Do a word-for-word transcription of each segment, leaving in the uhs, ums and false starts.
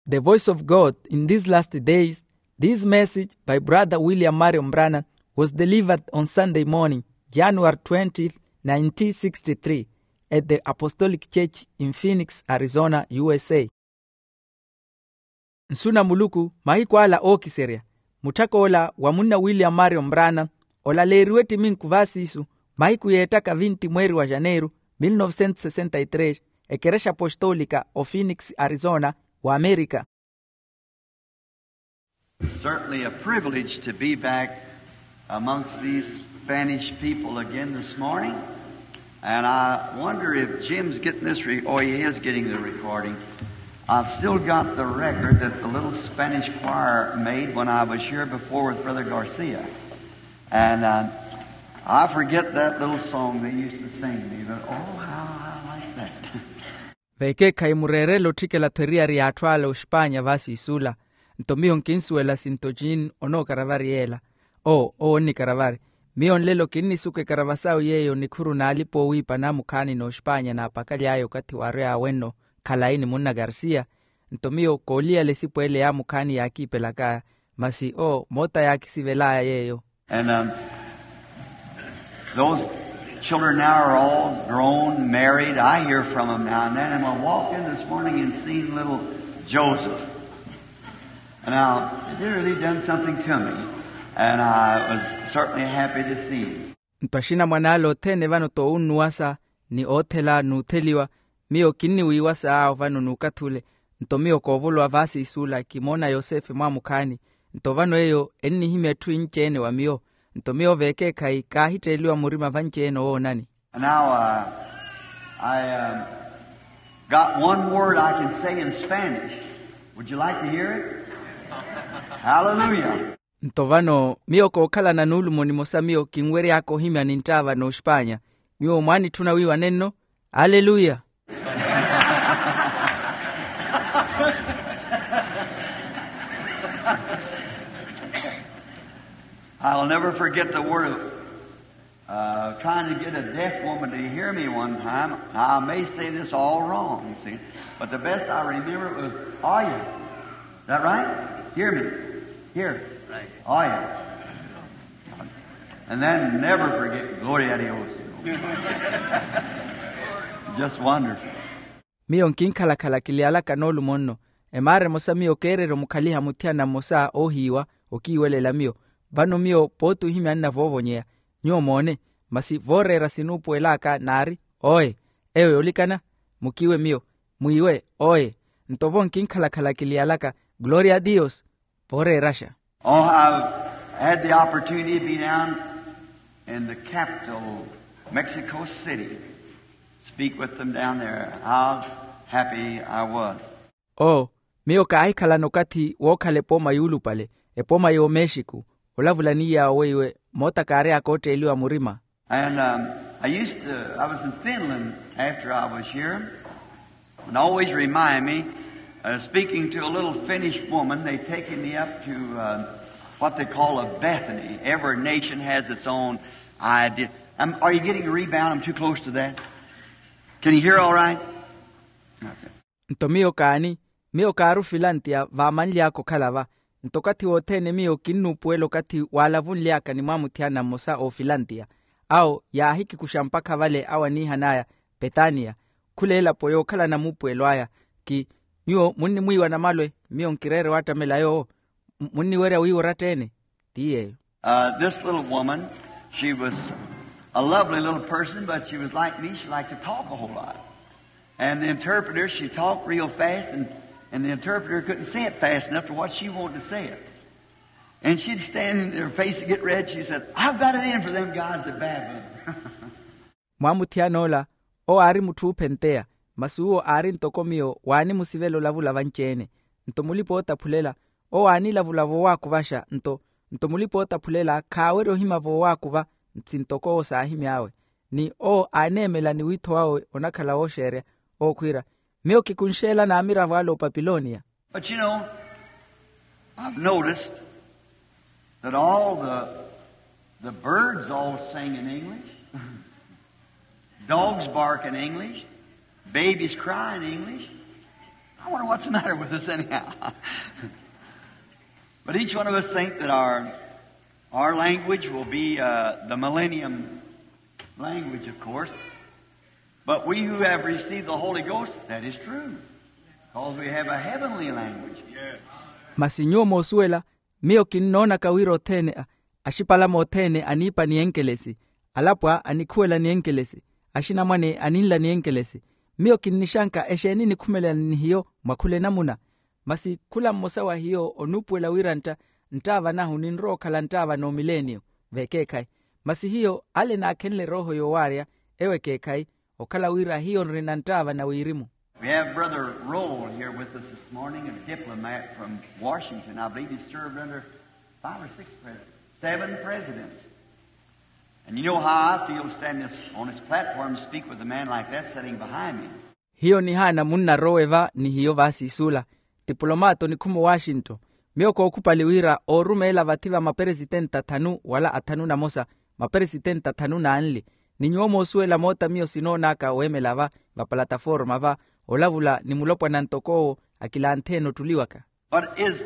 The Voice of God in These Last Days. This message by Brother William Marion Branham was delivered on Sunday morning, January twentieth, nineteen sixty-three, at the Apostolic Church in Phoenix, Arizona, U S A. Nsu na Muluku, mahiku ala ookiserya. Mutthakoola wa munna William Marion Branham, olaleeriwe ettiminku vaasiisu, mahiku yeettaka vinti mweeri wa Janeiru, mil novecentos sessenta y tres, ekerexa apostoolika o Phoenix, Arizona, wa Amerika. Certainly a privilege to be back amongst these Spanish people again this morning. And I wonder if Jim's getting this re-, oh, he is getting the recording. I've still got the record that the little Spanish choir made when I was here before with Brother Garcia. And uh, I forget that little song they used to sing me, but oh, how I like that. Veekeekhayi mureerele otthikela-tho eriyari y'atthu ala oxpaanya vaasiisula. Nto miyo nkinsuwela sinto jean onookaravari yeela. Oo owo onnikaravari. Miyo nlelo kinnisuka ekarava sawe yeeyo nikhuru n'alipa oowiipa namukhaani n'oxpaanya naapakaly'aya okathi waary'awe nno. Khalayi ni munna garcia. Nto miyo kooliyala esipu ele yaamukhaani yaakiipelak'aya. Masi oo moota yaakisivel'aya yeeyo. And um, those children now are all grown, married. I hear from them now and then, and I walked in this morning and seen little Joseph. And now, it really done something to me, and I was certainly happy to see him. Nto axinamwane ale othene vano toowunnuwasa ni oothela n'utheliwa. Miyo kinniwiiwasa awo vano n'ukathi ule. Nto miyo koovolowa vaasiisula kimoona yosefe mwaamukhaani. Nto vano eyo ennihimya etthu inci-ene wa miyo. Nto miyo veekeekhayi kaahitteeliwa murima vanci-ene owoonani. Now, uh, I um, got one word I can say in Spanish. Would you like to hear it? Hallelujah. Nto vano miyo kookhalana n'ulumo nimosa miyo kinwery'aka ohimya ninttaava n'oxpaanya. Nyuwo mwaanitthuna wiiwa nenno? Aleluya. I'll never forget the word of uh, trying to get a deaf woman to hear me one time. Now, I may say this all wrong, you see, but the best I remember it was, "Oye." Is that right? Hear me. Hear. Right. Oye. And then never forget, Gloria a Dios. Just wonderful. Miyo nkinkhalakhala kiliyalaka n'olumo nno. Emaara emosa miyo keererya omukhaliha muthiyana mmosa oohiiwa, okiiwelela miyo. Vano miyo pooti ohimya nnavoovonyeya. Nyuwo moone. Masi vooreera sinuupuwel'aka naari, oye. Eyo yoolikana. Mukiiwe miyo. Mwiiwe, oye. Nto vo nkinkhalakhala kiliyalaka, gloria a dios. Vooreeraxa. Oh, I've had the opportunity to be down in the capital, Mexico City, speak with them down there. How happy I was. Oo, miyo kaahikhalana okathi wookhala epooma yuulupale, epooma y'omexiku. Olavula ni yaawo weiwe moota kaary'aka ootteeliwa murima. And um, I used to, I was in Finland after I was here, and always remind me, uh, speaking to a little Finnish woman, they taken me up to uh, what they call a Bethany. Every nation has its own idea. Um, are you getting a rebound? I'm too close to that. Can you hear all right? That's it. Nto miyo kaani, miyo kaari ofilantiya vaamanly'aka okhala va. Nto okathi wothene miyo kinnuupuwela okathi waalavunly'aka ni mwaamuthiyana mmosa oofilantiya. Awo yaahikikuxa mpakha vale awo aniihan'aya petaniya. Khula elapo yookhalana muupuwelo aya. Ki nyuwo munnimwiiwa namalwe? Miyo nkireere waattamela yoowo. Munniwerya wiiwa oratta-ene? Ti yeeyo. Uh, this little woman, she was a lovely little person, but she was like me. She liked to talk a whole lot. And the interpreter, she talked real fast, and, and the interpreter couldn't say it fast enough to what she wanted to say it. And she'd stand in her face and get red. She said, "I've got it in for them guys at Babylon." Mwaamuthiyana ola, owo aari mutthu oophenteya. Masi uwo aari ntoko miyo waanimusivela olavula vanci-ene. Nto mulipa-ootaphulela, owo aanilavula voowaakuvaxa. Nto nto mulipa-ootaphulela khaawerya ohimya voowaakuva. Nsi ntoko owo saahimy'awe. Ni owo aaneemela ni wiitho wawe onakhala wooxeerya, owo khwiira, miyo kikunxeela n'amiravo ale opapiloniya. But you know, I've noticed that all the, the birds all sing in English. Dogs bark in English. Babies cry in English. I wonder what's the matter with us anyhow. But each one of us think that our, our language will be uh, the millennium language, of course. But we who have received the Holy Ghost, that is true, because we have a heavenly language. Masi nyuwo moosuwela, miyo kinnoonaka wira othene a axipalama othene aniipa ni enkelesi, alapwa anikhuwela ni enkelesi, axinamwane aninla ni enkelesi. Miyo kinnixanka exeeni nikhumelela ni hiyo mwa khula enamuna? Masi khula mmosa wa hiyo onuupuwela wira ntta nttaava nahu ninrowa okhala nttaava n'omileeniyo. Vekeekhayi. Masi hiyo ale naakhenle erooho yoowaarya, ewo ekeekhayi, okhala wira hiyo nrina nttaava na wirimu. We have Brother Roll here with us this morning, a diplomat from Washington. I believe he served under five or six presidents, seven presidents. And you know how I feel standing this, on this platform to speak with a man like that sitting behind me. Hiyo nihaana munnarowe va ni hiyo vaasiisuula, tipulomaato nikhumu washington. Miyo kookhupali wira oorumeela vathi va maperesitenti athanu wala athanu na mosa, maperesitenti athanu na anli. Ni nyuwo moosuwela moota miyo sinoonaka weemela va vapalataforma va, olavula ni mulopwana ntoko owo, akilanthe-ene ottuli waka. But his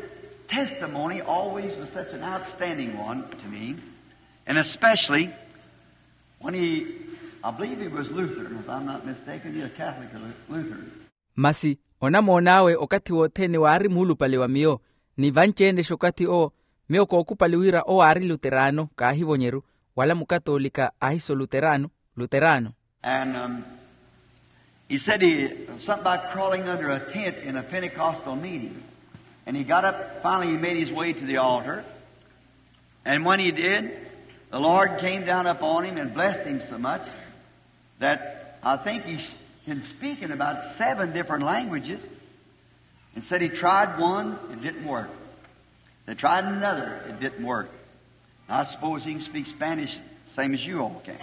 testimony always was such an outstanding one to me, and especially when he, I believe he was Lutheran, if I'm not mistaken, he was a Catholic Lutheran. Masi onamoon'awe okathi wothene waari muulupale wa miyo. Ni vanci-ene-xe okathi owo, miyo kookhupali wira owo aari luteraano kaahivonyeru, wala mukatoolika ahiso luteraano. Luteraano. And um, he said he, something about crawling under a tent in a Pentecostal meeting. And he got up, finally he made his way to the altar. And when he did, the Lord came down upon him and blessed him so much that I think he can speak in about seven different languages. And said he tried one, it didn't work. They tried another, it didn't work. I suppose he can speak Spanish same as you all can.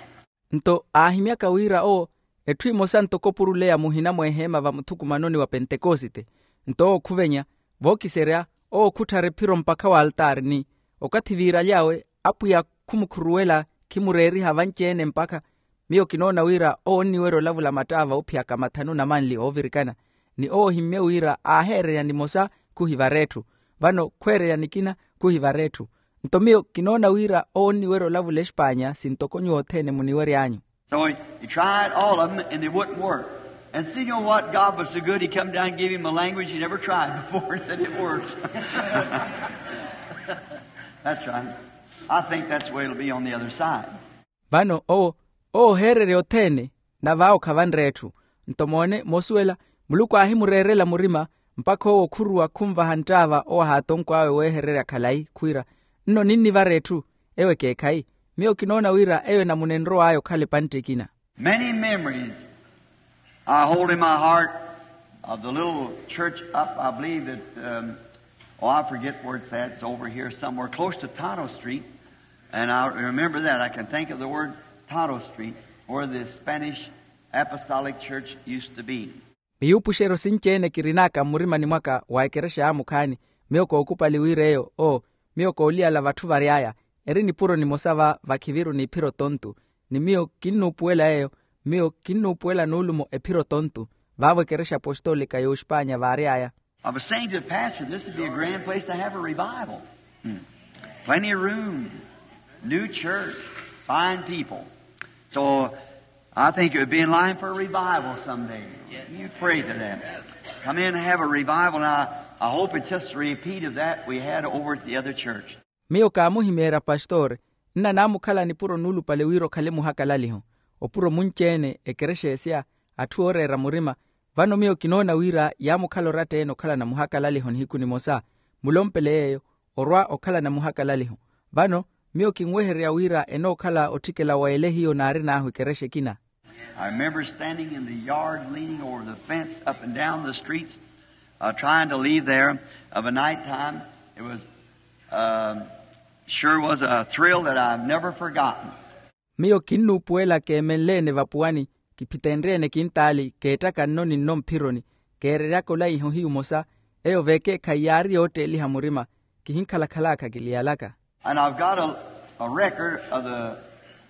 Nto aahimyaka wira owo, etthu emosa ntoko puruleya muhina mweeheema va muthukumanoni wa pentekosite. Nto owo khuvenya, vookiserya, owo khuttharya ephiro mpakha wa altaari ni, okathi viiraly'awe, apwiya khumukhuruwela, khimureeriha vanci-ene mpakha. Miyo kinoona wira owo onniwerya olavula mattaava oophiyaka mathanu na manli oovirikana. Ni owo ohimmye wira aaheereya nimosa, khuhivara etthu. Vano khweereya nikina, khuhivara etthu. Nto miyo kinoona wira owo onniwerya olavula expaanya sintoko nyuwo othene muniwery'anyu. So he, he tried all of them and they wouldn't work. And so you know what? God was so good, he come down and gave him a language he never tried before and said it works. That's right. I think that's the way it'll be on the other side. Vano owo, owo oheererya othene, nave awo khavanre etthu. Nto moone moosuwela, muluku aahimureerela murima, mpakha owo khuruwa khunvaha nttaava owo ahaatonkw'awe weehererya khalayi khwiira, nno ninnivara etthu. Ewo ekeekhayi. Miyo kinoona wira eyo enamuna enrow'aya okhala epantte ekina. Many memories I hold in my heart of the little church up, I believe that, um, oh, I forget where it's at. It's over here somewhere close to Tonto Street. And I remember that. I can think of the word Tonto Street, where the Spanish Apostolic Church used to be. Miyuupuxeryo sinci-ene kirin'aka mmurimani mwaka wa ekerexa yaamukhaani. Miyo kookupali wira eyo, oo, miyo kooliyala vatthu vary'aya. Eri nipuro nimosa va vakhiviru n'iphiro tontu. Ni miyo kinnuupuwela eyo. Miyo kinnuupuwela nuulumo ephiro tontu, vaavo ekerexa apostolika y'oxpaanya vaary'aya. I was saying to the pastor, this would be a grand place to have a revival. Plenty of room, new church, fine people. So I think it would be in line for a revival someday. You pray to that. Come in and have a revival. Now, I hope it's just a repeat of that we had over at the other church. Miyo kaamuhimeerya pastori, nna naamukhala nipuro nuulupale wira okhale muhakalaliho. Opuro munci-ene ekerexa esya, atthu ooreera murima. Vano miyo kinoona wira yaamukhala oratta-ene okhalana muhakalaliho nihiku nimosa. Mulompele yeeyo, orwa okhalana muhakalaliho. Vano miyo kinwehererya wira enookhala otthikela wa ele hiyo naarin'ahu ekerexa ekina. I remember standing in the yard, leaning over the fence up and down the streets, uh, trying to leave there of a night time. It was, um, sure was a thrill that I've never forgotten. Miyo kinnuupuwela keemenle-ene vapuwani, kiphitenrye-ene kintaali keettaka nno ni nno mphironi, keereryaka olaiha ohiyu omosa. Eyo veekeekhayi yaari yootteeliha murima. Kihinkhalakhal'aka kiliyalaka. And I've got a, a record of the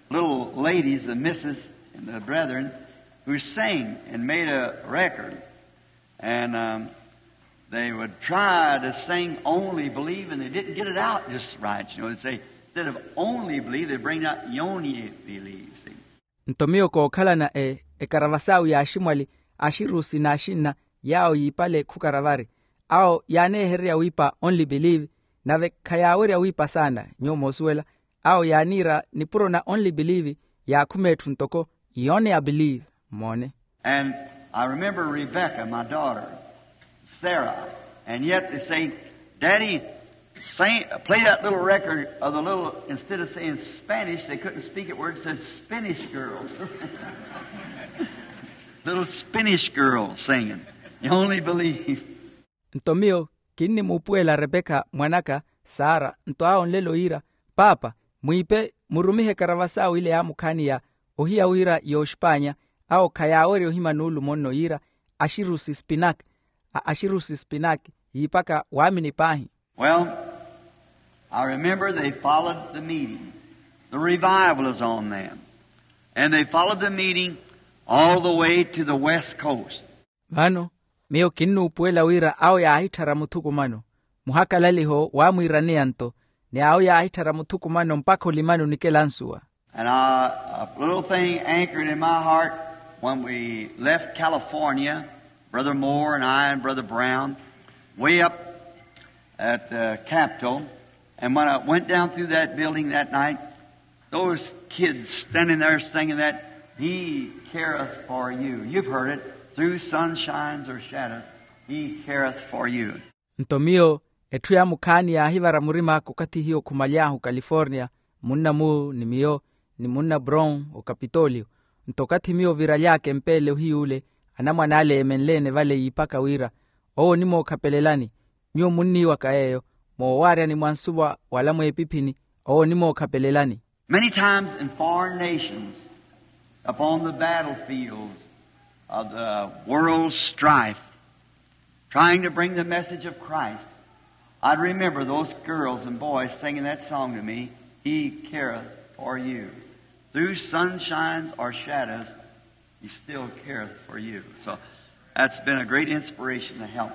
little ladies, the missus and the brethren, who sang and made a record. And, um, They would try to sing Only Believe, and they didn't get it out just right. You know, they say, instead of Only Believe, they bring out Yoni Believe, see? Nto miyo kookhalana e ekaravasaawe ya aximwali, axirusi n'axinna, yaawo yiipale khukaravari. Awo yaaneehererya wiipa only believe, nave khayaawerya wiipa saana. Nyuwo moosuwela, awo yaaniira nipuro na only believe, yaakhuma etthu ntoko yoni a believe. Moone. And I remember Rebecca, my daughter, Sarah, and yet they say, "Daddy, say, play that little record of the little," instead of saying Spanish, they couldn't speak it where it said Spanish girls. Little Spanish girls singing. You only believe. Nto miyo kinnimuupuwela rebeka mwan'aka, sara, nto awo nlelo yiira, paapa, mwiipe murumihe ekaravasaawe ile yaamukhaani ya ohiya wira y'oxipanya, awo khayaawerya ohima nuulumo nno yiira, axirusi spinak, a axirusi spinak, yiipaka waamini paahi. Well, I remember they followed the meeting. The revival is on them. And they followed the meeting all the way to the west coast. Vano miyo kinnuupuwela wira awo yaahitthara muthukumano, muhakalaliho waamwiiraneya nto, ni awo yaahitthara muthukumano mpakha olimani onikela nsuwa. And I, a little thing anchored in my heart when we left California, Brother Moore and I and Brother Brown, way up at the Capitol. And when I went down through that building that night, those kids standing there singing that, "He careth for you." You've heard it. "Through sunshines or shadows, He careth for you." Nto miyo etthu yaamukhaani yaahivara murim'aka okathi hiyo khumaly'ahu okaliforniya, munna mu ni miyo, ni munna brown okapitoliyo. Nto okathi miyo viraly'aka empeele ohiy'ule, anamwane ale eemenle-ene vale yiipaka wira, owo onimookhapelelani. Nyuwo munniiwaka yeeyo, moowaaryani mwa nsuwa wala mweepiphini, owo onimookhapelelani. Many times in foreign nations, upon the battlefields of the world's strife, trying to bring the message of Christ, I'd remember those girls and boys singing that song to me, "He careth for you. Through sunshines or shadows, He still careth for you." So that's been a great inspiration to help.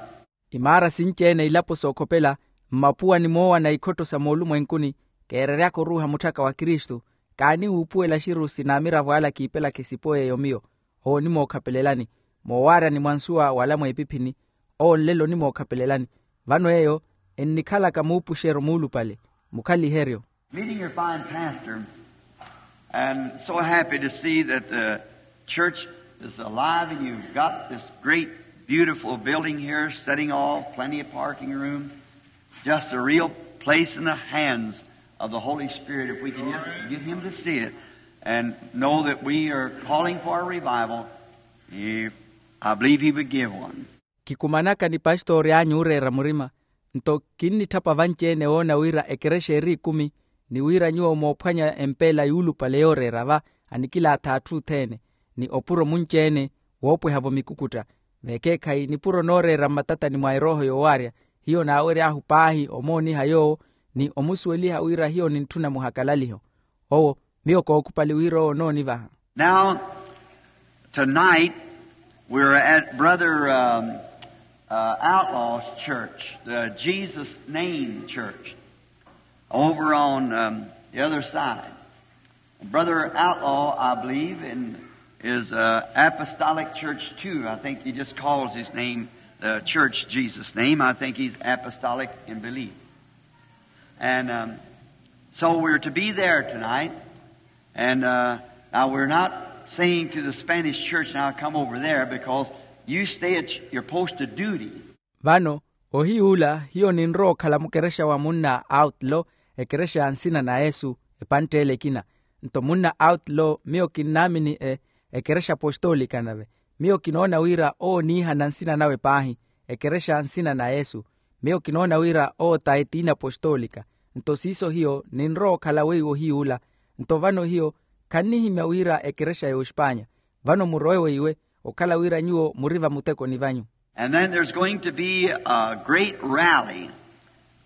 Imaara sinci-ene ilapo sookhopela, mmapuwa ni moowana ikhotto sa moolumwenkuni, keereryaka oruuha mutthaka wa kristu, kaaniwuupuwela axirusi n'amiravo ala kiipelaka esipo yeeyo miyo, owo onimookhapelelani. Moowaaryani mwa nsuwa wala mweepiphini, owo nlelo onimookhapelelani. Vano eyo ennikhalaka muupuxeryo muulupale, mukhaliheryo. Meeting your fine pastor, and so happy to see that the church is alive and you've got this great, beautiful building here, setting all, plenty of parking room. Just a real place in the hands of the Holy Spirit, if we can just get Him to see it and know that we are calling for a revival. He, I believe He would give one. Kikumanaka ni pastori anyu ooreera murima, nto kinnitthapa vanci-ene woona wira ekerexa eri ikumi, ni wira nyuwo moophwanya empeela yuulupale yooreera va, anikilaatha atthu othene, ni opuro munci-ene woopweha-vo mikukutta. Vekeekhayi nipuro nooreera mmatatani mwa erooho yoowaarya, hiyo naawery'ahu paahi omooniha yoowo, ni omusuweliha wira hiyo nintthuna muhakalaliho. Owo, miyo kookhupali wira owo onoonivaha. Now, tonight, we're at Brother, um, uh, Outlaw's church, the Jesus Name Church, over on, um, the other side. Brother Outlaw, I believe, in, is, uh, Apostolic Church too. I think he just calls his name, the church Jesus Name. I think he's apostolic in belief. And, um, so we're to be there tonight. And, uh, now we're not saying to the Spanish church, "Now come over there," because you stay at your post of duty. Vano, ohiy'ula, hiyo ninrowa okhala mukerexa wa munna Outlaw, ekerexa ya nsina na yesu, epantt'ele ekina. Nto munna Outlaw, miyo kinnaamini e ekerexa apostolika nave. Miyo kinoona wira owo oniihana nsina nawe paahi, ekerexa ya nsina na yesu. Miyo kinoona wira owo t'ayi t'inapositolika. Nto siiso hiyo ninrowa okhala weiwo ohiy'ula. Nto vano hiyo khannihimya wira ekerexa y'oxipanya. Vano murowe weiwe, okhala wira nyuwo muri vamutekoni vanyu. And then there's going to be a great rally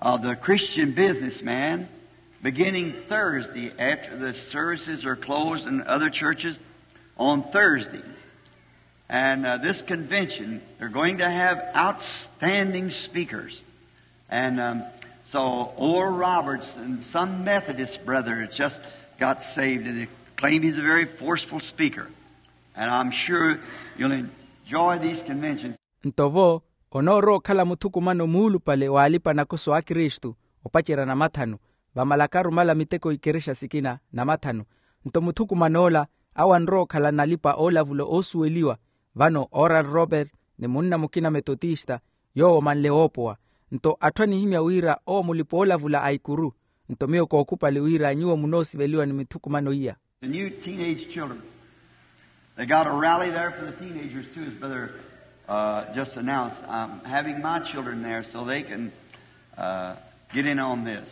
of the Christian businessmen beginning Thursday after the services are closed in other churches on Thursday. And this convention, they're going to have outstanding speakers. And so Oral Roberts and some Methodist brother just got saved, and they claim he's a very forceful speaker. And I'm sure you'll enjoy these conventions. Nto vo, onoorowa okhala muthukumano muulupale w'alipa-nakoso a kristu, opacerya namathanu, vamalaka arumala miteko ikerexa sikina namathanu. Nto muthukuman'ola, awo anrowa okhala nalipa oolavula oosuweliwa. Vano oral robert, ni munna mukina metotista, yoowo omanle woopowa. Nto atthu anihimya wira owo mulipa oolavula a ikuru. Nto miyo kookhupali wira nyuwo munoosiveliwa ni mithukumano iya. The new teenage children. They got a rally there for the teenagers too, as brother just announced. I'm having my children there so they can get in on this.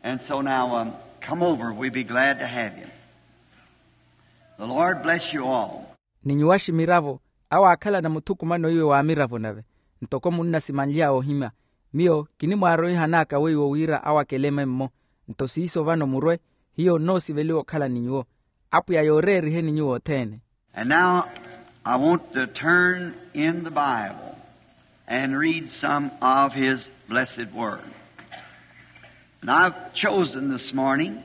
And so now come over, we'll be glad to have you. The Lord bless you all. Ni nyuwaxi miravo, awo aakhalana muthukumano iwe wa miravo nave. Ntoko munnasimanly'awe ohimya, miyo kinimwaaroihan'aka weiwo wira awo akeleme-mmo. Nto siiso vano murwe, hiyo nnoosiveliwa okhala ni nyuwo. Apwiya yooreeriheni nyuwo othene. And now I want to turn in the Bible and read some of his blessed word. And I've chosen this morning,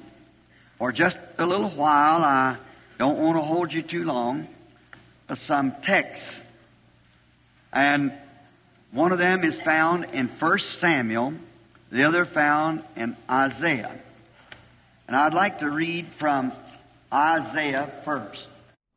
for just a little while, I don't want to hold you too long, some texts. And one of them is found in First Samuel, the other found in Isaiah. And I'd like to read from Isaiah first.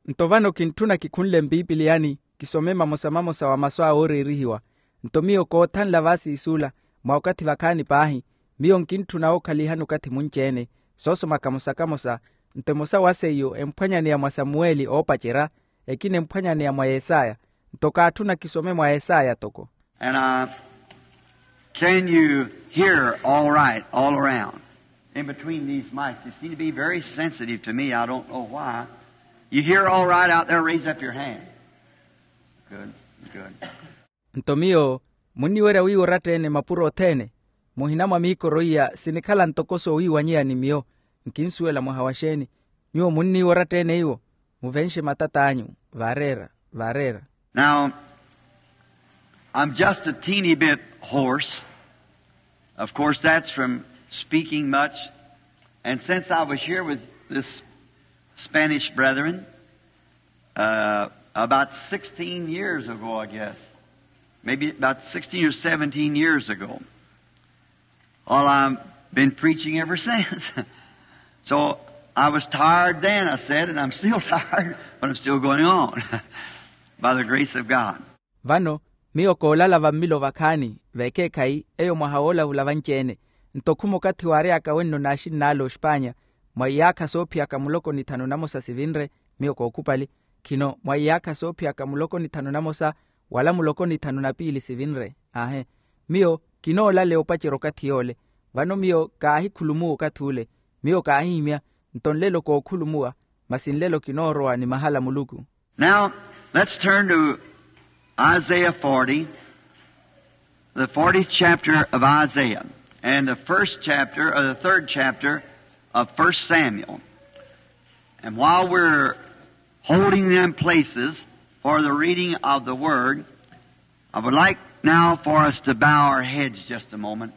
Nto vano kintthuna kikhunle mpipiliyani, kisome mamosa mamosa wa masu a wooreerihiwa. Nto miyo koothanla vaasiis'ula, mwa okathi vakhaani paahi, miyo nkintthuna wookhalihani okathi munci-ene, soosoma kamosa kamosa. Nto emosa wa seiyo emphwanyaneya mwa samuweli oopacerya, ekina emphwanyaneya mwa yesaya. Nto kaatthuna kisome mwa yesaya toko. And can you hear all right all around? In between these mics, you seem to be very sensitive to me. I don't know why. You hear all right out there? Raise up your hand. Good, good. Nto miyo munniwerya wiiwa oratta-ene mapuro othene? Muhina mwa miikoro iya sinikhala ntoko soowiiwanyeya ni miyo. Nkinsuwela mwaha wa xeeni? Nyuwo munniiwa oratta-ene iwo, muvenxe matat'anyu. Vaareera, vaareera. Now, I'm just a teeny bit hoarse. Of course that's from speaking much. And since I was here with this Spanish brethren about sixteen years ago, I guess, maybe about sixteen or seventeen years ago, all I've been preaching ever since. So I was tired then, I said, and I'm still tired, but I'm still going on by the grace of God. Vano miyo koolala vammilo vakhaani, vekeekhayi eyo mwaha woolavula vanci-ene. Nto khuma okathi waary'aka wenno n'axinn'ale oxpaanya, mwa iyaakha soophiyaka muloko ni thanu na mosa sivinre. Miyo kookhupali, khino mwa iyaakha soophiyaka muloko ni thanu na mosa, wala muloko ni thanu na piili sivinre. Aahe. Miyo kinoolaleya opacerya okathi yoole. Vano miyo kaahikhulumuwa okathi ule. Miyo kaahihimya. Nto nlelo kookhulumuwa, masi nlelo kinoorowa ni mahala a muluku. Now, let's turn to Isaiah forty, the fortieth chapter of Isaiah, and the first chapter, or the third chapter of First Samuel. And while we're holding them places for the reading of the word, I would like now for us to bow our heads just a moment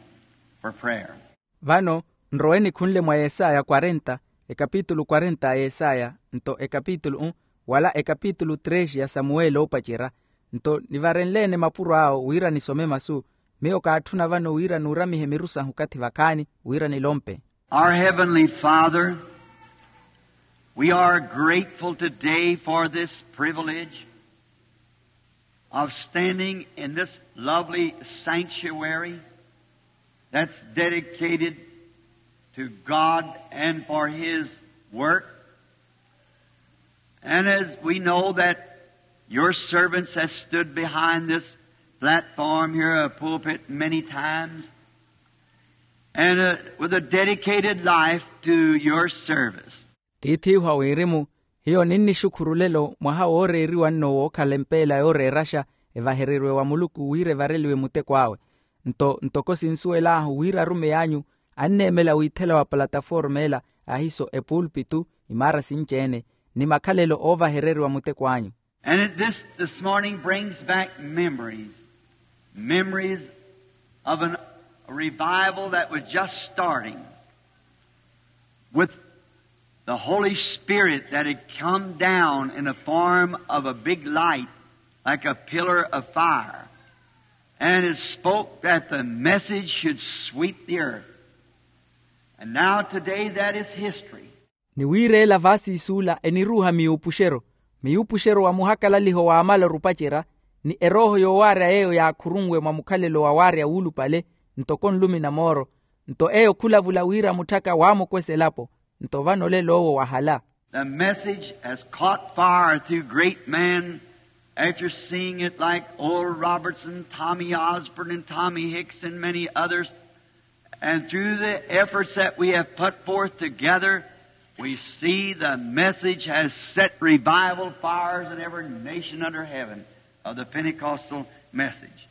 for prayer. Vano nrowe nikhunle mwa yesaya quarenta, ekapitulu quarenta a yesaya, nto ekapitulu un, wala ekapitulu trexi ya samuweli oopacerya. Nto nivarenle-ene mapuro awo wira nisome masu. Miyo kaatthuna vano wira nuuramihe miru sahu okathi vakhaani wira nilompe. Our heavenly Father, we are grateful today for this privilege of standing in this lovely sanctuary that's dedicated to God and for His work. And as we know that your servants have stood behind this platform here, a pulpit, many times, and with a dedicated life to your service. Tiith'ihu a wirimu, hiyo ninnixukhuru lelo mwaha wooreeriwa nno wookhala empeela yooreeraxa evahereriwe wa muluku wira evareliwe muteko awe. Nto ntoko sinsuwel'ahu wira arumeyi anyu anneemela wiithela wa palataforma ela, ahiso epulpitu, imaara sinci-ene, ni makhalelo oovahereriwa muteko anyu. And it, this, this morning brings back memories, memories of an, a revival that was just starting, with the Holy Spirit that had come down in the form of a big light, like a pillar of fire, and it spoke that the message should sweep the earth. And now today that is history. Ni wiireela vaasiisuula eniruuha miyuupuxero, miyuupuxero wa muhakalaliho waamala orupacerya, ni erooho yoowaarya yeeyo yaakhurunwe mwa mukhalelo wa waarya wuulupale, ntoko nlumi na mooro. Nto eyo khulavula wira mutthaka waamukwesa elapo. Nto vano olelo owo wahala. The message has caught fire through great men, after seeing it, like Oral Roberts and Tommy Osborn and Tommy Hicks and many others. And through the efforts that we have put forth together, we see the message has set revival fires in every nation under heaven of the Pentecostal message.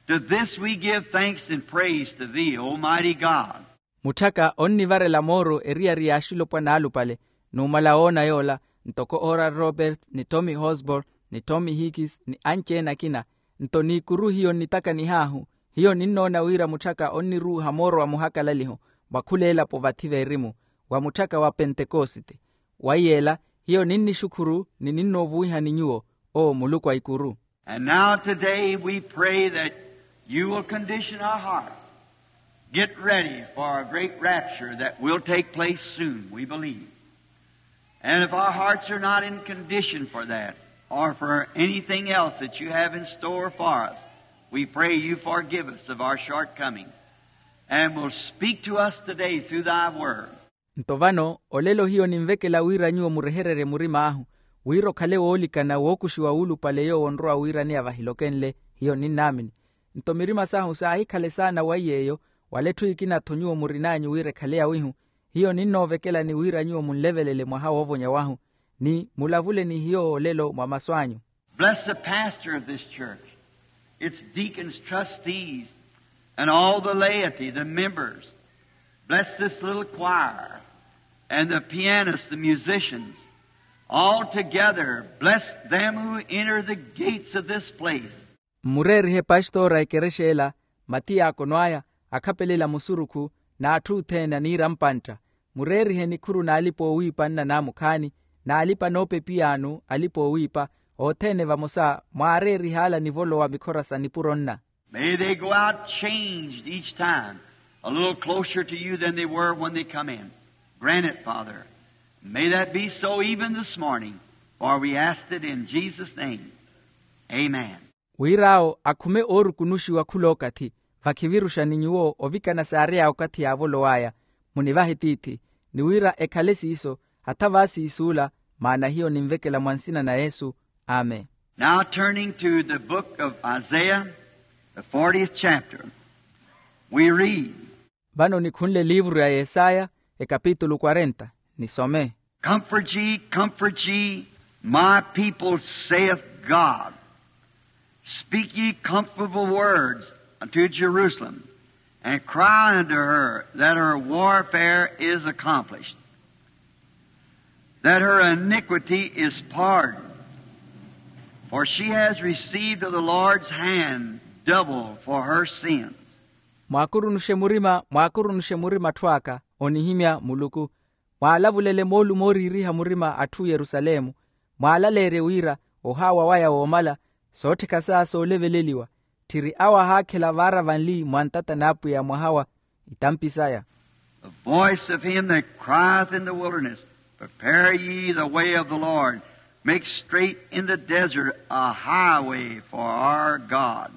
To this we give thanks and praise to Thee, Almighty God. Mutthaka onnivarela mooro eriyari ya axilopwana alupale, numala woona yoola, ntoko Oral Roberts ni Tommy Osborn ni Tommy Hicks ni anci-ene akina. Nto n'ikuru hiyo nnitakanih'ahu, hiyo ninnoona wira mutthaka onniruuha mooro wa muhakalaliho, mwa khula elapo vathi veerimu, wa mutthaka wa pentekosite. Wa yeela, hiyo ninnixukhuru ni ninnoovuwihani nyuwo, o muluku a ikuru. And now today we pray that you will condition our hearts, get ready for a great rapture that will take place soon, we believe. And if our hearts are not in condition for that, or for anything else that you have in store for us, we pray you forgive us of our shortcomings, and will speak to us today through Thy Word. Nto vano olelo hiyo ninvekela wira nyuwo murehererye murim'ahu, wira okhale woolikana wookuxiwa wuulupale yoowo onrowa wiiraneya vahilokenle. Hiyo ninnaamini. Nto mirima sahu saahikhale saana wa iy'eyo, wala etthu ekina-tho nyuwo murin'anyu wira ekhale yawihu. Hiyo ninnoovekelani wira nyuwo munlevelele mwaha woovonya wahu, ni mulavule ni hiyo olelo mwa masu anyu. Bless the pastor of this church, its deacons, trustees, and all the laity, the members. Bless this little choir and the pianists, the musicians. All together, bless them who enter the gates of this place. Mmureerihe pastora a ekerexa ela, matiyaakono aya, akhapelela musurukhu, n'atthu othene aniira mpantta. Mureerihe nikhuru n'alipa-oowiipa nna naamukhaani, n'alipa-noopepiyaano, alipa-oowiipa, othene vamosa, mwaareerihaala nivolowa mikhora sa nipuro nna. May they go out changed each time, a little closer to you than they were when they come in. Grant it, Father. May that be so even this morning, for we ask it in Jesus' name. Amen. Wir'awo akhume oorukunuxiwa khul'okathi, vakhiviruxani nyuwo ovikana saary'aya okathi yaavolow'aya. Munivahe tiithi, ni wira ekhale siiso, hatha vaasiisuula, maana hiyo ninvekela mwa nsina na yesu. Amen. Now turning to the book of Isaiah, the fortieth chapter, we read, Vano nikhunle eliivuru ya yesaya, ekapitulu kwarenta, nisome. Comfort ye, comfort ye, my people, saith God. Speak ye comfortable words unto Jerusalem, and cry unto her that her warfare is accomplished, that her iniquity is pardoned, for she has received of the Lord's hand double for her sins. Mwaakurunuxe murima, mwaakurunuxe murima atthu aka, onihimya muluku. Mwaalavulele moolumo ooriiriha murima atthu yerusalemu. Mwaalaleerye wira, ohaawa waya woomala, soottheka saya sooleveleliwa. Tthiri awo ahaakhela vaara vanli mwa ntata n'apwiya mwaha wa itampi saya. The voice of him that crieth in the wilderness, prepare ye the way of the Lord, make straight in the desert a highway for our God.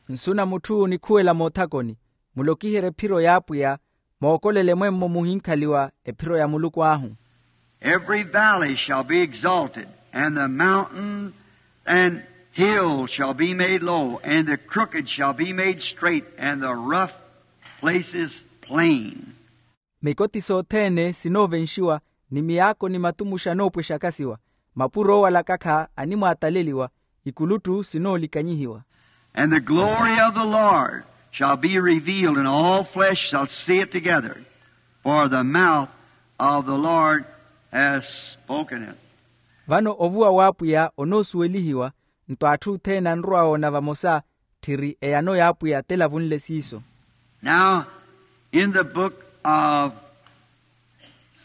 Nsu na mutthu nikhuwela moothakoni, mulokiherye ephiro y'apwiya, mookolele mwemmo muhinkhaliwa ephiro ya muluku ahu. Every valley shall be exalted, and the mountain and hill shall be made low, and the crooked shall be made straight, and the rough places plain. Mikoti sothene sinoovenxiwa, ni miyaako ni matumuxa anoopwexakasiwa, mapuro oowalakakha animwaataleliwa, ikuluttu sinoolikanyihiwa. And the glory of the Lord shall be revealed, and all flesh shall see it together, for the mouth of the Lord has spoken it. Vano ovuwa w'apwiya onoosuwelihiwa. Nto atthu othene anrowa woona vamosa, tthiri eyano y'apwiya telavunle siiso. Now, in the book of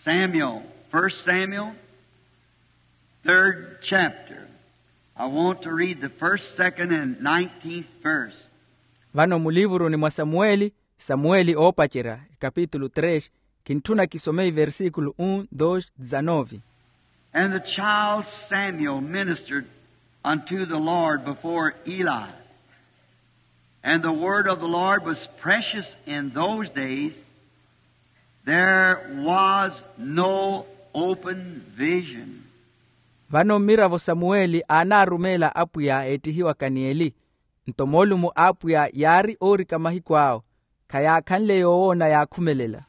Samuel, First Samuel, third chapter, I want to read the first, second, and nineteenth verse. Vano mulivuruni mwa samuweli, samuweli oopacerya, ekapitulu tres, kintthuna kisome iversikulu un dos dizanove. And the child Samuel ministered unto the Lord before Eli. And the word of the Lord was precious in those days. There was no open vision. Vano mmiravo samuweli aanaarumeela apwiya eettihiwaka ni eli. Nto moolumo a apwiya yaari oorika mahiku awo, khayaakhanle yoowoona yaakhumelela.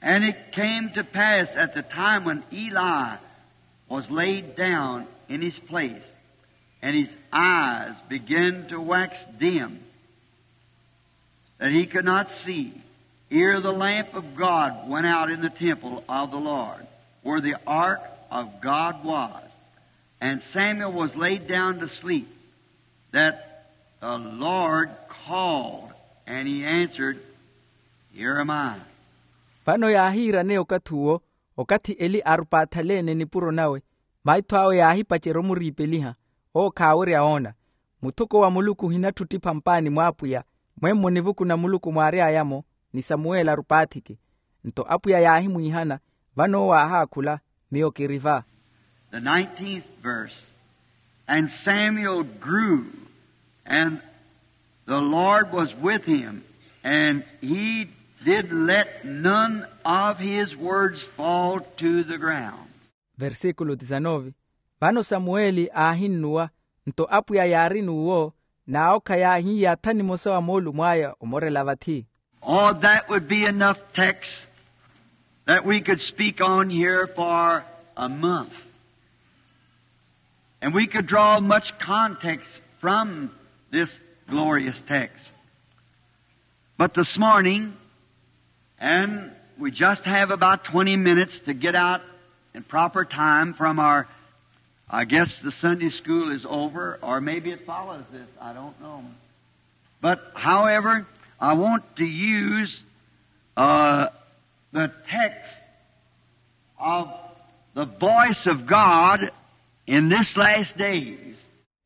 And it came to pass at the time when Eli was laid down in his place, and his eyes began to wax dim, that he could not see, ere the lamp of God went out in the temple of the Lord, where the ark of God was. And Samuel was laid down to sleep, that the Lord called, and he answered, Here am I. Vano yaahiiraneya okathi uwo, okathi eli arupaathalene nipuro nawe, maitho awe yaahipacerya omuriipeliha, owo khaawerya woona. Muthoko wa muluku ohinatthuttipha mpaani mw'apwiya, mwemmo nivukuna muluku mwaary'aya-mo, ni samuweli arupaathike. Nto apwiya yaahimwiihana, vano owo aahaakhula, miyo kiri va. The nineteenth verse. And Samuel grew, and the Lord was with him, and he did let none of his words fall to the ground. Versikulu dizanove. Vano samuweli aahinnuwa, nto apwiya yaari n'uwo, n'awo khayaahiiyatha nimosa wa moolumo aya omorela vathi. Oh, that would be enough text that we could speak on here for a month. And we could draw much context from this glorious text. But this morning, and we just have about twenty minutes to get out in proper time from our, I guess the Sunday school is over, or maybe it follows this, I don't know. But, however, I want to use, uh, the text of the voice of God in this last days.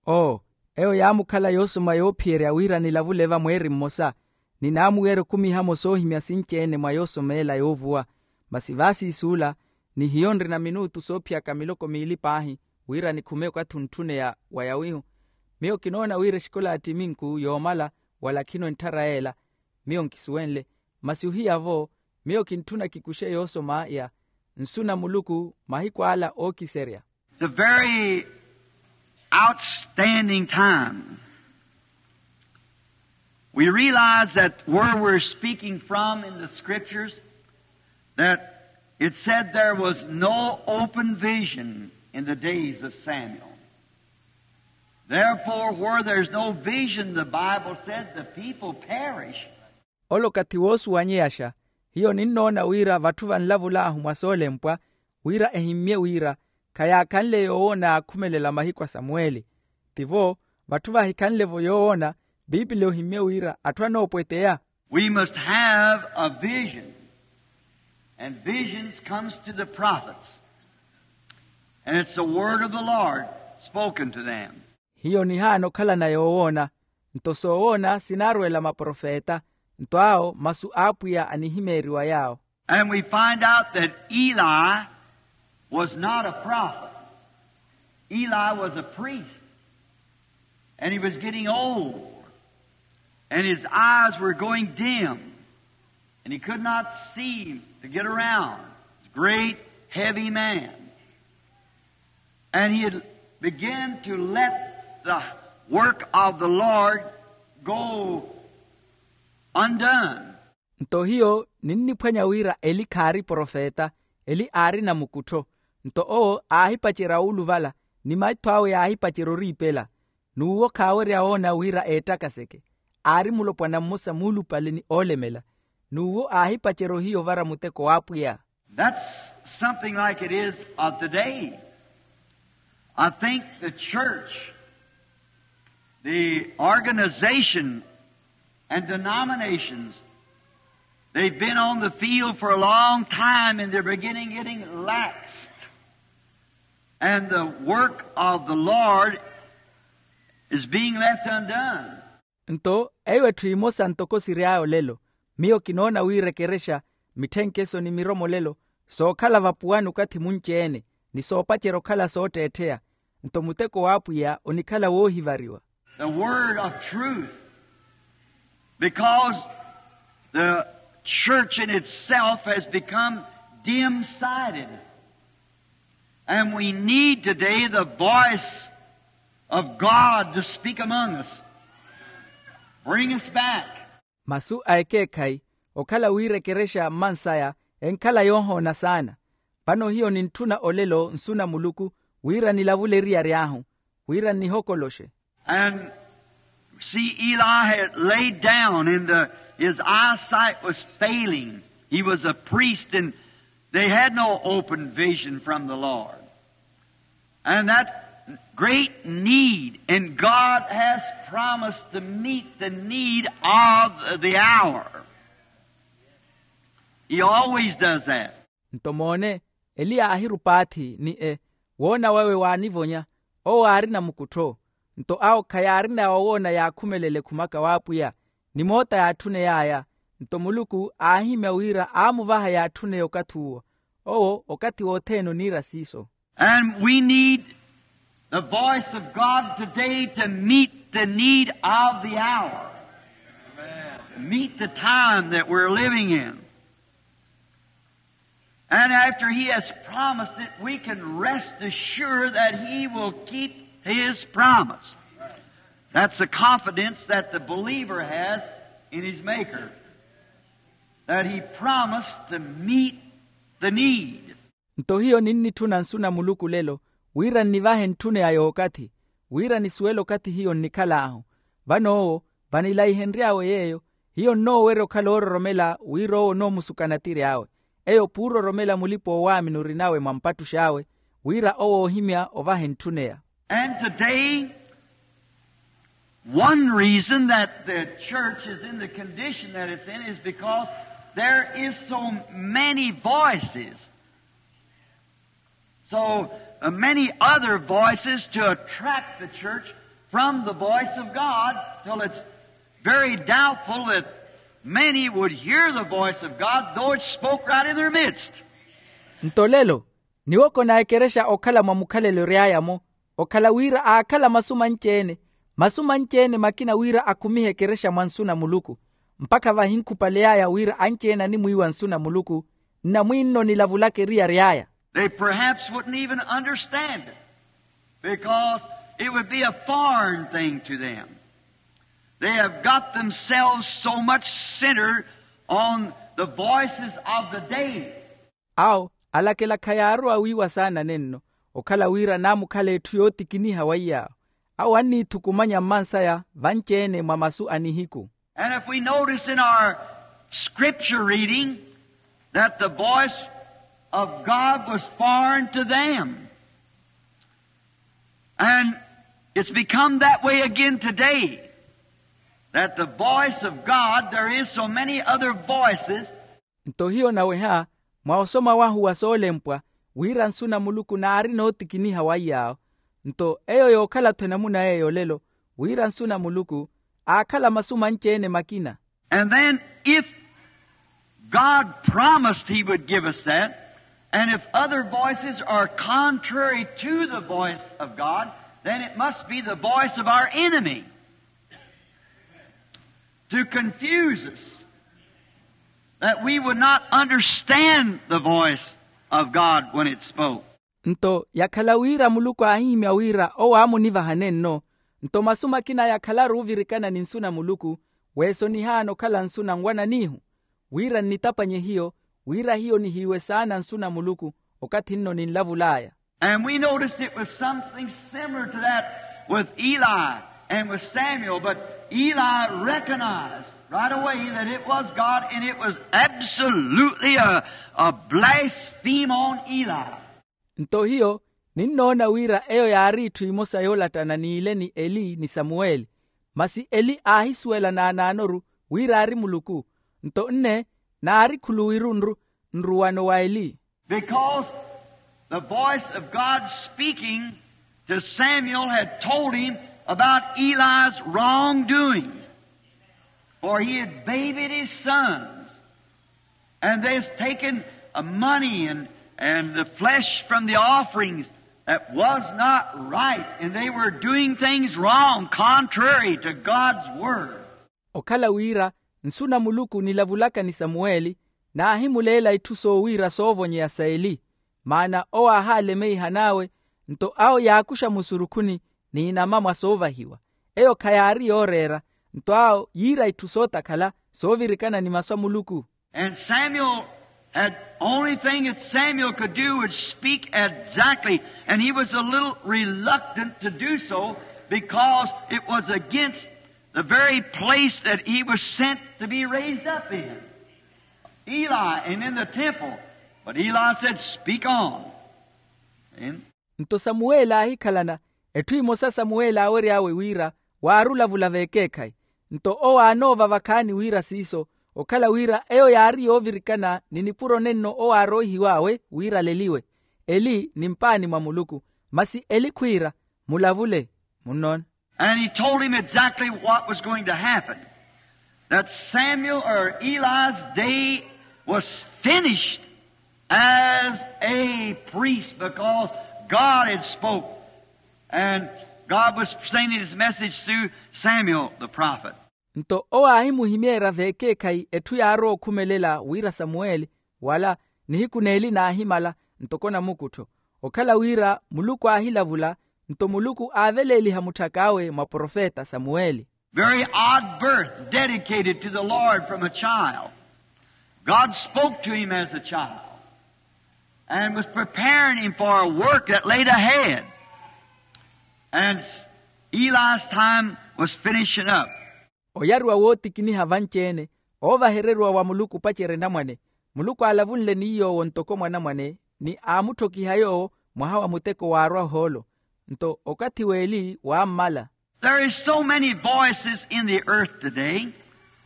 Oo, eyo yaamukhala yoosoma yoophiyerya wira nilavule vamweeri mmosa, ni naamuweerya okhumiha-mo soohimya sinci-ene mwa yoosomeela yoovuwa. Masi vaasiisuula, ni hiyo nrina minutu soophiyaka miloko miili paahi, wira nikhume okathi ontthuneya wa yawihu. Miyo kinoona wira exikola ya ttiminku yoomala, wala khino entthara yeela. Miyo nkisuwenle, masi ohiya-vo, miyo kintthuna kikuxe yoosomaya nsu na muluku mahiku ala ookiserya. It's a very outstanding time. We realize that where we're speaking from in the scriptures, that it said there was no open vision in the days of Samuel. Therefore, where there's no vision, the Bible said, the people perish. Ole okathi woosuwanyeyaxa. Hiyo ninnoona wira vatthu vanlavul'ahu mwa soolempwa, wira ehimmye wira khayaakhanle yoowoona yaakhumelela mahiku a samuweli. Tivo, vatthu vahikhanle-vo yoowoona, piipili ohimmye wira atthu anoopweteya. We must have a vision. And visions comes to the prophets. And it's the word of the Lord spoken to them. Hiyo nihaana okhalana yoowoona, nto soowoona sinaarwela maprofeta, nto awo masu a apwiya anihimeeriwa yaawo. And we find out that Eli was not a prophet. Eli was a priest. And he was getting old. And his eyes were going dim. And he could not see to get around. He's a great, heavy man. And he had began to let the work of the Lord go undone. Nto hiyo ninniphwanya wira eli khaari profeta, eli aari namukuttho. Nto owo aahipacerya wuuluvala, ni maitho awe yaahipacerya oriipela. N'uwo khaawerya woona wira eettakaseke. Aari mulopwana mmosa muulupale ni oolemela. N'uwo aahipacerya ohiya ovara muteko w'apwiya. That's something like it is of today. I think the church, the organization and denominations, they've been on the field for a long time and they're beginning getting laxed. And the work of the Lord is being left undone. Nto eyo etthu emosa ntoko siry'aya olelo. Miyo kinoona wira ekerexa, mitthenkeso ni miromolelo sookhala vapuwani okathi munci-ene, ni soopacerya okhala sootteettheya. Nto muteko w'apwiya onikhala woohivariwa. The word of truth, because the church in itself has become dim-sighted. And we need today the voice of God to speak among us, bring us back. Masu a ekeekhayi, okhala wira ekerexa mmansaya enkhala yoohoona saana. Vano hiyo nintthuna olelo nsu na muluku, wira nilavule eriyari ahu, wira nnihokoloxe. And see, Eli had laid down, and the, his eyesight was failing. He was a priest, and they had no open vision from the Lord. And that great need, and God has promised to meet the need of the hour. He always does that. Nto moone, eliya aahirupaathi ni e woona wawe waanivonya. Owo aarina mukuttho. Nto awo khayaarina owoona yaakhumelele ekhumaka w'apwiya, ni moota yaatthuney'aya. Nto muluku aahimya wira aamuvaha yaatthuneye okathi uwo. Owo okathi wothene oniira siiso. And we need the voice of God today to meet the need of the hour, meet the time that we're living in. And after he has promised it, we can rest assured that he will keep his promise. That's the confidence that the believer has in his Maker, that he promised to meet the need. Nto hiyo ninnitthuna nsu na muluku lelo, wira nnivahe ntthuneya yookathi, wira nisuwele okathi hiyo nnikhal'ahu. Vano owo, vanilaihenry'awe yeeyo, hiyo nnoowerya okhala oororomela wira owo onoomusukana tiri awe. Eyo p'uroromela mulipa-oowaamini orinawe mwa mpattux'awe, wira owo oohimya ovahe ntthuneya. And today, one reason that the church is in the condition that it's in is because there is so many voices, so uh, many other voices to attract the church from the voice of God, till it's very doubtful that many would hear the voice of God, though it spoke right in their midst. Nto lelo, niwokona ekerexa okhala mwa mukhalelo ery'aya-mo, okhala wira aakhala masu manci-ene, masu manci-ene makina wira akhumihe ekerexa mwa nsu na muluku, mpakha vahinkhupaley'aya wira anci-ene animwiiwa nsu na muluku, nnamwiinno nilavulaka eriyari aya. They perhaps wouldn't even understand it, because it would be a foreign thing to them. They have got themselves so much centered on the voices of the day. Awo alakela khayaarowa wiiwa saana nenno, okhala wira naamukhala etthu yootikiniha wa iyaawo. Awo anniithukumanya mmansaya vanci-ene mwa masu a nihiku. And if we notice in our scripture reading that the voice of God was foreign to them, and it's become that way again today, that the voice of God, there is so many other voices. Nto hiyo naweha, mwa osoma wahu wa soolempwa, wira nsu na muluku naari nootikiniha wa iyaawo. Nto eyo yookhala-tho enamuna eyo lelo, wira nsu na muluku aakhala masu manci-ene makina. And then if God promised he would give us that, and if other voices are contrary to the voice of God, then it must be the voice of our enemy to confuse us, that we would not understand the voice of God when it spoke. Nto yakhala wira muluku aahihimya wira owo aamunivaha nenno, nto masu makina yakhalaru ovirikana ni nsu na muluku, weesonihaana okhala nsu na nwananihu, wira nnitapanye hiyo, wira hiyo nihiiwe saana nsu na muluku okathi nno ninlavul'aya. And we notice it was something similar to that with Eli and with Samuel, but Eli recognized right away that it was God, and it was absolutely a, a blaspheme on Eli. Nto hiyo Ninnoona wira eyo yaari itthu imosa yoolattana n'ile ni eli ni samuweli. Masi eli aahisuwela naanaanoru wira aari muluku. Nto nne naari khuluwiru nru nruwano wa eli. Because the voice of God speaking to Samuel had told him about Eli's wrongdoings, for he had babied his sons, and they had taken a money and, and the flesh from the offerings that was not right, and they were doing things wrong, contrary to God's word. Okhala wira nsu na muluku nilavulaka ni samuweli, naahimuleela itthu soowiira soovonyeya sa eli. Maana owo aahaalemeihan'awe, nto awo yaakuxa musurukhuni n'inama mwa soovahiwa. Eyo khayaari yooreera, nto awo yiira itthu sootakhala soovirikana ni masu a muluku. And Samuel had, only thing that Samuel could do would speak exactly, and he was a little reluctant to do so because it was against the very place that he was sent to be raised up in, Eli, and in the temple. But Eli said, "Speak on." Amen. Nto samuweli aahikhalana, etthu imosa samuweli aawery'awe wira waari olavula v'ekeekhayi. Nto owo aanoova vakhaani wira siiso, okhala wira eyo yaari yoovirikana ni nipuro nenno owo aaroohiw'awe wira aleliwe. Eli ni mpaani mwa muluku. Masi eli khwiira, mulavule. Munnoona. And he told him exactly what was going to happen, that Samuel, or Eli's day, was finished as a priest, because God had spoke, and God was sending his message through Samuel the prophet. Nto owo aahimuhimeerya v'ekeekhayi etthu yaarowa okhumelela wira samuweli, wala nihiku n'eli naahimala ntoko namukuttho, okhala wira muluku aahilavula. Nto muluku aaveleeliha mutthak'awe mwa profeta samuweli. Very odd birth, dedicated to the Lord from a child. God spoke to him as a child and was preparing him for a work that laid ahead. And Eli's time was finishing up. Oyariwa wootikiniha vanci-ene, oovahereriwa wa muluku opacerya enamwane. Muluku aalavunle ni yoowo ntoko mwanamwane, ni aamuttokiha yoowo mwaha wa muteko waarwa ohoolo. Nto okathi w'eli waammala. There is so many voices in the earth today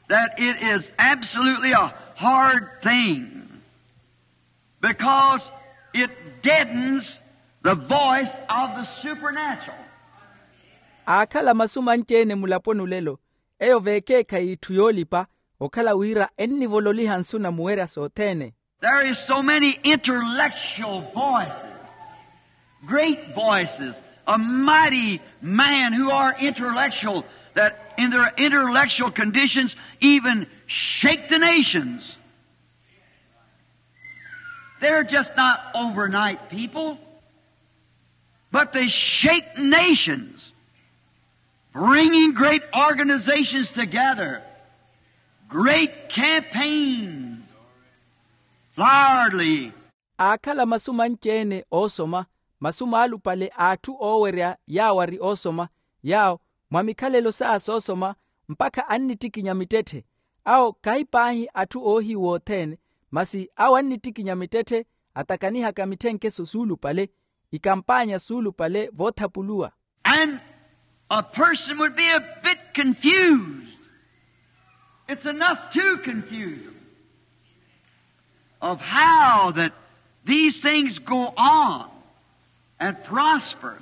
that it is absolutely a hard thing, because it deadens the voice of the supernatural. Aakhala masu manci-ene mulaponi olelo, eyo v'ekeekhayi itthu yoolipa, okhala wira ennivololiha nsu na muwerya sothene. There is so many intellectual voices, great voices, a mighty man who are intellectual, that in their intellectual conditions even shake the nations. They're just not overnight people, but they shake nations, bringing great organizations together, great campaigns, flowery. Aakhala masu manci-ene oosoma, masu maalupale a atthu oowerya yaawo ari oosoma, yaawo mwa mikhalelo s'aya soosoma, mpakha annittikinya mittetthe. Awo khahi paahi atthu oohiwa othene, masi awo annittikinya mittetthe, atakanihaka mitthenkeso suulupale, ikampaanya suulupale voothapuluwa. And a person would be a bit confused. It's enough to confuse them of how that these things go on and prosper.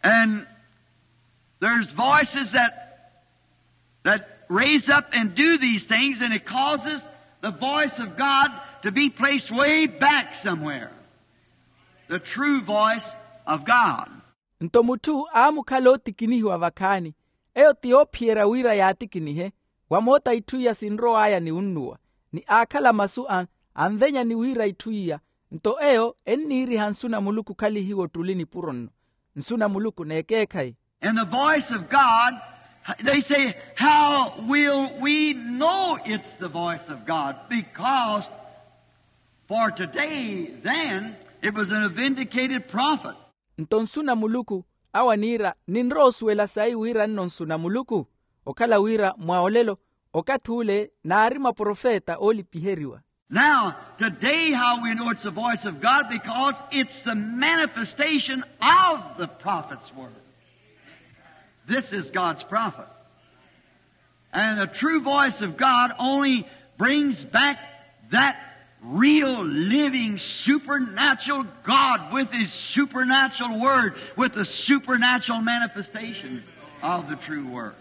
And there's voices that that raise up and do these things, and it causes the voice of God to be placed way back somewhere. The true voice of God. Nto mutthu aamukhala ootikinihiwa vakhaani, eyo ti yoophiyerya wira yaatikinihe, wamoota itthu iya sinrow'aya ni wunnuwa, ni aakhala masu a anvenyani wira itthu iya. Nto eyo enniiriha nsu na muluku khalihiwa ottuli nipuro nno. Nsu na muluku n'ekeekhayi. And the voice of God, they say, "How will we know it's the voice of God?" Because for today, then, it was a vindicated prophet. Nto nsu na muluku, awo aniira, ninrowa osuwela sayi wira nno nsu na muluku? Okhala wira mwa olelo, okathi ule naari maprofeta oolipiheriwa. Now, today, how we know it's the voice of God? Because it's the manifestation of the prophet's word. This is God's prophet. And the true voice of God only brings back that real, living, supernatural God with his supernatural word, with the supernatural manifestation of the true word.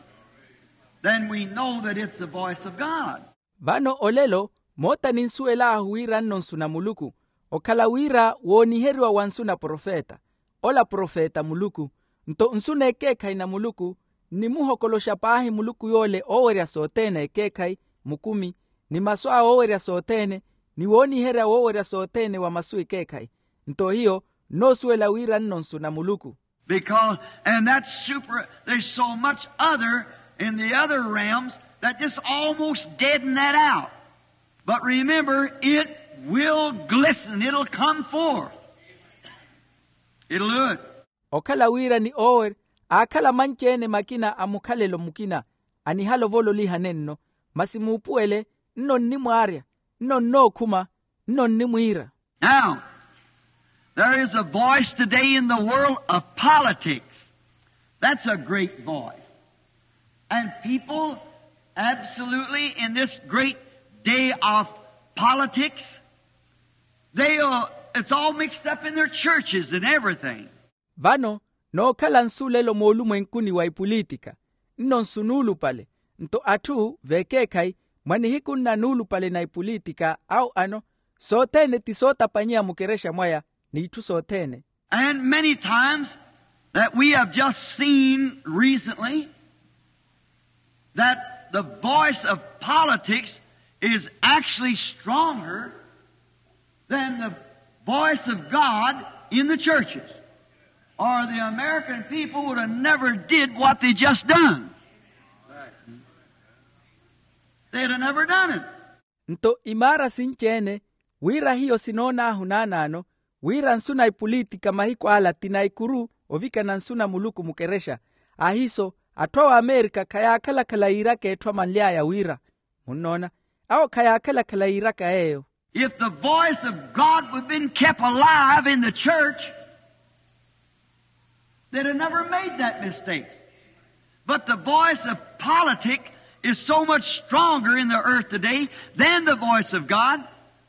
Then we know that it's the voice of God. Vano olelo moota ninsuwel'ahu wira nno nsu na muluku, okhala wira wooniheriwa wa nsu na profeta, ola profeta muluku. Nto nsu n'ekeekhayi na muluku nnimuhokoloxa paahi muluku yoole oowerya sothene ekeekhayi, mukumi, ni masu awe oowerya sothene, ni wooniherya woowerya sothene wa masu ekeekhayi. Nto hiyo nnoosuwela wira nno nsu na muluku. Because, and that's super, there's so much other in the other realms that just almost deaden that out. But remember, it will glisten, it'll come forth. It'll do it. Okhala wira ni owerya aakhala manci-ene makina a mukhalelo mukina, anihala ovololihane nno, masi muupuwele, nno nnimwaarya, nno nnookhuma, nno nnimwiira. Now, there is a voice today in the world of politics. That's a great voice. And people, absolutely, in this great day of politics, they, uh, it's all mixed up in their churches and everything. Vano nookhala nsu lelo moolumwenkuni wa ipulitika, nno nsu nuulupale. Nto atthu veekeekhayi mwa nihiku nna nuulupale na ipulitika awo ano, sothene ti sootapanyeya mukerexa mwaya, n'itthu sothene. And many times that we have just seen recently that the voice of politics is actually stronger than the voice of God in the churches, or the American people would have never did what they just done. They'd have never done it. Nto imaara sinci-ene wira hiyo sinoon'ahu naanaano, wira nsu na ipulitika mahiku ala ti na ikuru ovikana nsu na muluku mukerexa. Ahiiso atthu a wamerika khayaakhala-khala yiiraka etthu amanly'aya wira, munnoona, awo khayaakhala-khala yiiraka yeeyo. If the voice of God would have been kept alive in the church, they'd have never made that mistake. But the voice of politic is so much stronger in the earth today than the voice of God,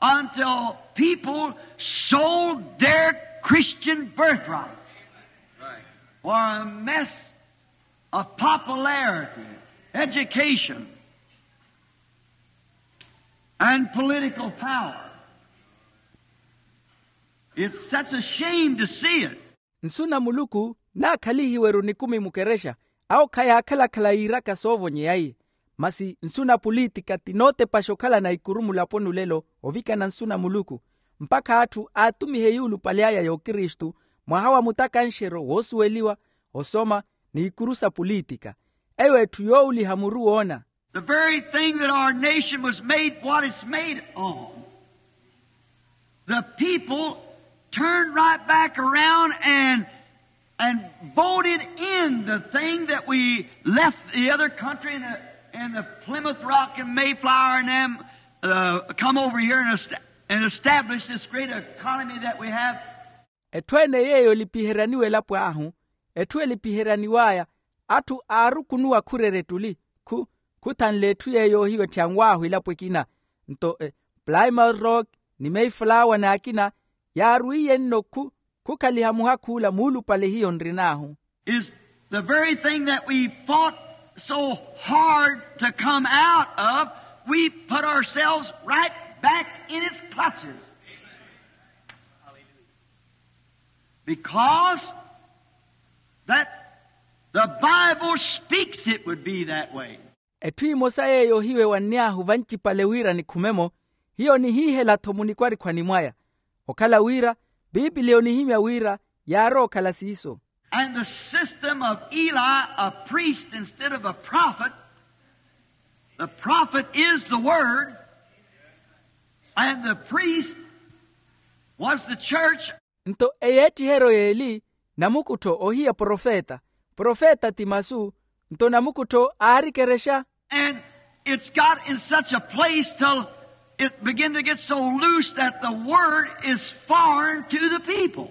until people sold their Christian birthrights for a mess of popularity, education, and political power. It's such a shame to see it. Nsu na muluku naakhalihiwe-ru nikumi mukerexa, awo khayaakhala-khala yiiraka soovonyeya iye. Masi nsu na pulitika ti nootepaxa okhalana ikuru mulaponi olelo ovikana nsu na muluku, mpakha atthu aatumihe yuulupale aya y'okristu, mwaha wa mutakanxeryo woosuweliwa, osoma, n'ikuru sa pulitika. Eyo etthu yoowuliha muru woona. The very thing that our nation was made what it's made on, the people turned right back around and, and voted in the thing that we left the other country and the, and the Plymouth Rock and Mayflower and them, uh, come over here and, est- and establish this great economy that we have. Etthu ene yeeyo elipiheryaniwa elapo ahu, etthu elipiheryaniw'aya, atthu aarukunuwa khurerya ettuli, khu khuthanle etthu yeeyo hiyo ettyanw'ahu elapo ekina. Nto plymouth rock ni mayflower n'akina yaarwiiye nno khu khukhaliha muhakhuula muulupale hiyo nrin'ahu. Is the very thing that we fought so hard to come out of, we put ourselves right back in its clutches. Because that the Bible speaks it would be that way. Etthu emosa yeeyo hiyo ewanny'ahu vancipale wira nikhume-mo, hiyo nihiihela-tho munikwarikhwani mwaya. Okhala wira piipili onihimya wira yaarowa okhala siiso. And the system of Eli, a priest instead of a prophet, the prophet is the word, and the priest was the church. Nto eyeettiheryo y'eli, namukuttho ohiya profeta, profeta ti masu, nto namukuttho aari ekerexa. And it's got in such a place till it begin to get so loose that the word is foreign to the people.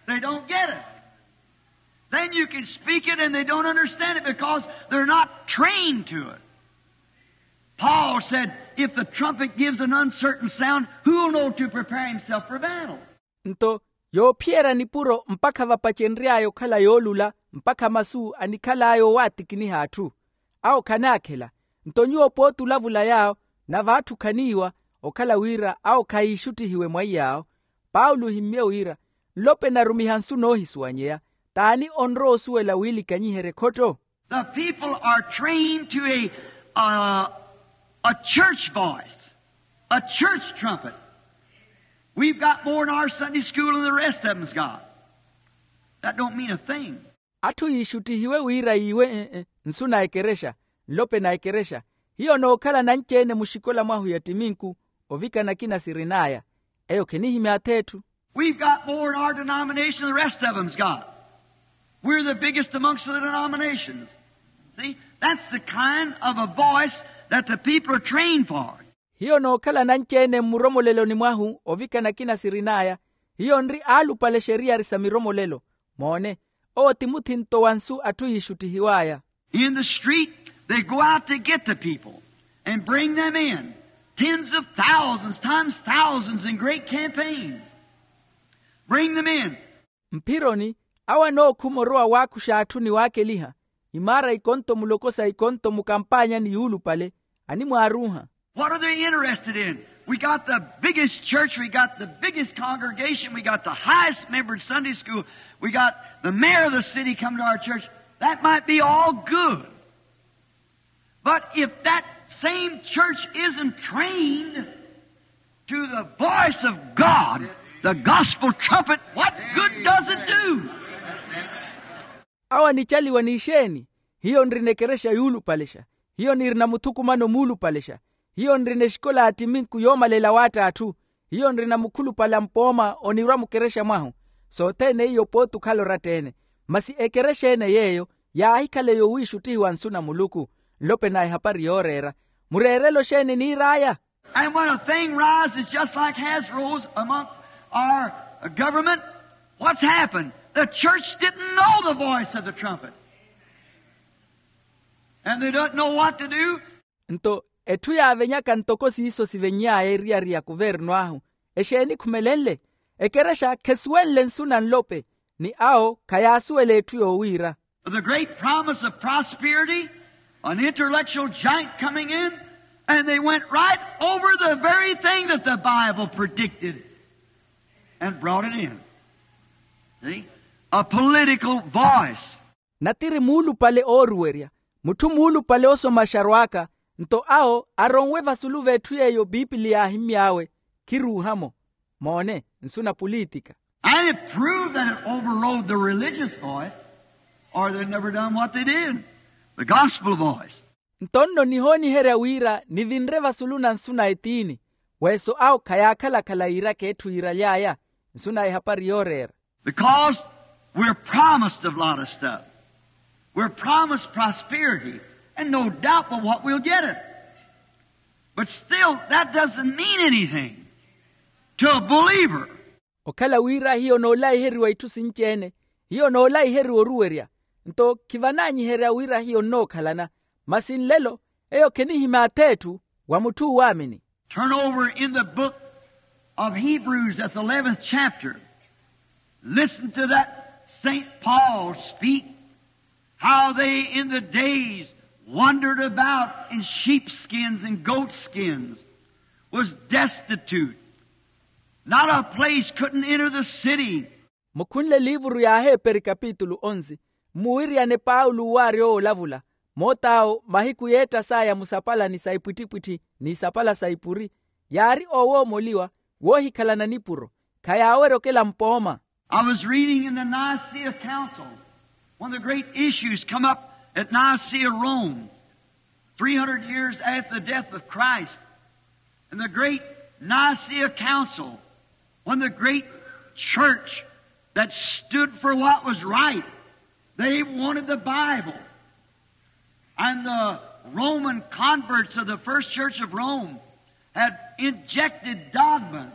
They don't get it. Then you can speak it and they don't understand it because they're not trained to it. Paul said, if the trumpet gives an uncertain sound, who'll know to prepare himself for battle? Nto yoophiyerya nipuro mpakha vapacenry'aya okhala yoolula, mpakha masu anikhal'aya owaatikiniha atthu. Awo khanaakhela. Nto nyuwo pooti olavula yaawo, na v'atthu khaniiwa, okhala wira awo khayiixuttihiwe mwaiy'awo. Paulo ohimmye wira, nlope narumiha nsu noohisuwanyeya. T'ani onrowa osuwela wiilikanyiherye ekhotto? The people are trained to a, uh, a church voice, a church trumpet. We've got more in our Sunday school than the rest of them's got. That don't mean a thing. Atthu yiixuttihiwe wira yiiwe, e-e, nsu na ekerexa, nlope na ekerexa. Hiyo nookhala nanci-ene muxikola mwahu ya ttiminku, ovikana akina sirin'aya. Eyo khenihimya ath'etthu. We've got more in our denomination than the rest of them's got. We're the biggest amongst the denominations. See, that's the kind of a voice that the people are trained for. Hiyo nookhala nanci-ene mmuromoleloni mwahu ovikana akina sirin'aya. Hiyo nri aalupale exeriyari sa miromolelo. Moone, owo ti muthinto wa nsu atthu yiixuttihiw'aya. In the street, they go out to get the people and bring them in. Tens of thousands, times thousands in great campaigns. Bring them in. Mphironi, awo anookhuma orowa waakuxa atthu ni waakeliha, imaara ikonto mulokosa ikonto mukampaanyani yuulupale, animwaaruuha. What are they interested in? We got the biggest church, we got the biggest congregation, we got the highest membered Sunday school, we got the mayor of the city come to our church. That might be all good. But if that same church isn't trained to the voice of God, the gospel trumpet, what good does it do? Awo anicaliwa n'ixeeni? Hiyo nrina ekerexa yuulupalexa. Hiyo nirina muthukumano muulupalexa. Hiyo nrina exikola ya ttiminku yoomalela waatta atthu. Hiyo nrina mukhulupale a mpooma onirwa mukerexa mwahu. Sothene iyo pooti okhala oratta-ene. Masi ekerexa-ene yeeyo yaahikhale yowiixuttihiwa nsu na muluku. Nlope na ehapari yooreera. Mureerelo xeeni niir'aya? And when a thing rises just like has rose amongst our government, what's happened? The church didn't know the voice of the trumpet. And they don't know what to do. Nto etthu yaavenyaka ntoko siiso sivenny'aya eriyari ya kuvernu ahu, exeeni khumelenle? Ekerexa khesuwenle nsu na nlope, ni awo khayaasuwela etthu yoowiira. The great promise of prosperity, an intellectual giant coming in, and they went right over the very thing that the Bible predicted and brought it in. See? A political voice. Natiri muulupale ooruwerya, mutthu muulupale osomaxa arwaaka, nto awo aronwe vasulu v'etthu yeeyo piipili yaahimmy'awe, khiruuha-mo. Moone, nsu na pulitika. And it proved that it overrode the religious voice, or they'd never done what they did. The gospel voice. Nto nno nihooniherya wira nivinre vasulu na nsu na etiini, weeso awo khayaakhala-khala yiiraka etthu yiiraly'aya, nsu na ehapari yooreera. Because we're promised a lot of stuff. We're promised prosperity, and no doubt but what we'll get it. But still, that doesn't mean anything to a believer. Okhala wira hiyo noolaiheriwa itthu sinci-ene, hiyo noolaiheriwa oruwerya, nto khivanaanyiherya wira hiyo nnookhalana. Masi nlelo, eyo khenihimya ath'etthu wa mutthu oowaamini. Turn over in the book of Hebrews at the eleventh chapter. Listen to that Saint Paul speak, how they in the days wandered about in sheepskins and goatskins, was destitute, not a place, couldn't enter the city. Mukhunle liivuru y'aheeperi kapitulu onsi, mmuwiriyane paulo owaari owo olavula, moot'awo mahiku yeettas'aya musapalani sa ipwittipwitthi n'isapala sa ipuri, yaari oowoomoliwa, woohikhalana nipuro, khayaawerya okela mpooma. I was reading in the Nicaea Council, one of the great issues come up at Nicaea, Rome, three hundred years after the death of Christ. In the great Nicaea Council, when the great church that stood for what was right, they wanted the Bible. And the Roman converts of the first church of Rome, Had injected dogmas.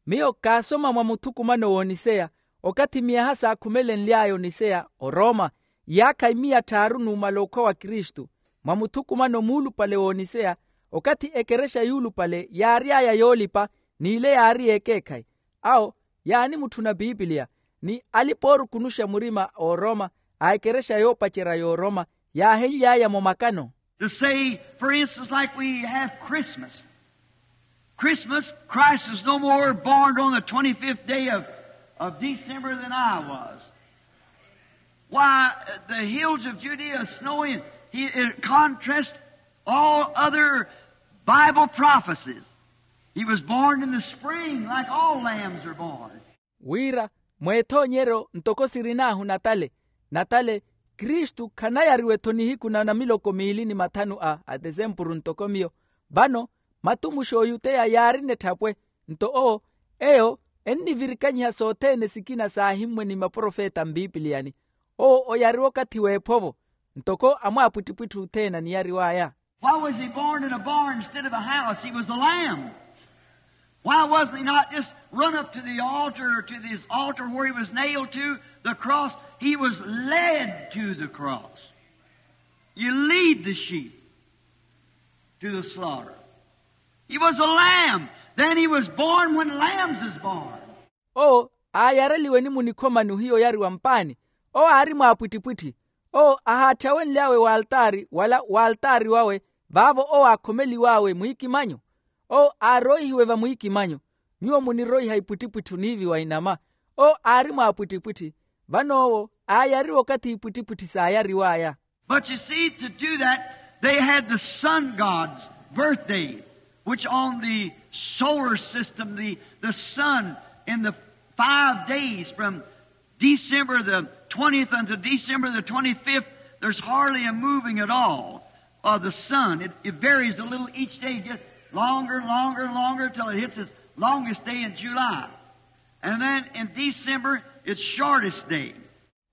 Miyo kaasoma mwa muthukumano w'oniseya, okathi miyaha saakhumelenly'aya oniseya orooma, iyaakha imiya tthaaru numala okhwa wa kristu. Mwa muthukumano muulupale w'oniseya, okathi ekerexa yuulupale yaary'aya yoolipa, n'ile yaari y'ekeekhayi. Awo yaanimutthuna pipiliya, ni alipa oorukunuxa murima a orooma, a ekerexa yoopacerya y'orooma, yaahenly'aya-mo makano. To say, for instance, like we have Christmas. Christmas, Christ is no more born on the twenty-fifth day of, of December than I was. Why, the hills of Judea snowy, he, in contrast, all other Bible prophecies. He was born in the spring, like all lambs are born. Wira, mw'ethoonyeryo ntoko sirin'ahu natale, natale, kristu khanayariwa-tho nihiku na namiloko miili ni mathanu a atesempuru ntoko miyo. Vano, matumuxi oyuteya yaarina etthapwe, nto owo, eyo, ennivirikanyiha sothene sikina saahimmwe ni maprofeta mpipiliyani. Owo oyariwa okathi w'ephovo, ntoko amwaapwittipwitthi othene aniyariw'aya. Why was he born in a barn instead of a house? He was a lamb. Why wasn't he not just run up to the altar, to this altar where he was nailed to the cross? He was led to the cross. You lead the sheep to the slaughter. He was a lamb. Then he was born when lambs is born. Owo aayareliwe ni munikhomani ohiya oyariwa mpaani. Owo aari mwaapwittipwitthi. Owo ahaatthawenly'awe w'altaari wala w'altaari wawe, vaavo owo aakhomeliw'awe mwiikimanyo. Owo aaroihiwe vamwiikimanyo. Nyuwo muniroiha ipwittipwitthi oniiviwa inama. Owo aari mwaapwittipwitthi. Vano owo aayariwa okathi ipwittipwitthi saayariw'aya. But you see, to do that, they had the sun god's birthday, which on the solar system, the, the sun in the five days from December the twentieth until December the twenty-fifth, there's hardly a moving at all of the sun. It, it varies a little each day, gets longer, longer, longer till it hits its longest day in July. And then in December, its shortest day.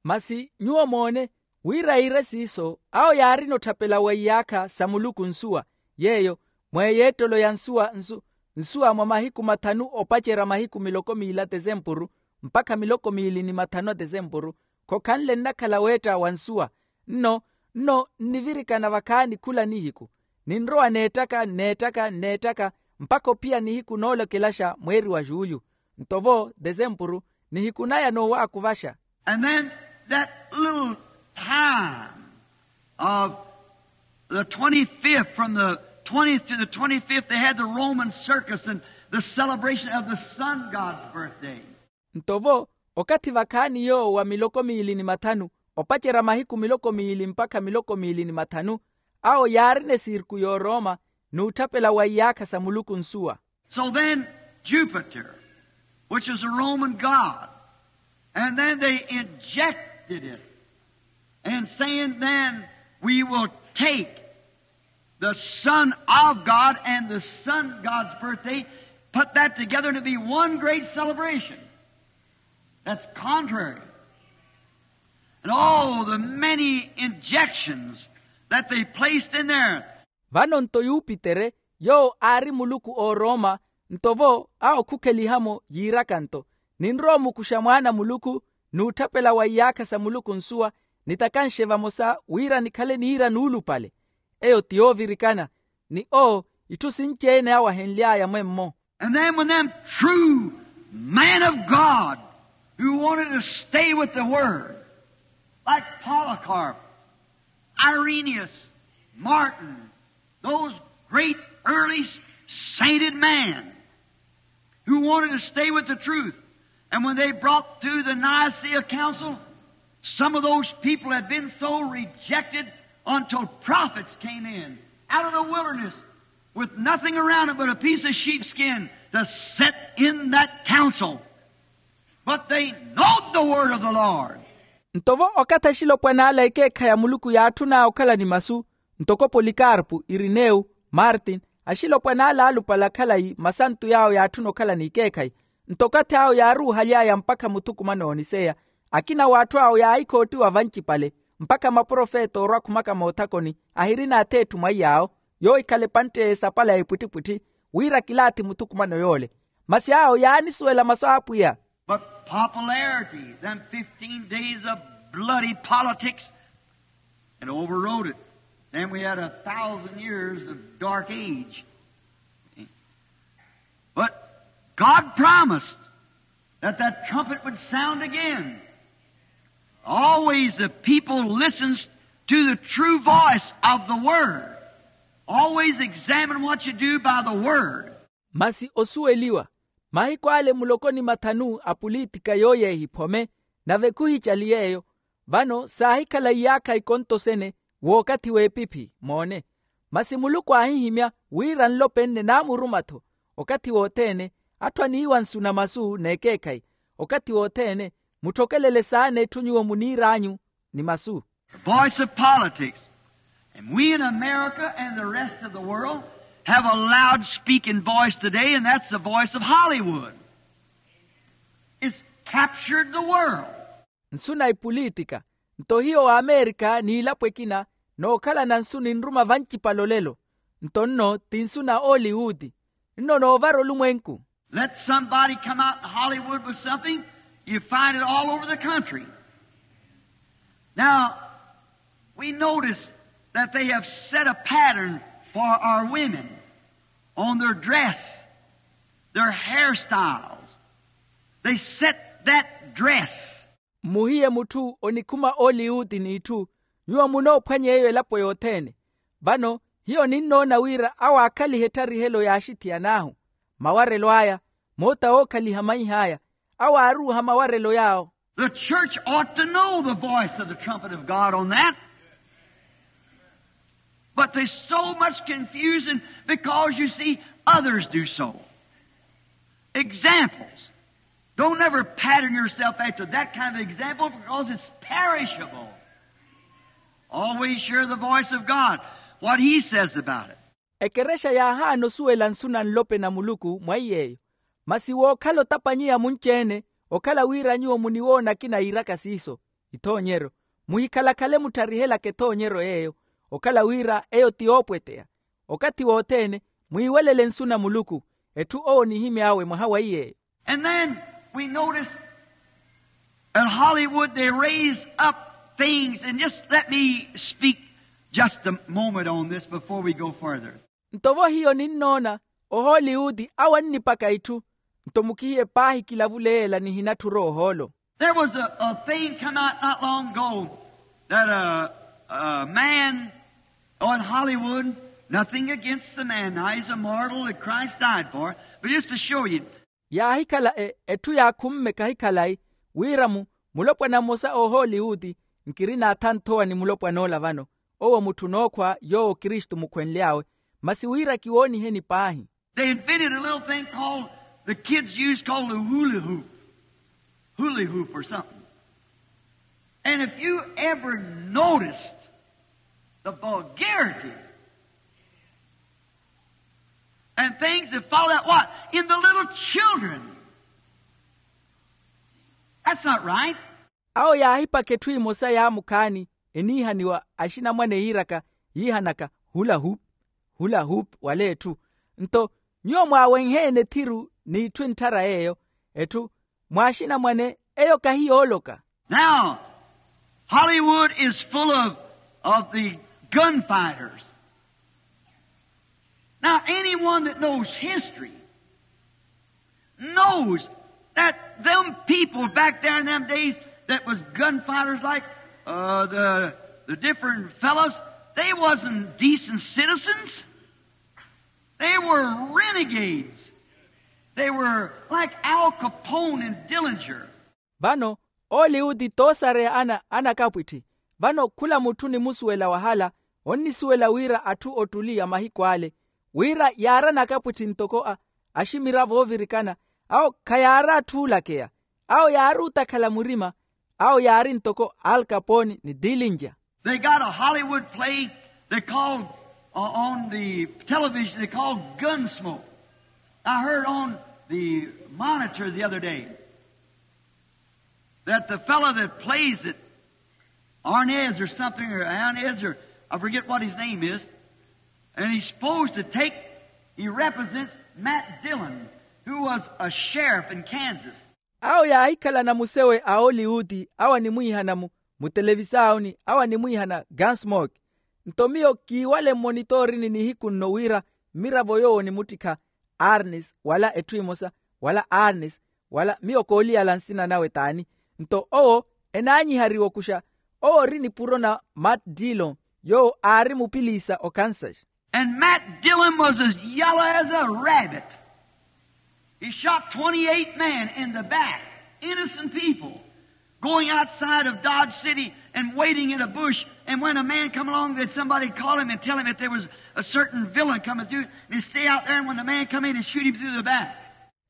Masi nyuwo moone, wira iire siiso, awo yaarina otthapela wa iyaakha sa muluku nsuwa, yeeyo, mweeyeettelo ya nsuwa nsu, nsuwa mwa mahiku mathanu opacerya mahiku miloko miili a tesempuru, mpakha miloko miili ni mathanu a tesempuru, khokhanle nnakhala weetta wa nsuwa. Nno, nno nnivirikana vakhaani khula nihiku, ninrowa neettaka nneettaka nneettaka, mpakha ophiya nihiku noolokelaxa mweeri wa juulyu. Nto vo tesempuru, nihiku naya noowaakuvaxa. And then that little time of the twenty-fifth, from the twentieth to the twenty-fifth, they had the Roman circus and the celebration of the sun god's birthday. Nto vo, okathi vakhaani yoowo wa miloko miili ni mathanu, opacerya mahiku miloko miili mpakha miloko miili ni mathanu, awo yaarina esirku y'orooma, n'utthapela wa iyaakha sa muluku nsuwa. So then, Jupiter, which is a Roman god, and then they injected it, and saying, then we will take the Son of God and the Son God's birthday, put that together to be one great celebration. That's contrary. And all the many injections that they placed in there. Vano nto yupitere, yoowo aari muluku oorooma, nto vo awo khukheliha-mo yiiraka nto, ninrowa omukuxa mwaana a muluku, n'utthapela wa iyaakha sa muluku nsuwa, nitakanxe vamosa wira nikhale niira nuulupale. Eyo ti yoovirikana, ni owo itthu sinci-ene awahenly'aya mwemmo. And then when them true men of God who wanted to stay with the Word, like Polycarp, Irenaeus, Martin, those great early sainted men who wanted to stay with the truth. And when they brought through the Nicaea Council, some of those people had been so rejected until prophets came in out of the wilderness with nothing around it but a piece of sheepskin to set in that council. But they knowed the word of the Lord. Nto vo okathi axilopwana ala ekeekhayi a muluku yaatthun'aya okhala ni masu, ntoko polikarpu, irinewu, martin, axilopwana ala aalupale akhalayi masantu yaawo yaatthuna okhala n'ikeekhayi. Nto okathi awo yaaruuhaly'aya mpakha muthukumano ooniseya, akina w'atthu awo yaahikhootiwa vancipale, mpakha maprofeta oorwa akhumaka moothakoni, ahirina ath'etthu mwaiy'awo, yoohikhala epantte y'esapala ya ipwittipwitthi, wira kilaathi muthukumano yoole. Masi awo yaanisuwela masu a apwiya. But popularity, them fifteen days of bloody politics, and overrode it. Then we had a thousand years of dark age. But God promised that that trumpet would sound again. Always the people listens to the true voice of the word. Always examine what you do by the word. Masi osuweliwa, mahiku ale muloko ni mathanu a pulitika yooyeehiphome, nave khuhicali yeeyo. Vano saahikhala iyaakha ikontosene w'okathi w'epiphi moone. Masi muluku aahihimya wira nlopenne naamuruma-tho. Okathi wothene atthu aniiwa nsuna masu n'ekeekhayi. Okathi wothene mutthokelele saana etthu nyuwo muniir'anyu ni masu. The voice of politics. And we in America and the rest of the world have a loud speaking voice today, and that's the voice of Hollywood. It's captured the world. Nsuna ipulitika. Nto hiyo w'amerika n'ilapo ekina nookhalana nsu ninruma vancipale olelo. Nto nno ti nsuna a oliwuti. Nno noovara olumwenku. Let somebody come out in Hollywood with something, you find it all over the country. Now, we notice that they have set a pattern for our women on their dress, their hairstyles. They set that dress. Mmuhiye mutthu onikhuma oliwuti n'itthu, nyuwo munoophwany'eyo elapo yothene. Vano hiyo ninnoona wira awo aakhaliha ettarihelo y'axithiyan'ahu, mawarelo aya, moota wookhaliha maih'aya, awo aaruuha mawarelo yaawo. The church ought to know the voice of the trumpet of God on that. But there's so much confusion because you see others do so. Examples. Don't ever pattern yourself after that kind of example because it's perishable. Always hear the voice of God, what he says about it. Ekerexa yaahaana osuwela nsuna nlope na muluku mwa iy'eyo. Masi wookhala otapanyiya munci-ene okhala wira nyuwo muniwoona akina iiraka siiso ithoonyeryo, muhikhalakhale muttharihelaka ethoonyeryo yeeyo. Okhala wira eyo ti yoopweteya. Okathi wothene mwiiwelele nsuna muluku, etthu owo onihimy'awe mwaha wa iy'eyo. And then we notice at Hollywood they raise up things, and just let me speak just a moment on this before we go further. Nto vo hiyo ninnoona ohollywood awo annipaka itthu. Nto mukihiye paahi kilavule yeela nihinatthura ohoolo. There was a, a thing come out not long ago that a, a man on Hollywood, nothing against the man, now he's a mortal that Christ died for, but just to show you. Yaahikhala e, etthu yaakhumme kahikhalayi wira mu, mulopwana mmosa ohoollywood, nkiri naathanthowa ni mulopwan'ola vano, owo mutthu nookhwa yoowo kristu mukhwenly'awe. Masi wira kiwooniheni paahi. They invented a little thing called, the kids use called the hula hoop. Hula hoop or something. And if you ever noticed the vulgarity and things that follow that, what? In the little children. That's not right. Awo yaahipaka etthu emosa yaamukhaani eniihaniwa axinamwane yiiraka yiihanaka hula hoop, hula hoop wala etthu. Nto nyuwo mwaawenheene ethiru n'itthu entthara yeeyo, etthu mwaaxinamwane eyo kahiyooloka. Now, Hollywood is full of, of the gunfighters. Now, anyone that knows history knows that them people back there in them days that was gunfighters like, uh, the, the different fellows, they wasn't decent citizens. They were renegades. They were like Al Capone and Dillinger. Vano oliwuti toosareya ana anakapwitthi. Vano khula mutthu onimusuwela wahala onnisuwela wira atthu ottuli ya mahiku ale, wira yaarana akapwitthi ntoko a aximiravo oovirikana. Awo khayaari atthu oolakeya. Awo yaari otakhala murima. Awo yaari ntoko alkaponi ni dilinja. They got a Hollywood play they called, uh, on the television, they called Gunsmoke. I heard on the monitor the other day that the fellow that plays it, Arnez or something, or Arnez, or I forget what his name is, and he's supposed to take He represents Matt Dillon, who was a sheriff in Kansas. Awo yaahikhalana musewe a oliwuti awo animwiihana mu mutelevisaawuni awo animwiihana gansmok. Nto miyo kiiwale mmonitoorini nihiku nno wira mmiravo yoowo onimuttikha arnes wala etthu emosa wala arnes wala miyo kooliyala nsina nawe t'ani. Nto owo enaanyihariwa okuxa owo ori nipuro na matt dillon yoowo aari mupiliisa okansas. And matt dillon was as yellow as a rabbit. He shot twenty-eight men in the back, innocent people, going outside of Dodge City and waiting in a bush. And when a man come along, that somebody call him and tell him that there was a certain villain coming through, and he stay out there, and when the man come in, he shoot him through the back.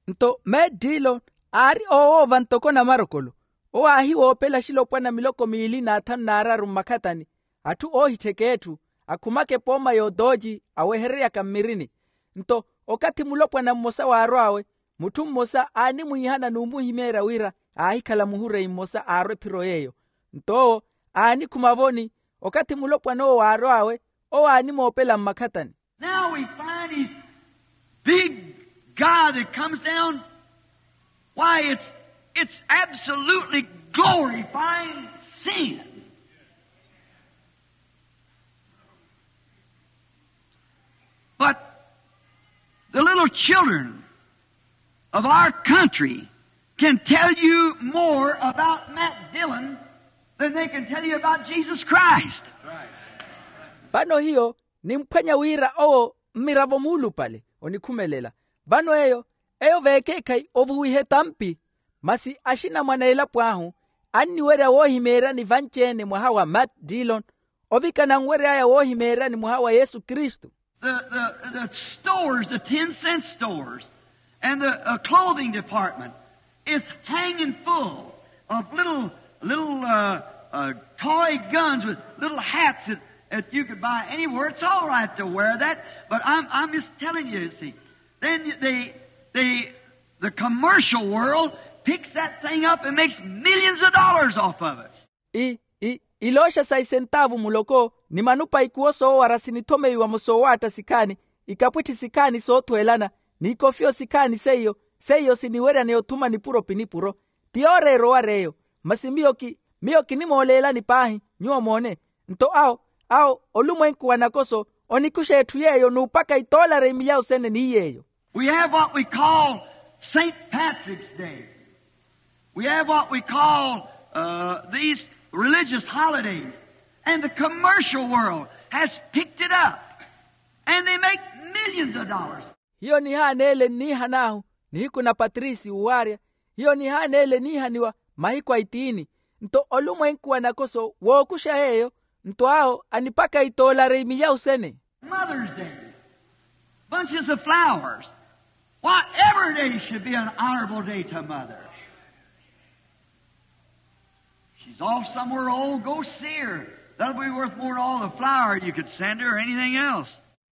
Nto meettilo aari oowoova ntoko namarokolo owo aahiwoopela axilopwana miloko miili n'athanu n'araru mmakhatani atthu oohittheka etthu akhumaka epooma y'otooci awehereryaka mmirini. Nto okathi mulopwana mmosa waarw'awe mutthu mmosa aanimwiihana n'umuhimeerya wira aahikhala muhureyi mmosa aarwa ephiro yeeyo. Nto owo aanikhuma voni okathi mulopwana owo waarw'awe owo aanimoopela mmakhatani. Now we find his big guy that comes down. Why, it's, it's absolutely glorifying sin. But the little children of our country can tell you more about Matt Dillon than they can tell you about Jesus Christ. Vano hiyo nimphwanya wira owo mmiravo muulupale onikhumelela. Vano eyo eyo veekeekhayi ovuwiha etampi. Masi axinamwane a elapo ahu anniwerya woohimeeryani vanci-ene mwaha wa matt dillon ovikana anwery'aya woohimeeryani mwaha wa yesu kristu. The, the, the stores, the ten cent stores, and the uh, clothing department is hanging full of little, little uh, uh, toy guns with little hats that, that you could buy anywhere. It's all right to wear that, but I'm, I'm just telling you, you see. Then they, they, the commercial world picks that thing up and makes millions of dollars off of it. I, i, ilooxa sa isentaavu muloko ni manupa ikuwo soowara sinithomeiwa-mo soowaatta sikhaani ikapwitthi sikhaani soothweelana n'ikofiyo sikhaani seiyo seiyo siniweryaneya othuma nipuro pi nipuro. Ti yooreera owar'eyo. Masi miyo ki miyo kinimooleelani paahi nyuwo moone. Nto awo awo olumwenku wa nakoso onikuxa etthu yeeyo n'upaka itoolara imilyawu sene ni yeeyo. We have what we call saint patrick's day. We have what we call uh, these religious holidays. And the commercial world has picked it up. And they make millions of dollars. Hiyo nihaaneele nniihan'ahu nihiku na patrisi uwaarya. Hiyo nihaaneele niihaniwa mahiku a itiini. Nto olumwenku wa nakoso wookuxa yeeyo. Nto awo anipaka itoolara imilyawu sene. Mother's Day, bunches of flowers. Why, every day should be an honorable day to a mother. She's off somewhere old, go see her. That'll be worth more than all the flour you could send her or anything else.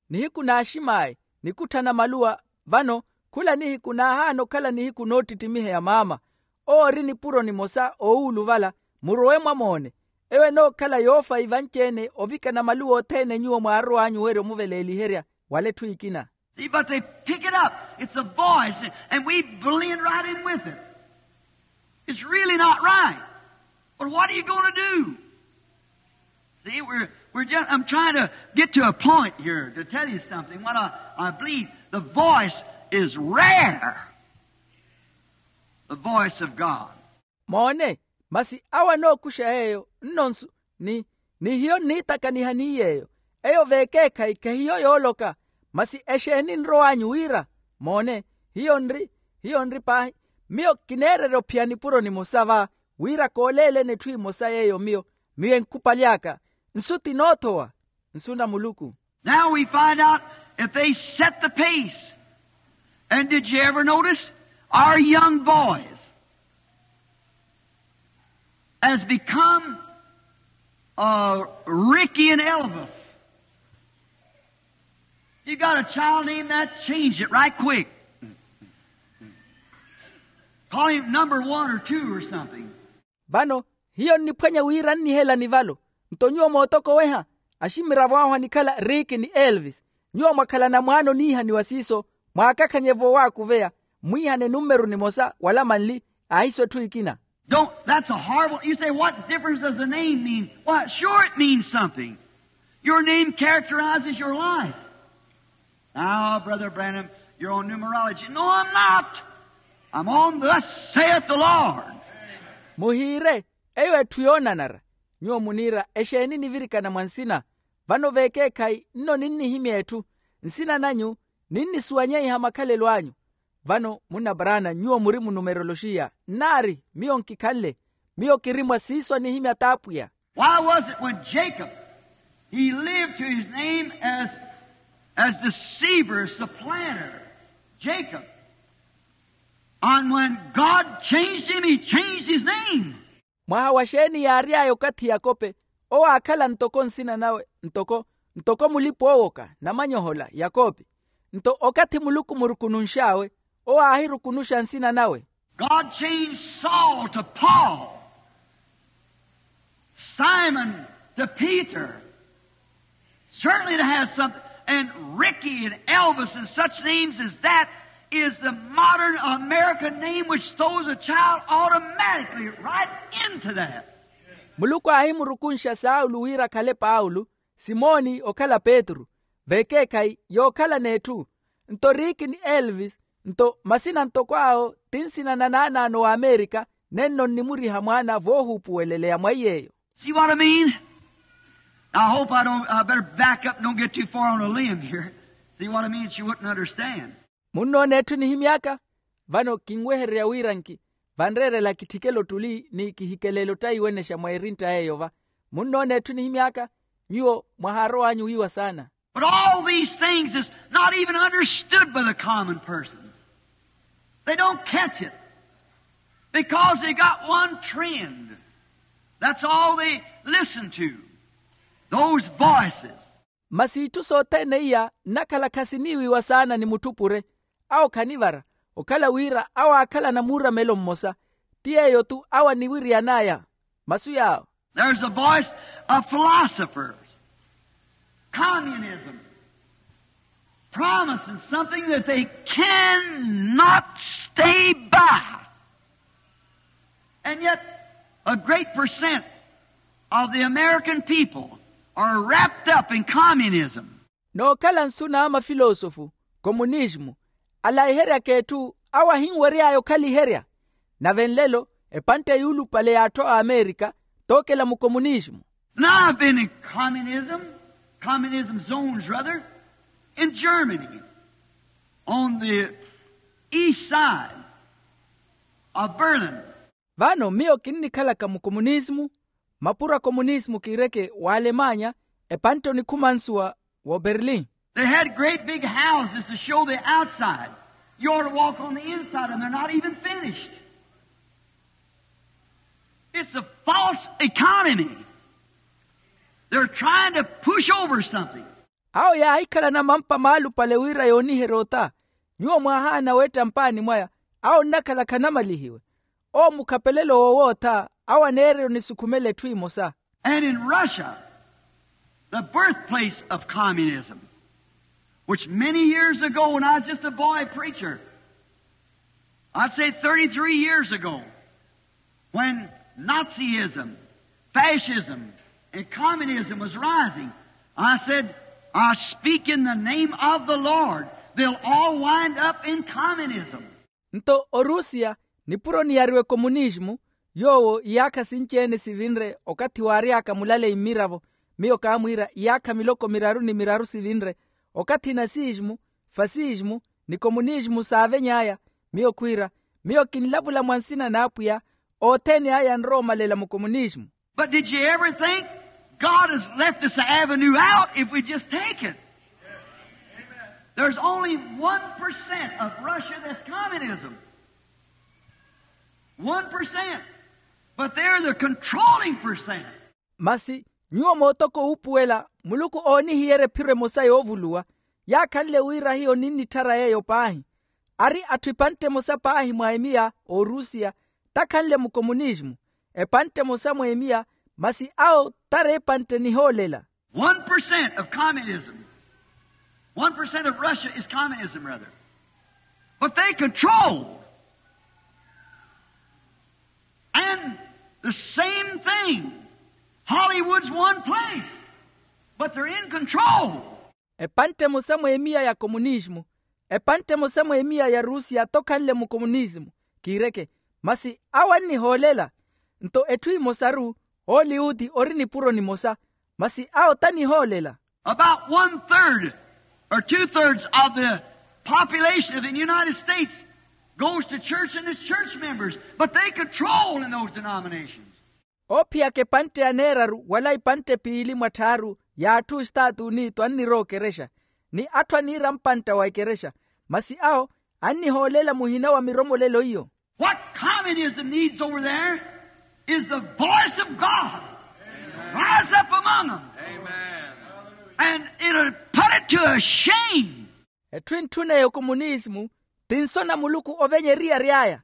Nihiku n'aximaayi nikutthana maluwa. Vano khula nihiku naahaana okhala nihiku noottittimiheya maama. Owo ori nipuro nimosa oowuluvala. Murowe mwamoone. Eyo enookhala yoofa ivanci-ene ovikana maluwa othene nyuwo mwaarow'anyu werya omuveleeliherya wala etthu ekina. See, but they pick it up. It's a voice, and we blend right in with it. It's really not right. But what are you going to do? See, we're, we're just, I'm trying to get to a point here to tell you something. What I, I believe, the voice is rare. The voice of God. Moone, masi awo anookuxa yeeyo nnonsu ni ni hiyo nniitakaniha ni yeeyo. Eyo veekeekhayi khahiyo yooloka. Masi exeeni nrow'anyu wira? Moone, hiyo nri hiyo nri paahi. Miyo kineererya ophiya nipuro nimosa va wira kooleeleni etthu emosa yeeyo miyo miyo enkhupaly'aka. Nsu ti noothowa. Nsu na muluku. Now we find out if they set the pace. And did you ever notice our young boys has become uh, Ricky and Elvis? You got a child named that, change it right quick. Call him number one or two or something. Vano hiyo nniphwanya wira nnihela nivalo. Nto nyuwo mootokoweha aximiravo ahu anikhala riiki ni elvis. Nyuwo mwakhalana mwaana oniihaniwa siiso, mwaakakhanye voowakuveya, mwiihane nummeru nimosa wala manli, ahiso etthu ekina. Don't that's a horrible you say, what difference does the name mean? Why, sure it means something. Your name characterizes your life. Now, Brother Branham, you're on numerology. No, I'm not. I'm on thus saith the Lord. Muhiire, eyo etthu yoonanara. Nyuwo muniira, exeeni nivirikana mwa nsina? Vano veekeekhayi nno ninnihimya etthu. Nsina nanyu ninnisuwanyeiha makhalelo anyu. Vano munna brana nyuwo muri munumeroloxiya nnaari miyo nkikhanle. Miyo kiri mwa siiso anihimya t'apwiya. Why was it when Jacob, he lived to his name as as deceiver, supplanter, Jacob, and when God changed him, he changed his name. Mwaha wa xeeni yaary'aya okathi yakope owo aakhala ntoko nsina nawe ntoko ntoko mulipa oowoka namanyohola yakope. Nto okathi muluku murukununx'awe owo aahirukunuxa nsina nawe. God changed Saul to Paul, Simon to Peter. Certainly it has something. And Ricky and Elvis and such names as that is the modern American name which throws a child automatically right into that. Muluku aahimurukunxa saulu wira akhale paulo, simoni okhala petru, vekeekhayi yookhala n'etthu. Nto riiki ni elvis nto masina ntoko awo ti nsina na naanaano w'amerika. Nenno nnimuriha mwaana voohuupuweleleya mwaiy'eyo. See what I mean? I hope I don't I better back up and don't get too far on a limb here. See what I mean? She wouldn't understand. Munnoona etthu nihimy'aka? Vano kinwehererya wira nki vanreerela kitthikele ottuli ni kihikeleele ottaiwenexa mwa erintta yeeyo va. Munnoona etthu nihimy'aka? Nyuwo mwahaarow'anyu wiiwa saana. But all these things is not even understood by the common person. They don't catch it because they got one trend. That's all they listen to, those voices. Masi itthu sothene iya nnakhala khasiniiwiwa saana ni mutthupure. Awo khanivara okhala wira awo aakhalana muuramelo mmosa. Ti yeeyo-tu awo aniwiriyan'aya masu yaawo. There's a voice of philosophers, communism, promising something that they cannot stay by. And yet a great percent of the American people are wrapped up in communism. Nookhala nsu na mafilosofu, komunismu, alaiheryaka etthu awo ahinwery'aya okhaliherya. Nave nlelo epantte yuulupale y'atthu a amerika tookela mukomunismu. Now I've been in communism, communism zones rather, in Germany, on the east side of Berlin. Vano miyo kinnikhalaka mukomunismu, mapuro a komunismu kiireke w'alemanya, epantte onikhumansuwa w'oberlin. They had great big houses to show the outside. You ought to walk on the inside and they're not even finished. It's a false economy. They're trying to push over something. Awo yaahikhalana mampa maalupale wira yooniherya ota. Nyuwo mwaahaana weetta mpaani mwaya. Awo nnakhala khanamalihiwe. Owo mukhapelelo woowootha awo aneererya onisukhumela etthu emosa. And in Russia, the birthplace of communism, which many years ago when I was just a boy preacher, I'd say thirty-three years ago, when Nazism, fascism, and communism was rising, I said, I speak in the name of the Lord, they'll all wind up in communism. Nto orusiya nipuro niyariwa ekomunismu, yoowo iyaakha sinci-ene sivinre okathi waary'aka mulaleyi mmiravo. Miyo kaamwiira iyaakha miloko miraru ni miraru sivinre. Okathi nasismu, fasismu, ni komunismu saaveny'aya. Miyo khwiira, miyo kinlavula mwa nsina n'apwiya, othene aya anrowa omalela mukomunismu. But did you ever think God has left us an avenue out if we just take it? There's only one percent of Russia that's communism. One percent. But they're the controlling percent. Masi nyuwo mootoko wuupuwela muluku oonihiyerya ephiro emosa yoovuluwa. Yaakhanle wira hiyo ninnitthara yeeyo paahi. Ari atthu epantte emosa paahi mwa emiya, orusiya takhanle mukomunismu. Epantte emosa mwa emiya, masi awo tari epantte nihoolela. One percent of communism. One percent of Russia is communism, rather. But they control. And the same thing, Hollywood's one place, but they're in control. Epantte emosa mw'emiya ya komunisimu, epantte emosa mw'emiya ya rusiya tokhanle mukomunisimu. Kiireke, masi awo annihoolela. Nto etthu emosaru, oliwuti ori nipuro nimosa, masi awo tanihoolela. About one third or two thirds of the population of the United States goes to church and is church members, but they control in those denominations. Oophiyaka epantte aneeraru wala ipantte piili mwa tthaaru ya atthu estaatu unitu annirowa okerexa, ni atthu aniira mpantta wa ekerexa, masi awo annihoolela muhina wa miromolelo iyo. What communism needs over there is the voice of God. Rise up among them. And it'll put it to a shame. Etthu entthuna ya okomunisimu, tinso na muluku ovenya eriyari aya.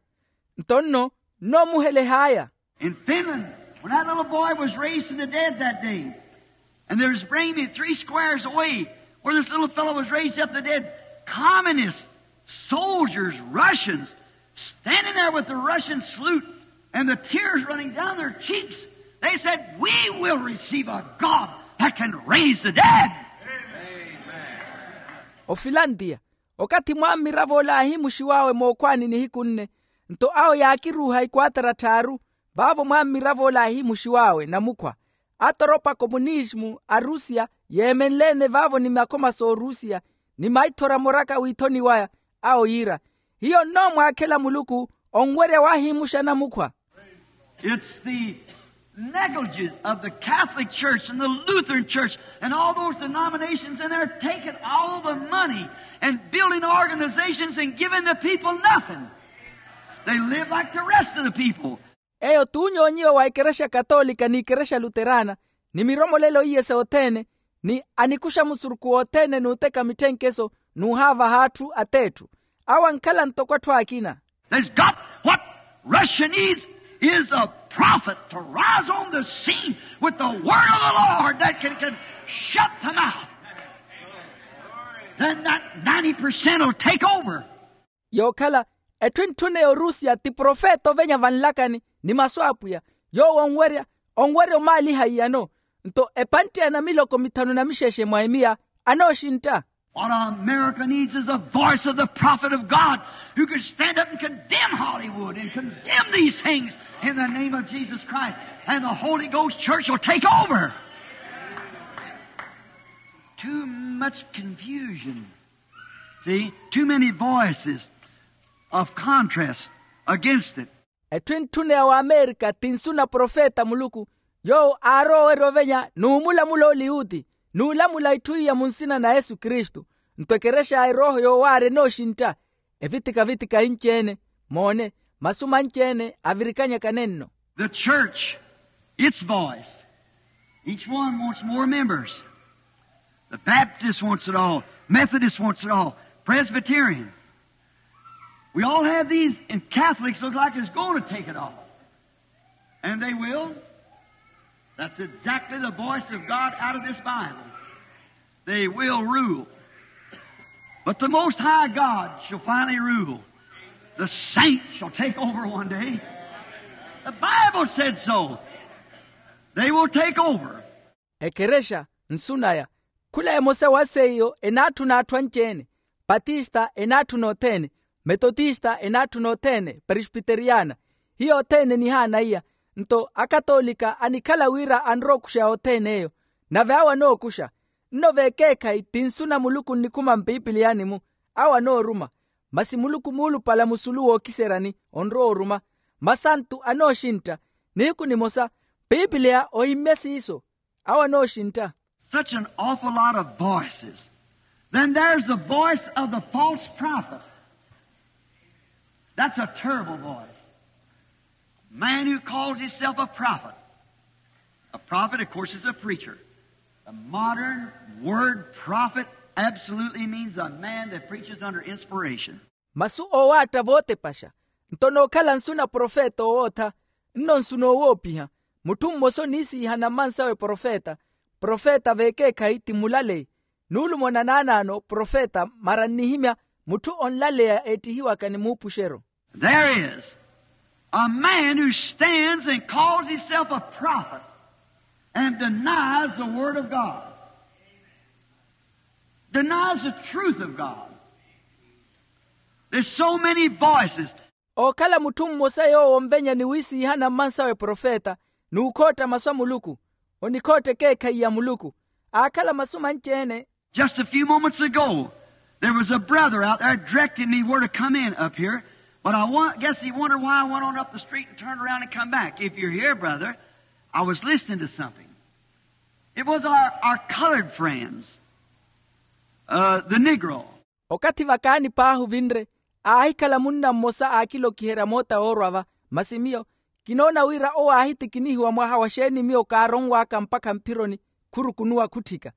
Nto nno nnoomuheleh'aya. In Finland, when that little boy was raised from the dead that day, and there's bringing me three squares away where this little fellow was raised up from the dead, communist soldiers, Russians, standing there with the Russian salute and the tears running down their cheeks, they said, "We will receive a God that can raise the dead." Ofilantiya, okathi mwammirav'ola aahimuxiw'awe mookhwaani nihiku nne, nto awo yaakiruuha ikwaatara tthaaru, vaavo mwammirav'ola aahimuxiw'awe namukhwa. Atoropa komunisimu a rusiya yeemenle-ene vaavo ni makhoma s'orusiya, ni maithora moraka w'ithoni waya, awo yiira, hiyo nnoomwaakhela muluku onwerya waahimuxa namukhwa. It's the negligence of the Catholic Church and the Lutheran Church and all those denominations, and they're taking all the money and building organizations and giving the people nothing. They live like the rest of the people. Eyo t'unyoonyiwa wa ekerexa katolika ni ekerexa luterana, ni miromolelo iye sothene, ni anikuxa musurukhu wothene n'uteka mitthenkeso n'uhaavaha atthu at'etthu. Awo ankhala ntoko atthu akina. There's got, what Russia needs is a prophet to rise on the scene with the word of the Lord that can, can shut them out. Then that ninety percent will take over. Yookhala, etthu entthuna ya orusiya ti profeta ovenya vanlakani, ni masu a apwiya, yoowo onwerya, onwerya omaaliha iyano. Nto epantte ya namiloko mithanu na mixexe mwa emiya anooxintta. What America needs is a voice of the prophet of God who could stand up and condemn Hollywood and condemn these things in the name of Jesus Christ. And the Holy Ghost church will take over. Too much confusion. See, too many voices of contrast against it. Etthu entthuna ya waamerika ti nsu na profeta a muluku, yoowo aarowa owerya ovenya n'umulamula oliwuti, n'ulamula itthu iya mu nsina na yesu kristu. Nto ekerexa ya erooho yoowaarya enooxintta, evitika-vitika inci-ene, moone, masu manci-ene avirikanyakane nno. The church, its voice. Each one wants more members. The Baptist wants it all. Methodist wants it all. Presbyterian. We all have these, and Catholics look like it's going to take it all. And they will. That's exactly the voice of God out of this Bible. They will rule. But the Most High God shall finally rule. The saints shall take over one day. The Bible said so. They will take over. Ekerexa, nsu naya, khula emosa wa seiyo enaatthuna atthu anci-ene. Patista enaatthuna othene, metotista enaatthuna othene, presbiteriyana. Hiyo othene nihaana iya. Nto akatolika anikhala wira anrowa okuxa othene eyo. Nave awo anookuxa. Nno vekeekhayi ti nsu na muluku nnikhuma mpipiliyani-mu. Awo anooruma. Masi muluku muulupala musulu wookiseryani onrowa oruma. Masantu anooxintta. Nihiku nimosa, pipiliya ohimmye siiso. Awo anooxintta. Such an awful lot of voices. Then there's the voice of the false prophet. That's a terrible voice. Man who calls himself a prophet. A prophet, of course, is a preacher. The modern word prophet absolutely means a man that preaches under inspiration. Masu oowaatta vootepaxa. Nto nookhala nsu na profeta owootha, nno nsu noowoopiha. Mutthu mmosa oniisiihana mmansawe profeta. Profeta veekeekhayi ti mulaleyi. Nuulumo na naanaano profeta mara nnihimya mutthu onlaleya eettihiwaka ni muupuxero. There is a man who stands and calls himself a prophet and denies the word of God, denies the truth of God. There's so many voices. Ookhala mutthu mmosa yoowo onvenya ni wiisiihana mmansawe profeta n'ukhootta masu a muluku, onikhootta ekeekhayi ya muluku. Aakhala masu manci-ene. Just a few moments ago there was a brother out there directing me where to come in up here, but i guess he wondered why i went on up the street and turned around and come back. If you're here, brother, i was listening to something. It was our, our colored friends, uh, the negro. Okathi vakaani paahi ovinre, aahikhala munna mmosa aakilokiherya moota woorwa-va. Masi miyo kinoona wira owo aahitikinihiwa mwaha wa xeeni miyo kaaronw'aka mpakha mphironi khurukunuwa khutthika.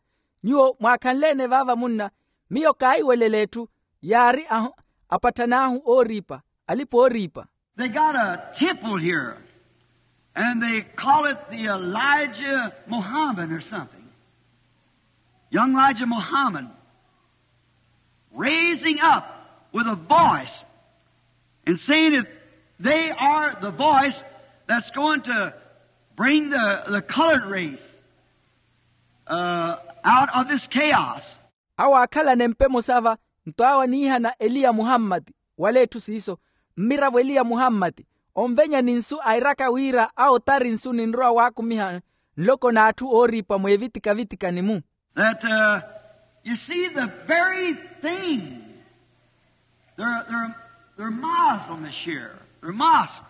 Nyuwo mwaakhanle-ene vaava munna, miyo kaahiwelela etthu. Yaari ahu apattan'ahu ooriipa, alipa ooriipa. They got a temple here, and they call it the Elijah Muhammad or something. Young Elijah Muhammad raising up with a voice and saying that they are the voice that's going to bring the, the colored race, uh, out of this chaos. Awo aakhalana empa emosa-va, nto awo aniihana eliya muhammati, wala etthu siiso, mmiravo eliya muhammati, onvenya ni nsu airaka wira awo tari nsu ninrowa waakumiha nloko n'atthu ooriipa mweevitika-vitika ni mu. That, uh, you see the very thing, their, their, their Muslim this year, their mosque.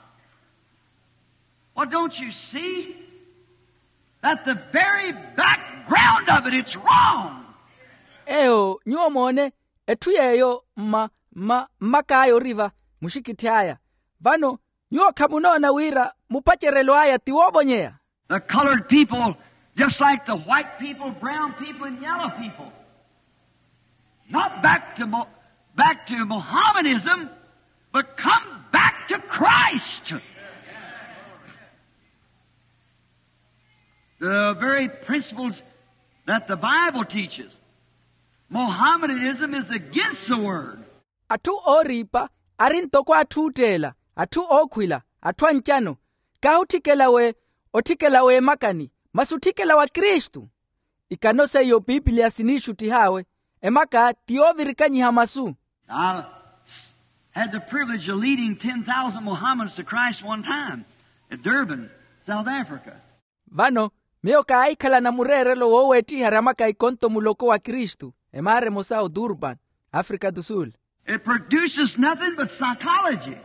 Well, don't you see that the very background of it, it's wrong? Eyo nyuwo moone, etthu yeeyo mma mma mmak'aya ori-va, muxikitthi aya. Vano nyuwo khamunoona wira mupacerelo aya ti woovonyeya? The colored people, just like the white people, brown people, and yellow people, not back to, back to Mohammedanism, but come back to Christ. The very principles that the Bible teaches. Mohammedanism is against the word. Atthu ooriipa ari ntoko atthu ootteela, atthu ookhwila, atthu ancano. Kaahi otthikela we otthikela w'emakani, masi otthikela wa kristu. Ikano seiyo piipiliya siniixuttih'awe. Emaka ti yoovirikanyiha masu. I had the privilege of leading ten thousand Mohammedans to Christ one time at Durban, South Africa. Vano miyo kaahikhalana mureerelo wooweettiharya maka ikonto muloko wa kristu emaara emosa o durban, afrika do sul. It produces nothing but psychology.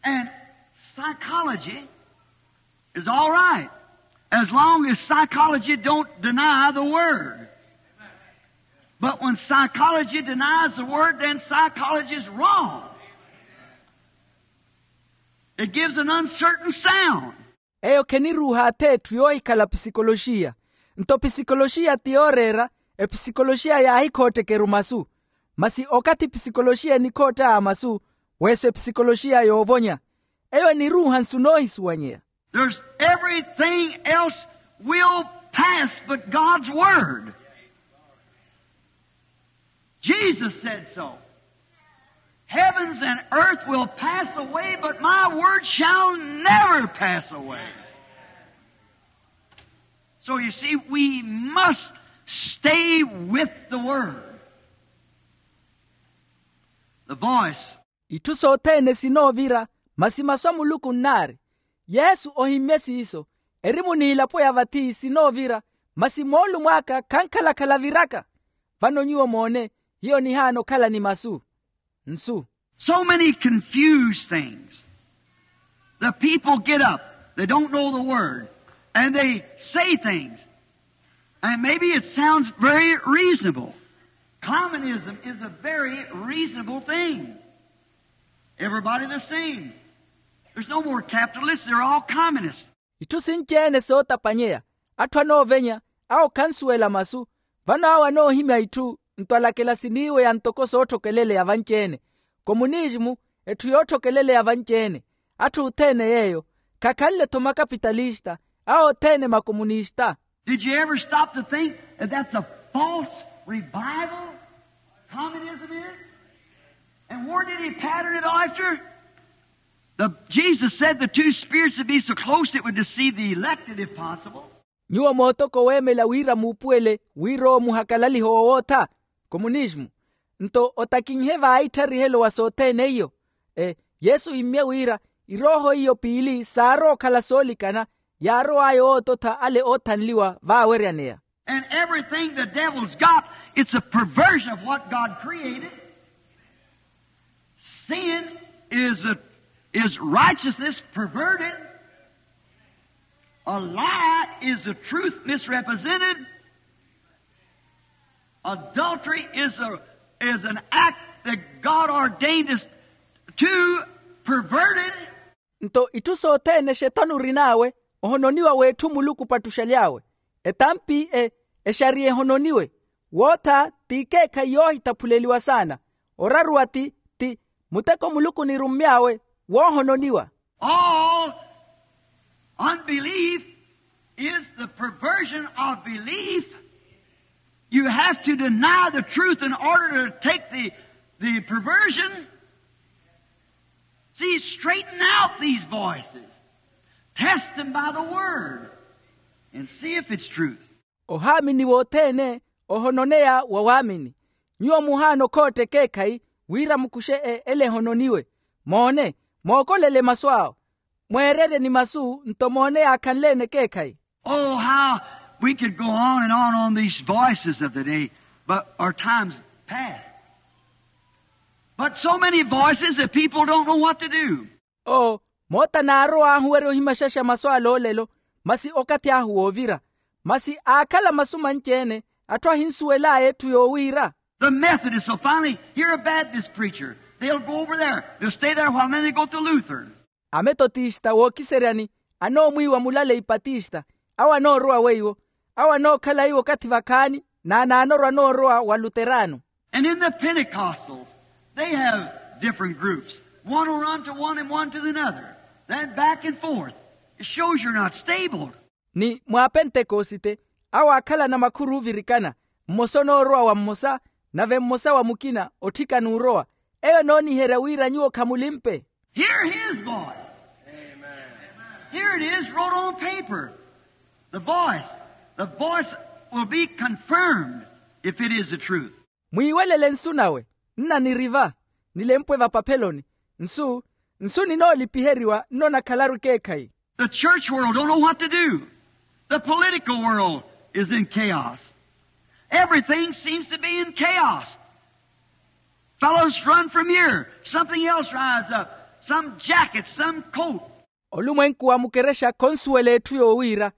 And psychology is all right as long as psychology don't deny the word. But when psychology denies the word, then psychology is wrong. It gives an uncertain sound. Eyo kheniruuha atheetthu yoohikhala pisikoloxiya. Nto pisikoloxiya ti yooreera, episikoloxiya yaahikhootteke-ru masu. Masi okathi pisikoloxiya enikhoott'aya masu, weeso episikoloxiya yoovonya. Eyo eniruuha nsu noohisuwanyeya. There's everything else will pass but god's word. Jesus said so. Heavens and earth will pass away but my word shall never pass away. So you see, we must stay with the word. The voice. Itthu sothene sinoovira, masi masu a muluku nnaari. Yesu ohimmye siiso. Erimu n'ilapo ya vathi sinoovira, masi moolumo aka khankhala-khala aviraka. Vano nyuwo moone, hiyo nihaana okhala ni masu. Nsu. So many confused things. The people get up, they don't know the word, and they say things. And maybe it sounds very reasonable. Communism is a very reasonable thing. Everybody the same. There's no more capitalists, they're all communists. Itthu sinci-ene sootapanyeya. Atthu anoovenya, awo khansuwela masu. Vano awo anoohimya itthu nto alakela siniiweya ntoko sootthokelelela vanci-ene. Komunisimu etthu yootthokeleleya vanci-ene. Atthu othene yeeyo khakhanle-tho makapitalista, awo othene makomunista. Did you ever stop to think that that's a false revival communism is? And where did he pattern it after? The, Jesus said the two spirits would be so close it would deceive the elected if possible. Nyuwo mootoko weemela wira muupuwele wira owo muhakalalihe owootha komunismu. Nto otakinhe vaahittharihello wa sothene iyo. Yesu ohimmye wira irooho iyo piili saarowa okhala soolikana yaarow'aya owoototha ale oothanliwa vaaweryaneya. And everything the devil's got, it's a perversion of what God created. Sin is a, is righteousness perverted. A lie is the truth misrepresented. Adultery is a, is an act that God ordained us to perverted. Nto itthu sothene xetano orin'awe ohononiwa w'etthu muluku opattuxaly'awe. Etampi exariya ehononiwe wootha ti ikeekhayi yoohitaphuleliwa saana. Oraruwa ti ti muteko muluku onirummy'awe woohononiwa. All unbelief is the perversion of belief. You have to deny the truth in order to take the, the perversion. See, straighten out these voices. Test them by the word and see if it's truth. Ohaamini wothene ohononeya wa waamini. Nyuwo muhaana okhootta ekeekhayi wira mukuxe ele ehononiwe. Moone, mookolele masu awo mweererye ni masu nto moone yaakhanle-ene ekeekhayi. Oh, how we could go on and on on these voices of the day, but our time's past. But so many voices that people don't know what to do. Oo, moota naarow'ahu wari ohimaxaxa masu ale olelo, masi okathi ahu woovira. Masi aakhala masu manci-ene atthu ahinsuwel'aya etthu yoowiira. The Methodists will finally hear a Baptist preacher. They'll go over there. They'll stay there a while, and then they go to Luther. Ametotista wookiseryani anoomwiiwa mulale ipatista. Awo anoorowa weiwo. Awo anookhala iwo okathi vakhaani n'anaanoorwa anoorowa wa luterano. And in the Pentecostals, they have different groups. One will run to one and one to another, then back and forth. It shows you're not stable. Ni mwaapentekosite awo aakhalana makhuru oovirikana. Mmosa onoorowa wa mmosa nave mmosa wa mukina otthikana orowa. Eyo enooniherya wira nyuwo khamulimpe. Hear his voice. Here it is wrote on paper. The voice, the voice will be confirmed if it is the truth. Mwiiwelele nsu nawe nna niri va nilempwe vapapheloni. Nsu nsu ninoolipiheriwa nnonakhalaru ekeekhayi. The church world don't know what to do. The political world is in chaos. Everything seems to be in chaos. Fellows run from here. Something else rise up. Some jacket, some coat. Olumwenku wa mukerexa khonsuwela etthu yoowiira.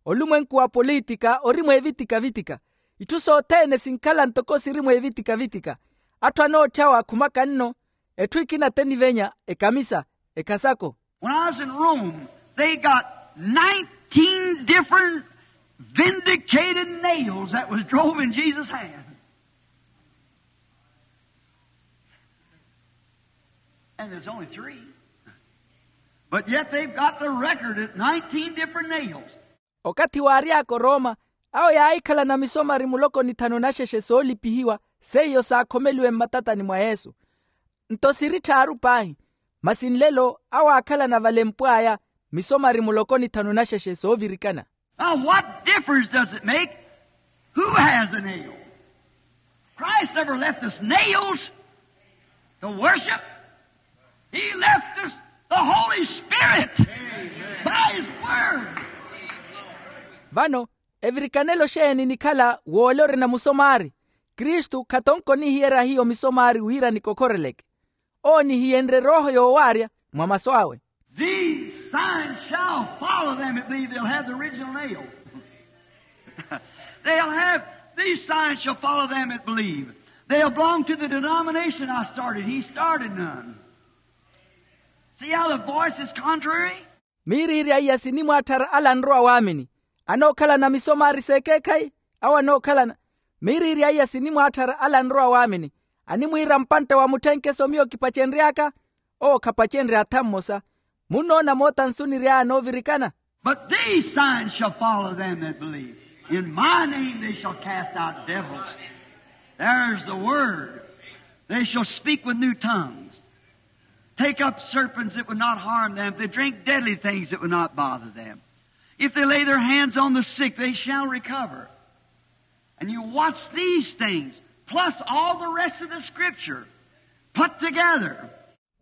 Olumwenku wa politika ori mweevitika-vitika. Itthu sothene sinkhala ntoko siri mweevitika-vitika. Atthu anootthyawa akhumaka nno. Etthu ekina tenivenya ekamisa ekhasako. When I was in Rome, they got nineteen different vindicated nails that was drove in Jesus' hand. And there's only three. But yet they've got the record at nineteen different nails. Okathi waary'aka orooma awo yaahikhalana misomari muloko ni thanu naxexe soolipihiwa seiyo saakhomeliwe mmatatani mwa yesu. Nto siri tthaaru paahi. Masi nlelo awo aakhalana valempw'aya misomari muloko ni thanu naxexe soovirikana. Now what difference does it make who has the nail? Christ never left us nails to worship. He left us the Holy Spirit by his word. Vano evirikanelo xeeni nikhala woole orina musomari? Kristu khatonko onihiyerya hiyo misomari wira nikokhoreleke. Owo onihiyenrye erooho yoowaarya mwa masu awe. These signs shall follow them that believe. They'll have the original nail. They'll have, these signs shall follow them that believe. They'll belong to the denomination I started. He started none. See how the voice is contrary? Miiriirya iya sinimwaatthara ala anrowa waamini anookhalana misomari s'ekeekhayi. Awo anookhalana miiriirya iya sinimwaatthara ala anrowa waamini animwiira mpantta wa mutthenkeso miyo kipacenry'aka. Owo khapacenrye atha mmosa. Munnoona moota nsu niry'aya anoovirikana. But these signs shall follow them that believe. In my name they shall cast out devils. There's the word. They shall speak with new tongues. Take up serpents that would not harm them. If they drink deadly things that would not bother them. If they lay their hands on the sick, they shall recover. And you watch these things, plus all the rest of the scripture put together.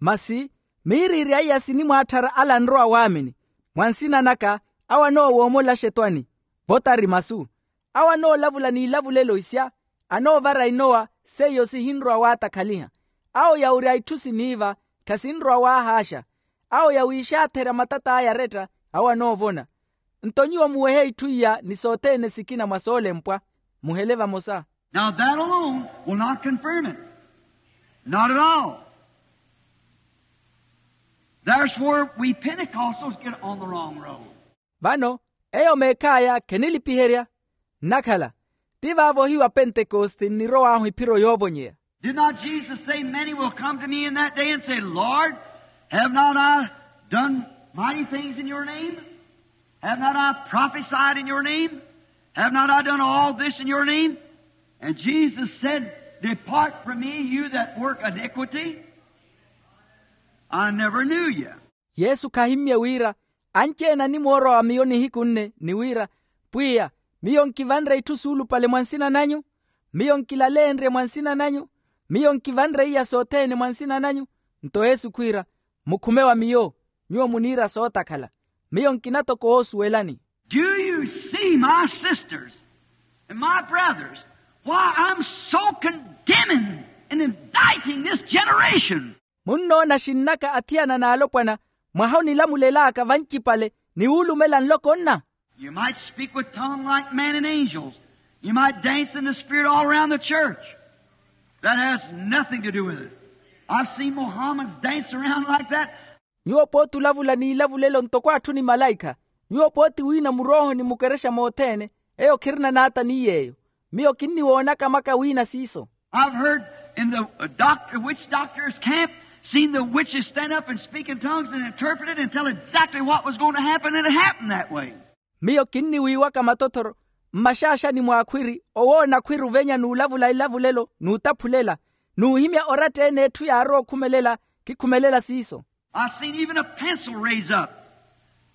Masi miiriiri a iya sinimwaatthara ala anrowa waamini, mwa nsina naka, awo anoowoomolaxa etwani, votari masu. Awo anoolavula n'ilavulelo isya, anoovara inowa, seiyo sihinrowa waatakhaliha. Awo yawurya itthu siniiva, khasinrowa waahaaxa. Awo yawiixaatherya matat'aya aretta, awo anoovona. Nto nyuwo muwehe itthu iya ni sothene sikina mwa soolempwa, muhele vamosa. Now that alone will not confirm it. Not at all. There's where we Pentecostals get on the wrong road. Vano eyo meekhaya khenilipiherya. Nnakhala ti vaavo ohiyu apentekoste nnirow'ahu iphiro yoovonyeya. Did not Jesus say, many will come to me in that day and say, Lord, have not I done mighty things in your name? Have not I prophesied in your name? Have not I done all this in your name? And Jesus said, depart from me, you that work iniquity. I never knew you. Yesu khahimmye wira, anci-ene animwoorowa wa miyo nihiku nne ni wira, pwiya, miyo nkivanre itthu suulupale mwa nsina nanyu? Miyo nkilaleenrye mwa nsina nanyu? Miyo nkivanre iya sothene mwa nsina nanyu? Nto yesu khwiira, mukhume wa miyo, nyuwo muniira sootakhala. Miyo nkina toko woosuwelani. Do you see, my sisters and my brothers, why I'm so condemning and indicting this generation? Munnoona xinnaka athiyana n'alopwana mwaha onilamulel'aka vancipale ni wuulumela nloko nna? You might speak with tongue like man and angels. You might dance in the spirit all around the church. That has nothing to do with it. I've seen Mohammedans dance around like that. Nyuwo pooti olavula n'ilavulelo ntoko atthu ni malaikha. Nyuwo pooti wiina murooho ni mukerexa mothene. Eyo khirina naata ni yeeyo. Miyo kinniwoonaka maka wiina siiso. I've heard in the doctor, witch doctor's camp, seen the witches stand up and speak in tongues and interpret it and tell exactly what was going to happen, and it happened that way. Miyo kinniwiiwaka matothoro mmaxaaxani mw'akhwiri owoona akhwiri ovenya n'ulavula elavulelo n'utaphulela n'uhimya oratta-ene etthu yaarowa okhumelela. Khikhumelela siiso. I've seen even a pencil raise up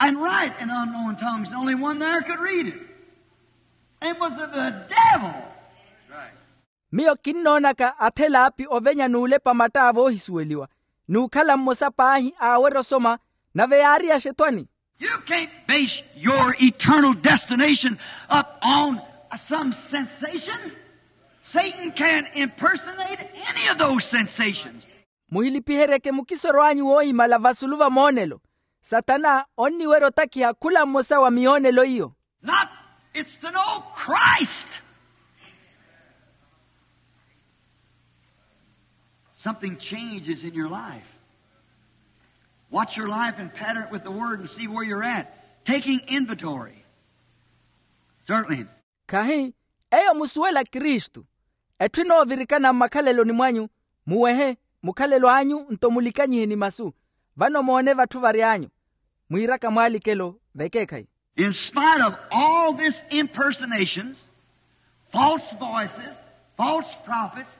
and write in unknown tongues, and only one there could read it. It was of the devil. Miyo kinnoonaka athelaapi ovenya n'ulepa mattaavo oohisuweliwa n'ukhala mmosa paahi aawerya osoma, nave yaari axetwani. You can't base your eternal destination up on some sensation. Satan can impersonate any of those sensations. Muhilipiheryeke mukisoro anyu woohimala vasulu va moonelo. Satana onniwerya otakhiha khula mmosa wa miyoonelo iyo. Not, it's to know Christ. Something changes in your life. Watch your life and pattern it with the word and see where you're at. Taking inventory. Certainly. Khahi eyo musuwela kristu. Etthu enoovirikana mmakhaleloni mwanyu, muwehe mukhalelo anyu nto mulikanyihe ni masu. Vano moone vatthu vary'anyu mwiiraka mwaalikelo vekeekhayi. In spite of all this impersonations, false voices, false prophets,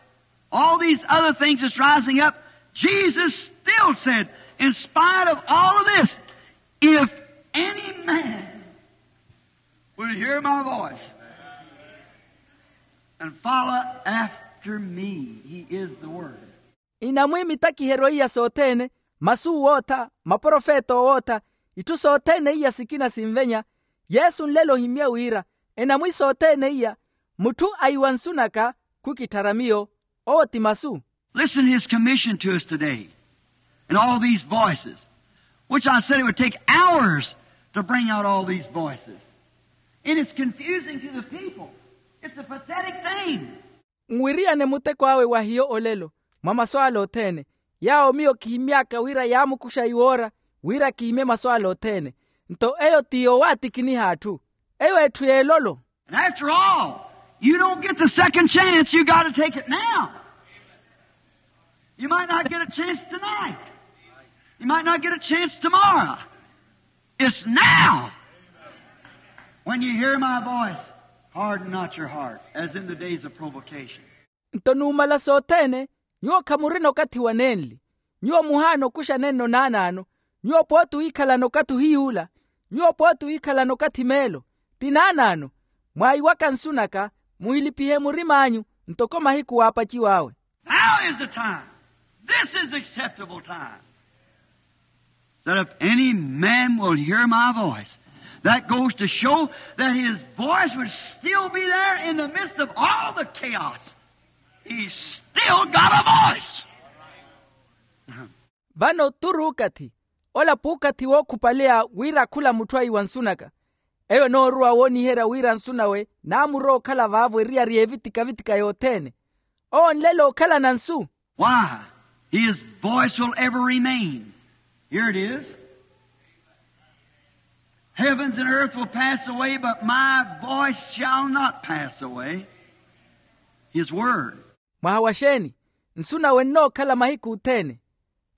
all these other things that's rising up, Jesus still said, in spite of all of this, if any man will hear my voice and follow after me, he is the word. Inamwi mitakiheryo iya sothene, masu owootha, maprofeta owootha, itthu sothene iya sikina sinvenya. Yesu nlelo ohimmye wira enamwi sothene iya, mutthu aiwa nsu naka khukitthara miyo. Owo ti masu. Listen to his commission to us today. And all these voices, which I said it would take hours to bring out all these voices. And it's confusing to the people. It's a pathetic thing. Nwiriyane muteko awe wa hiyo olelo mwa masu ale othene, yaawo miyo kihimmy'aka wira yaamukuxa iwoora wira kihimye masu ale othene. Nto eyo ti yowaatikiniha atthu. Eyo etthu y'elolo. And after all, you don't get the second chance. You got to take it now. You might not get a chance tonight. You might not get a chance tomorrow. It's now. When you hear my voice, Harden not your heart, as in the days of provocation. Nto numala sothene, nyuwo khamurina okathi wa nenli. Nyuwo muhaana okuxa nenno naanaano. Nyuwo pooti wiikhalana okathi ohiyuula. Nyuwo pooti wiikhalana okathi meelo. Ti naanaano. Mwaiwaka nsu naka, muhilipihe murim'anyu, ntoko mahiku waapaciw'awe. Now is the time. This is acceptable time. That if any man will hear my voice, that goes to show that his voice would still be there in the midst of all the chaos. He's still got a voice. Vano turi okathi. Ola p'ukathi wookhupaleya wira khula mutthu aiwa nsu naka. Eyo enooruwa wooniherya wira nsu nawe naamurowa okhala vaavo eriyari y'evitika-vitika yothene. Owo onlela okhalana nsu. Why? His voice will ever remain. Here it is. Heavens and earth will pass away, but my voice shall not pass away. His word. Mwaha wa xeeni? Nsu nawe nnookhala mahiku othene.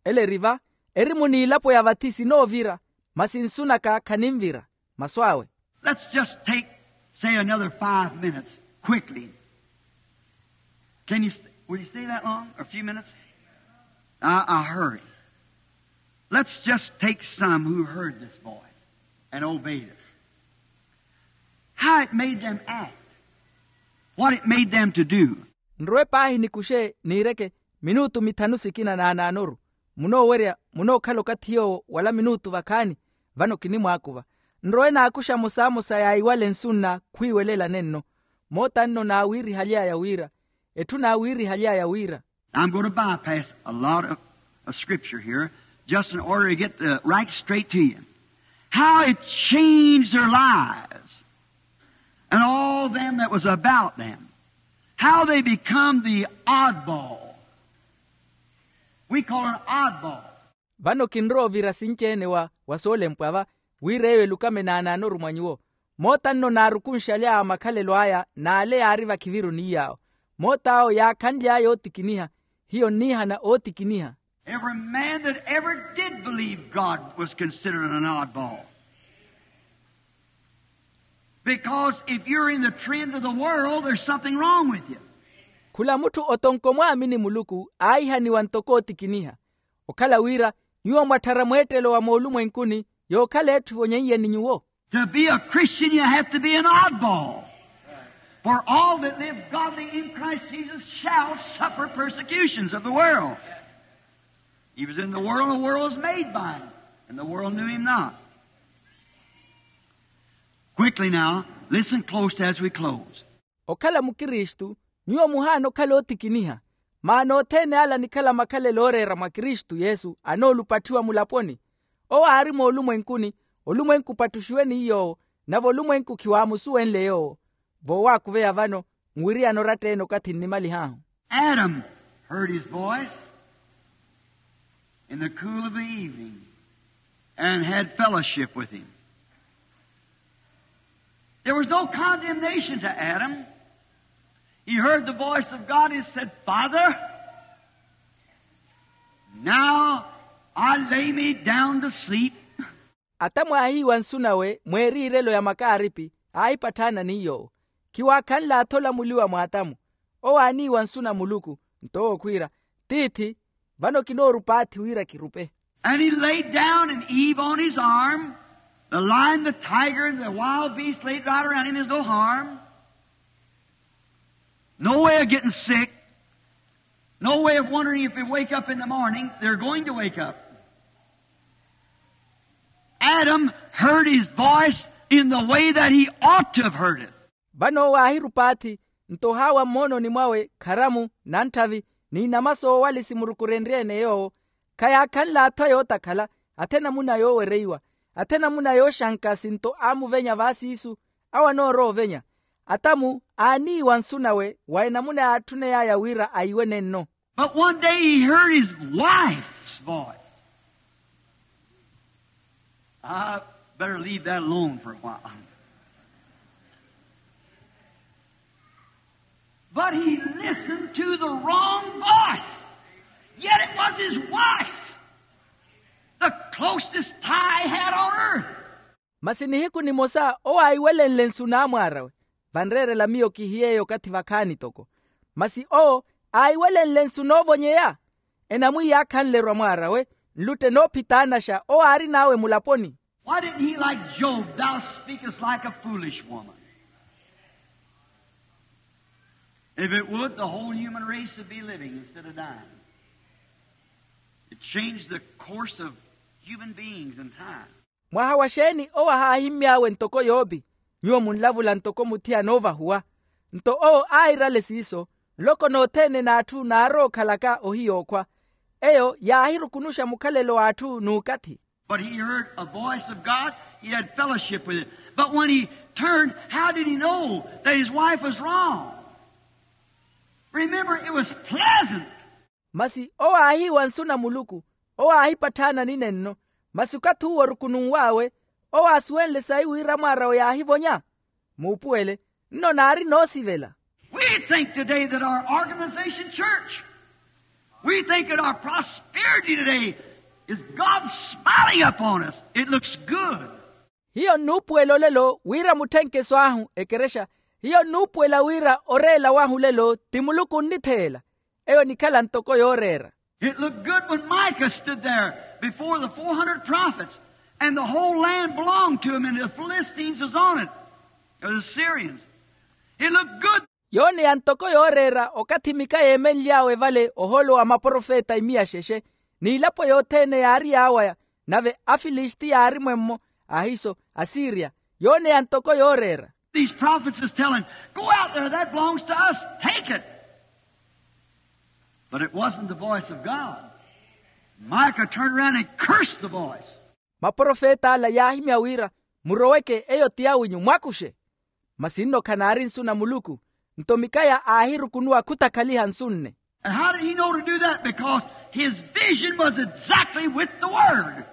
Ele eri va, erimu n'ilapo ya vathi sinoovira, masi nsu naka khanimvira. Masu awe. Let's just take, say, another five minutes, quickly. Can you st-, will you stay that long? A few minutes? I, I hurry. Let's just take some who heard this voice and obeyed it. How it made them act. What it made them to do. Nrowe paahi nikuxe niireke minutu mithanu sikina naanaanoru. Munoowerya, munookhala okathi yoowo wala minutu vakhaani. Vano kinimwaakuva. Nrowe naakuxa mosamosa yaiwale nsu nna khwiiwelela nenno. Moota nno naawiirihaly'aya wira. Etthu naawiirihaly'aya wira. I'm going to bypass a lot of, of scripture here, just in order to get the right straight to you. How it changed their lives and all them that was about them. How they become the oddball. We call it an oddball. Vano kinrowa ovira sinci-ene wa, wa soolempwa va, wira eyo elukame naanaanoru mwa nyuwo. Moota nno naarukunxaly'awe makhalelo aya n'ale yaari vakhiviru n'iy'awo. Moot'awo yaakhanly'aya ootikiniha. Hiyo nniihana ootikiniha. Every man that ever did believe God was considered an oddball. Because if you're in the trend of the world, there's something wrong with you. Khula mutthu otonko mwaamini muluku aahihaniwa ntoko ootikiniha. Okhala wira nyuwo mwatthara mweettelo wa moolumwenkuni, yookhala etthu evonyeiye ni nyuwo. To be a Christian, you have to be an oddball. For all that live godly in Christ Jesus shall suffer persecutions of the world. He was in the world, the world was made by him, and the world knew him not. Quickly now, listen close as we close. Okhala mukristu, nyuwo muhaana okhala ootikiniha. Maana othene ala anikhala makhalelo ooreera mwa kristu yesu anoolupatthiwa mulaponi. Owo aari moolumwenkuni, olumwenku opattuxiwe ni yoowo, nave olumwenku khiwaamusuwenle yoowo. Voowaakuveya vano, nwiriyana oratta-ene okathi nnimalih'ahu. Adam heard his voice in the cool of the evening and had fellowship with him. There was no condemnation to Adam. He heard the voice of God. He said, "Father, now I lay me down to sleep." Atamu aahiiwa nsu nawe mweeriirelo ya makaaripi, aahipatthaana ni yoowo. Khiwaakhanl'atho olamuliwa mwa atamu. Owo aaniiwa nsu na muluku, nto owo khwiira, tiithi, vano kinoorupaathi wira kirupe. And he laid down, and Eve on his arm. The lion, the tiger, and the wild beast laid right around him. There's no harm. No way of getting sick. No way of wondering if they wake up in the morning. They're going to wake up. Adam heard his voice in the way that he ought to have heard it. Vano owo aahirupaathi, nto ohaawa mmoononi mwawe kharamu, nantthavi, ni inama soowali simurukurenrye-ene yoowo. Khayaakhanl'atho ayootakhala, athena muna yoowereiwa, athena muna yooxanka sinto aamuvenya vaasiisu. Awo anoorowa ovenya. Atamu aaniiwa nsu nawe wa enamuna yaatthuney'aya wira aiwe nenno. But one day he heard his wife's voice. I better leave that alone for a while. But he listened to the wrong voice. Yet it was his wife, the closest tie he had on earth. Masi nihiku nimosa owo aiwelenle nsu n'amwaar'awe. Vanreerela miyo kihiyeeyo okathi vakhaani toko. Masi owo aahiwelenle nsu noovonyeya. Enamwiiya akhanle erwa mwaar'awe, nlutte noophitaanaxa owo aarin'awe mulaponi. Why didn't he like Job, thou speakest like a foolish woman? If it would, the whole human race would be living instead of dying. It changed the course of human beings and time. Mwaha wa xeeni owo ahaahimmy'awe ntoko yoopi? Nyuwo munlavula ntoko muthiyana oovahuwa. Nto owo aahirale siiso, nloko nothene n'atthu naarowa okhalaka ohiyookhwa. Eyo yaahirukunuxa mukhalelo w'atthu n'ukathi. But he heard a voice of God. He had fellowship with it. But when he turned, how did he know that his wife was wrong? Remember, it was pleasant. Masi owo aahiiwa nsu na muluku, owo aahipatthaana ninenno. Masi okathi uwo orukununw'awe, owo aasuwenle sayi wira mwaar'awe yaahivonya. Muupuwele, nno naari noosivela. We think today that our organization church, we think that our prosperity today is God smiling upon us. It looks good. Hiyo nnuupuwela olelo wira mutthenkeso ahu ekerexa. Hiyo nnuupuwela wira oreela wahu olelo ti muluku onnitheela. Eyo enikhala ntoko yooreera. It looked good when Micah stood there before the four hundred prophets, and the whole land belonged to him, and the Philistines was on it, or the Syrians. It looked good. Yooneya ntoko yooreera okathi mika yeemenly'awe vale ohoolo wa maprofeta imiya xexe, n'ilapo yothene yaari yaawaya, nave afilisti yaari mwemmo, ahiiso asiriya. Yooneya ntoko yooreera. These prophets is telling, go out there, that belongs to us, take it. But it wasn't the voice of God. Micah turned around and cursed the voice. Maprofeta ala yaahimya wira, muroweke, eyo ti awinyu, mwakuxe. Masi nno khanaari nsu na muluku. Nto mikaya aahirukunuwa khutakhaliha nsu nne. And how did he know to do that? Because his vision was exactly with the word.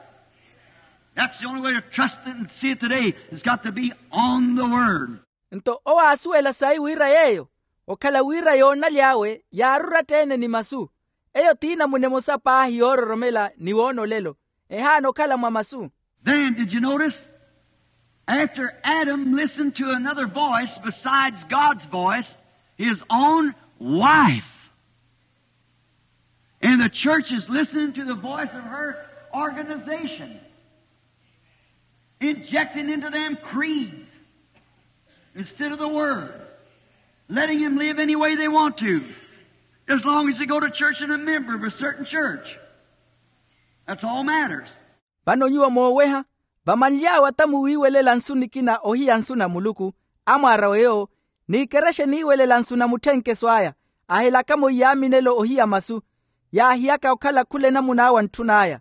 That's the only way to trust it and see it today. It's got to be on the word. Nto owo aasuwela sayi wira yeeyo okhala wira yoonaly'awe yaari oratta-ene ni masu. Eyo ti namuna emosa paahi yoororomela ni woona olelo, ehaana okhala mwa masu. Then, did you notice? After Adam listened to another voice besides God's voice, his own wife. And the church is listening to the voice of her organization, injecting into them creeds instead of the word, letting them live any way they want to, as long as they go to church and a member of a certain church. That's all matters. Vano nyuwo mooweha, vamanly'awe ata muwiiwelela nsu nikina ohiya nsu na muluku, amwaar'awe yoowo, n'ikerexa eniiwelela nsu na mutthenkeso aya, ahelaka-mo iyaaminelo ohiya masu, yaahiyaka okhala khula enamun'awe antthun'aya.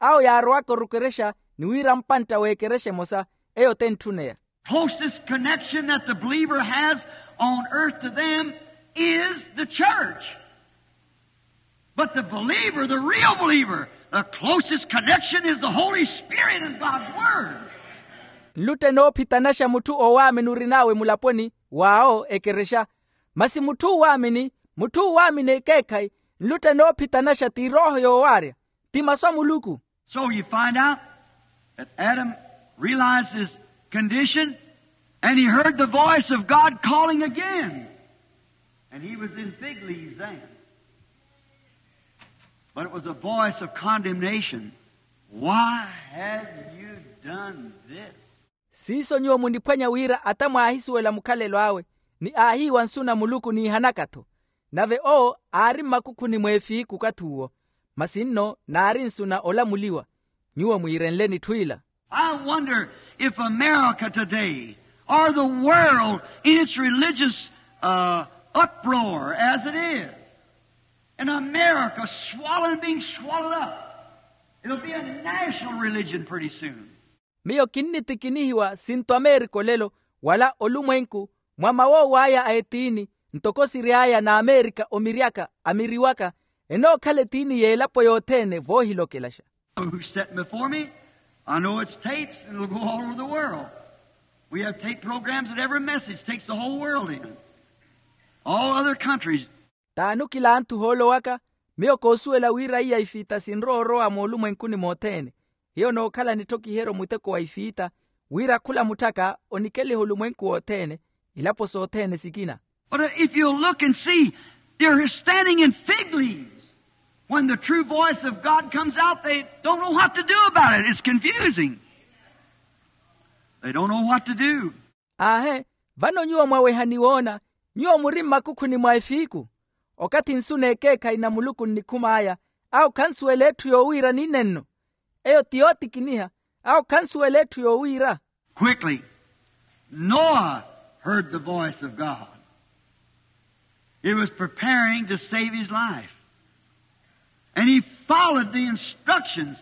Awo yaarowaka orukerexa ni wira mpantta w'ekerexa emosa, eyo t'entthuneya. Closest connection that the believer has on earth to them is the church. But the believer, the real believer, the closest connection is the Holy Spirit and God's Word. Nlutte noophitanaxa mutthu oowaamini orin'awe mulaponi, w'awo ekerexa. Masi mutthu oowaamini, mutthu oowaamini ekeekhayi, nlutte noophitanaxa ti erooho yoowaarya, ti masu a muluku. So you find out that Adam realized his condition, and he heard the voice of God calling again. And he was in fig leaves then. But it was a voice of condemnation. Why have you done this? Siiso nyuwo muniphwanya wira ata mwaahisuwela mukhalelo awe, ni aahiiwa nsu na muluku niihanaka-tho. Nave owo aari mmakukhuni mw'efiiku okathi uwo. Masi nno naari nsu na olamuliwa. Nyuwo mwiirenle n'itthu ila. I wonder if America today, or the world in its religious, uh, uproar as it is, and America swallowing, being swallowed up, it'll be a national religion pretty soon. Miyo kinnittikinihiwa sinto amerika olelo, wala olumwenku, mwa mawoow'aya a etiini, ntoko siry'aya n'amerika omiryaka, amiriwaka, enookhala etiini y'elapo yothene voohilokelaxa. Who's sitting before me? I know it's tapes, and it'll go all over the world. We have tape programs that every message takes the whole world in. All other countries. T'anukila anthu ohoolowaka, miyo koosuwela wira iya ifiita sinrowa orowa moolumwenkuni mothene. Hiyo nookhala nitthokiheryo muteko wa ifiita, wira khula mutthaka onikeliha olumwenku wothene, ilapo sothene sikina. But if you'll look and see, they're standing in fig leaves. When the true voice of God comes out, they don't know what to do about it. It's confusing. They don't know what to do. Aahe, vano nyuwo mwaweha ni woona, nyuwo muri mmakukhuni mwa efiiku. Okathi nsu n'ekeekhayi na muluku nnikhum'aya, awo khansuwela etthu yoowiira ninenno. Eyo ti yootikiniha, awo khansuwela etthu yoowiira. Quickly, Noah heard the voice of God. He was preparing to save his life. And he followed the instructions.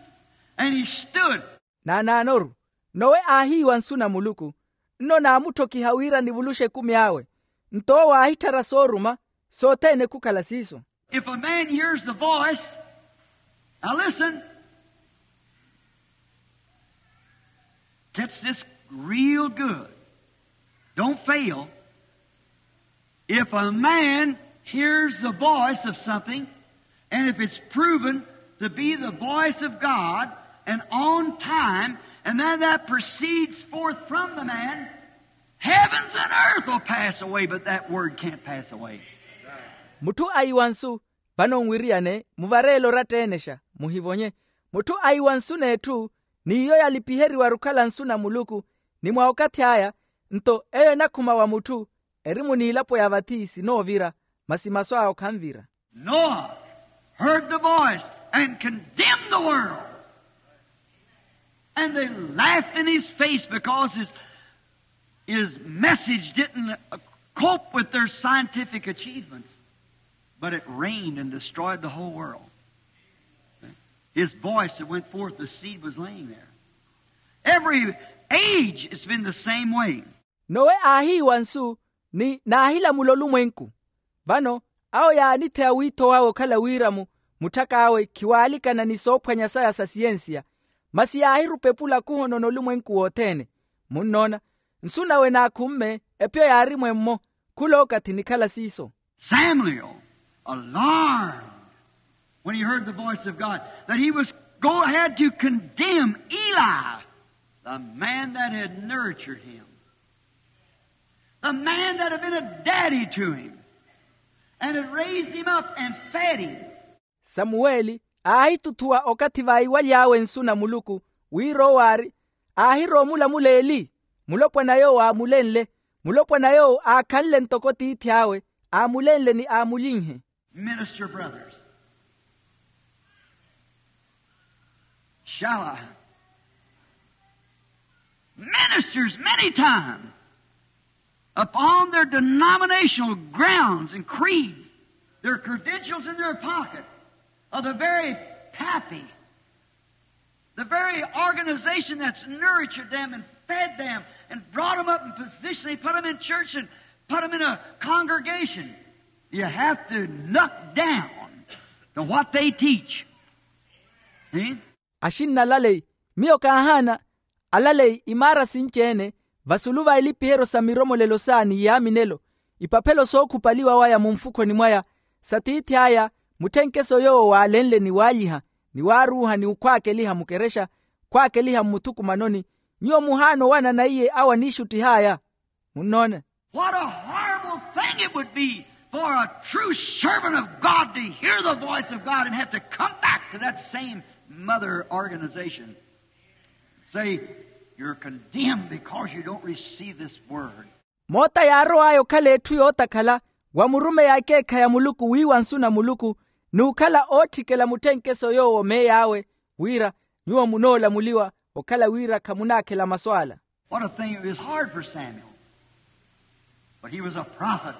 And he stood. Naanaanoru, nowe aahiiwa nsu na muluku, nno naamutthokiha wira nivuluxe ekumi awe. Nto owo aahitthara sooruma, sothene khukhala siiso. If a man hears the voice, now listen, catch this real good. Don't fail. If a man hears the voice of something, and if it's proven to be the voice of God, and on time, and then that proceeds forth from the man, heavens and earth will pass away, but that word can't pass away. Mutthu ayiwa nsu, vano nwiriyane muvareele oratta-enexa, muhivonye. Mutthu ayiwa nsu n'etthu, n'iyo yalipiheriwa-ru okhala nsu na muluku, ni mwa okathi aya, nto eyo enakhuma wa mutthu, eri muniilapo ya vathi sinoovira, masi masu awe okhanvira. Noah heard the voice and condemned the world. And they laughed in his face because his, his message didn't, uh, cope with their scientific achievements. But it rained and destroyed the whole world. His voice that went forth, the seed was laying there. Every age, it's been the same way. Nowe aahiiwa nsu, ni naahilamula olumwenku. Vano, awo yaanitheya wiitho wawe okhala wiiramu, mutthak'awe khiwaalikana ni soophwanya saya sa siyensiya, masi yaahirupa epulakhu ohonona olumwenku wothene. Munnoona, nsu nawe naakhumme, epyo yaari mwemmo, khulookathi nikhala siiso. Samuel, alarmed when he heard the voice of God, that he was go ahead to condemn Eli, the man that had nurtured him, the man that had been a daddy to him, and had raised him up and fed him. Samuweli aahituthuwa okathi vaiwaly'awe nsu na muluku, wira owo aari, aahirowa omulamula eli, mulopwana yoowo aamulenle, mulopwana yoowo aakhanle ntoko tiithi awe, aamulenle ni aamulinhe. Minister brothers, shall I? Ministers many times upon their denominational grounds and creeds, their credentials in their pocket, are the very pappy, the very organization that's nurtured them and fed them and brought them up in position. They put them in church and put them in a congregation. You have to knock down to what they teach. See? Axinna alaleyi, miyo kaahaana alaleyi imaara sinci-ene, vasulu va ilipiheryo sa miromolelo saani yaaminelo, ipaphelo sookhupaliwa waya munfukhoni mwaya, sa tiithi aya, mutthenkeso yoowo waalenle ni waalyiha, ni waaruuha ni okhwaakeliha mukerexa, khwaakeliha mmuthukumanoni, nyuwo muhaana owanana iye awo aniixuttih'aya. Munnoona? What a horrible thing it would be for a true servant of God to hear the voice of God and have to come back to that same mother organization. Say, "You're condemned because you don't receive this word." Moota yaarow'aya okhala etthu yootakhala, wa murumeyi a ekeekhayi a muluku wiiwa nsu na muluku, n'ukhala ootthikela mutthenkeso yoowo meey'awe, wira, nyuwo munoolamuliwa, okhala wira khamunaakhela masu ala. What a thing. It was hard for Samuel. But he was a prophet.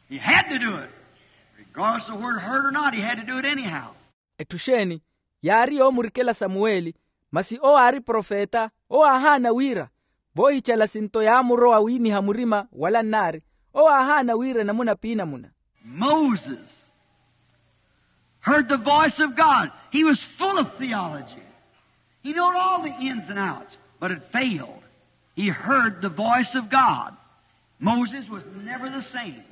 He had to do it. Regardless of word heard or not, he had to do it anyhow. Etthu xeeni yaari yoomurikela samuweli? Masi owo aari profeta, owo aahaana wira, voohichala sinto yaamurowa wiiniha murima wala nnaari, owo aahaana wira enamuna piinamuna. Moses heard the voice of God. He was full of theology. He knowed all the ins and outs, but it failed. He heard the voice of God. Moses was never the same.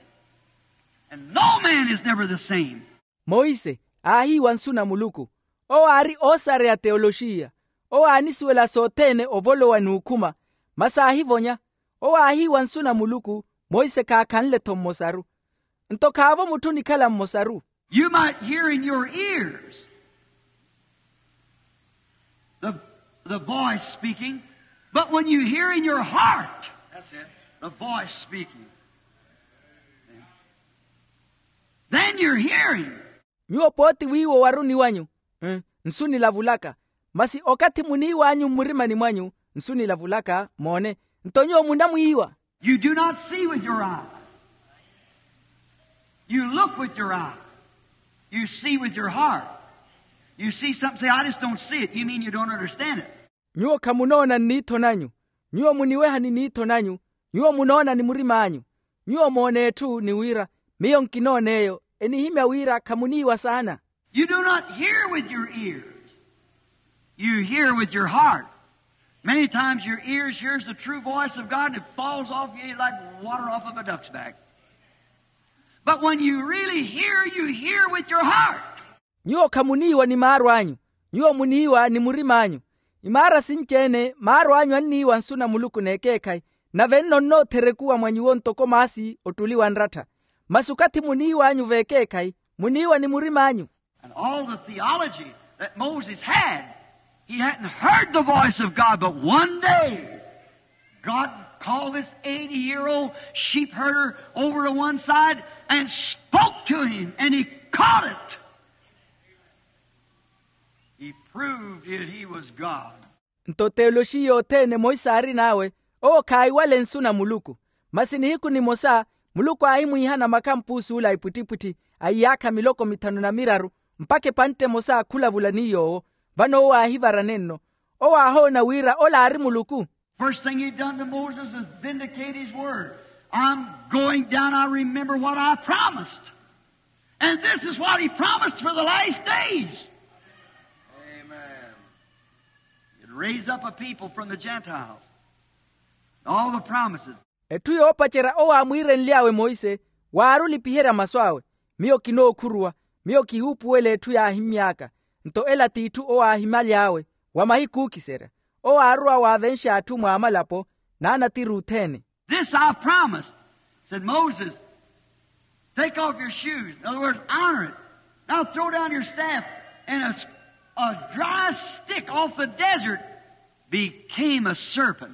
And no man is never the same. Moise aahiiwa nsu na muluku. Owo aari oosareya teoloxiya. Owo aanisuwela sothene ovolowa n'ukhuma. Masi aahivonya. Owo aahiiwa nsu na muluku. Monse khaakhanle-tho mmosaru. Nto khaavo mutthu onikhala mmosaru. You might hear in your ears the, the voice speaking, but when you hear in your heart, that's it, the voice speaking, then you're hearing. Nyuwo pooti wiiwa owaruni wanyu, nsu nilavulaka. Masi okathi muniiw'anyu mmurimani mwanyu, nsu nilavulaka moone. Nto nyuwo munamwiiwa. You do not see with your eye. You look with your eye. You see with your heart. You see something, say, I just don't see it. You mean you don't understand it. Nyuwo khamunoona nniitho nanyu. Nyuwo muniweha ni niitho nanyu. Nyuwo munoona ni murim'anyu. Nyuwo moona etthu ni wira, miyo nkinooneeyo. Enihimya wira khamuniiwa saana. You do not hear with your ears. You hear with your heart. Many times your ears hears the true voice of God and it falls off you like water off of a duck's back. But when you really hear, you hear with your heart. Nyuwo khamuniiwa ni maaru anyu. Nyuwo muniiwa ni murim'anyu. Imaara sinci-ene maaru anyu anniiwa nsu na muluku n'ekeekhayi, nave nno nnootherekuwa mwa nyuwo ntoko maasi ottuli wa nrattha. Masi okathi muniiw'anyu v'ekeekhayi, muniiwa ni murim'anyu. And all the theology that Moses had, he hadn't heard the voice of God, but one day God called this eighty-year-old sheep herder over to one side and spoke to him, and he caught it. He proved that he was God. Nto teoloxiya othene monse aarin'awe, owo khaahiwale nsu na muluku. Masi nihiku nimosa muluku aahimwiihana makhampuusi ula a ipwittipwitthi a iyaakha miloko mithanu na miraru, mpakha epantte emosa khulavula ni yoowo. Vano owo aahivarane nno. Owo aahoona wira ola aari muluku. First thing he done to Moses is vindicate his word. I'm going down, I remember what I promised. And this is what he promised for the last days. Amen. He'd raise up a people from the Gentiles. All the promises. Etthu yoopacerya owo aamwiirenly'awe monse, waarulipiherya masu awe. Miyo kinookhuruwa, miyo kihuupuwela etthu yaahimy'aka. Nto ela t'itthu owo aahimyaly'awe wa mahiku ookiserya. Owo aarowa waavenxa atthu mwa malapo n'anatiri othene. This I promised, said Moses, take off your shoes. In other words, honor it. Now throw down your staff, and a, a dry stick off the desert became a serpent.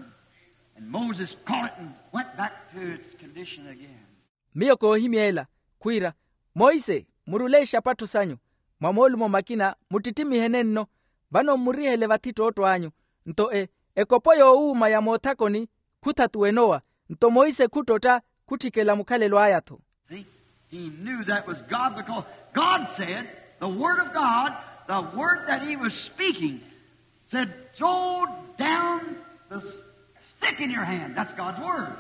And Moses caught it and went back to its condition again. Miyo koohimya ela, khwiira, monse, murule exapattho sanyu mwa moolumo makina, muttittimihene nno. Vano mmurihele vathi ttootto anyu. Nto e ekopo yoowuuma ya moothakoni khuthatuwenowa. Nto monse khuttotta, khutthikela mukhalelo aya-tho. He knew that was God, because God said, the word of God, the word that he was speaking, said, throw down the stick in your hand. That's God's word.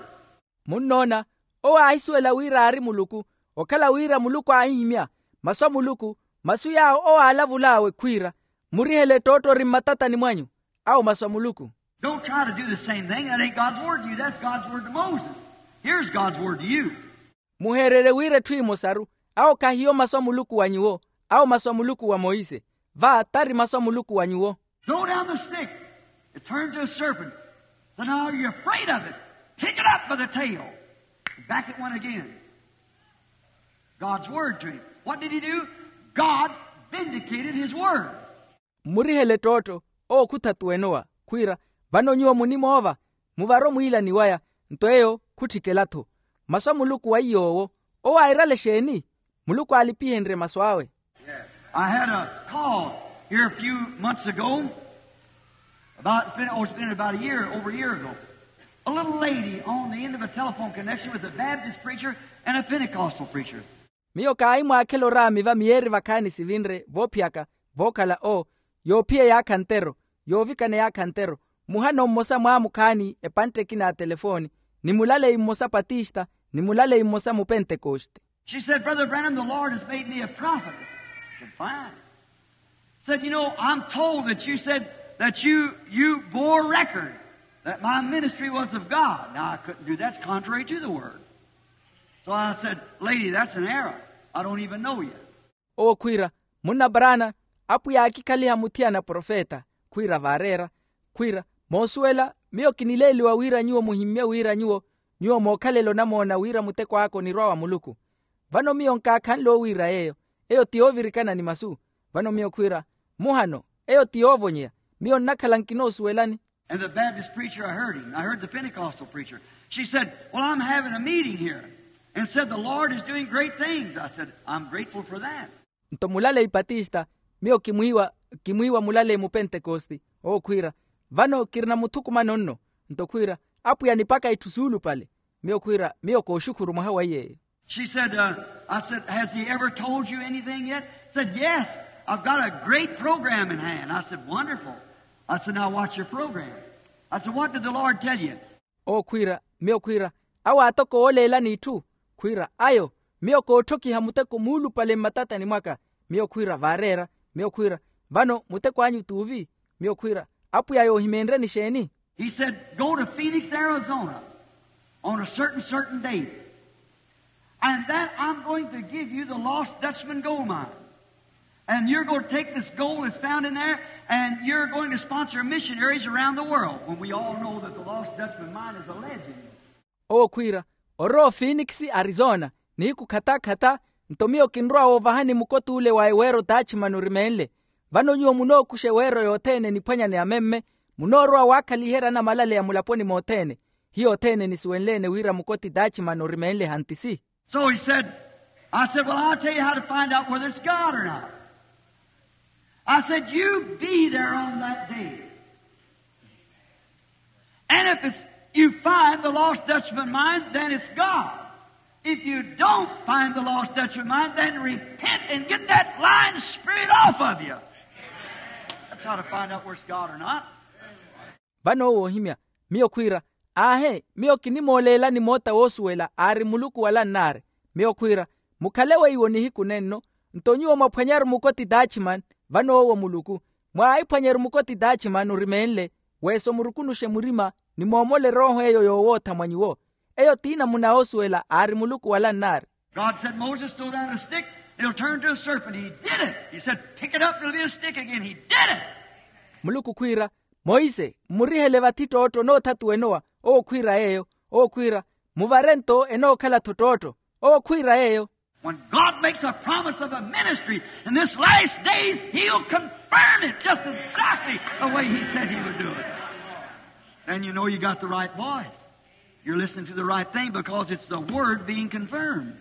Munnoona, owo aahisuwela wira aari muluku, okhala wira muluku aahihimya masu a muluku, masu yaawo owo aalavul'awe khwiira, murihele ttootto ori mmatatani mwanyu. Awo masu a muluku. Don't try to do the same thing. That ain't God's word to you. That's God's word to Moses. Here's God's word to you. Muheererye wira etthu emosaru. Awo khahiyo masu a muluku wa nyuwo. Awo masu a muluku wa monse. Va tari masu a muluku wa nyuwo. Throw down the stick. It turned to a serpent. So now you're afraid of it. Pick it up by the tail. Back it went again. God's word to him. What did he do? God vindicated his word. Mmurihele ttootto. Owo khuthatuwenowa khwiira, vano nyuwo munimoova, muvare omwiilani waya. Nto eyo khutthikela-tho. Masu a muluku wa iy'owo. Owo airale exeeni? Muluku aalipihenrye masu awe. I had a call here a few months ago. About, it's been, oh, it's been about a year, over a year ago. A little lady on the end of a telephone connection with a Baptist preacher and a Pentecostal preacher. Miyo kaahimwaakhela oraami va miyeeri vakhaani sivinre voophiyaka vookhala o yoophiya eyaakha ntero, yoovikana eyaakha ntero, muhano mmosa mwaamukhaani epantte ekina ya telefooni, ni mulaleyi mmosa patista ni mulaleyi mmosa mupentekoste. She said, Brother Branham, the Lord has made me a prophetess. I said, fine. Said, you know, I'm told that you said that you, you bore record that my ministry was of God. Now, I couldn't do that. It's contrary to the word. So I said, lady, that's an error. I don't even know you. Owo khwiira, munna paraana, apwiya aakikhaliha muthiyana profeta. Khwiira vaareera, khwiira, moosuwela, miyo kinileeliwa wira nyuwo muhimmye wira nyuwo Nyuwo mookhalela onamoona wira muteko aka onirwa wa muluku. Vano miyo nkaakhanle owiira yeeyo. Eyo ti yoovirikana ni masu. Vano miyo khwiira, muhano, eyo ti yoovonyeya. Miyo nnakhala nkinoosuwelani. And the Baptist preacher, I heard him. I heard the Pentecostal preacher. She said, well, I'm having a meeting here. And said, the Lord is doing great things. I said, I'm grateful for that. Nto mulaleyi patista, miyo kimwiiwa, kimwiiwa mulaleyi mupentekosti. Owo khwiira, vano kirina muthukumano nno. Nto khwiira, apwiya anipaka itthu suulupale. Miyo khwiira, miyo kooxukhuru mwaha wa iyeeyo. She said, uh, I said, has he ever told you anything yet? Said, yes, I've got a great program in hand. I said, wonderful. I said, now watch your program. I said, what did the Lord tell you? Owo khwiira, miyo khwiira, awo aatoko ooleelani itthu? Khwiira, ayo, miyo kootthokiha muteko muulupale mmatatani mwaka. Miyo khwiira, vaareera. Miyo khwiira, vano muteko anyu t'uvi? Miyo khwiira, apwiya yoohimeenreni xeeni? He said, go to Phoenix, Arizona on a certain, certain date. And then I'm going to give you the lost Dutchman gold mine. And you're going to take this gold that's found in there, and you're going to sponsor missionaries around the world. When we all know that the lost Dutchman mine is a legend. Owo khwiira, orowa ofinikisi arizona, nihiku khata-khata, nto miyo kinrowa woovahani mukot'ule wa eweero taachi mani orimeenle. Vano nyuwo munookuxa eweero yothene niphwanya ni amemme, munoorowa waakhaliherya anamalaleya mulaponi mothene. Hiyo othene nisuwenle-ene wira mukoti taachi mani orimeenle hantisi. So he said, I said, well, I'll tell you how to find out whether it's God or not. I said, you be there on that day. And if it's, you find the lost Dutchman mine, then it's God. If you don't find the lost Dutchman mine, then repent and get that lying spirit off of you. That's how to find out whether it's God or not. Vano owo ohimya, miyo khwiira, aahe, miyo kinimooleelani moota woosuwela aari muluku wala nnaari. Miyo khwiira, mukhale weiwo nihiku nenno. Nto nyuwo mwaphwanyaru mukoti taachi mani, vano owo muluku. Mwaahiphwanyeru mukoti taachi mani orimeenle, weeso murukunuxe murima, ni moomole erooho eyo yoowootha mwa nyuwo. Eyo ti namuna yoosuwela aari muluku wala nnaari. God said, moses, throw down a stick. It'll turn to a serpent. He did it. He said, pick it up, it'll be a stick again. He did it. Muluku khwiira, monse, mmurihele vathi ttootto onoothatuwa enowa. Owo khwiira yeeyo. Owo khwiira, muvare nto enookhala-tho ttootto. Owo khwiira yeeyo. When God makes a promise of a ministry in this last days, he'll confirm it just exactly the way he said he would do it. Then you know you got the right voice. You're listening to the right thing because it's the word being confirmed.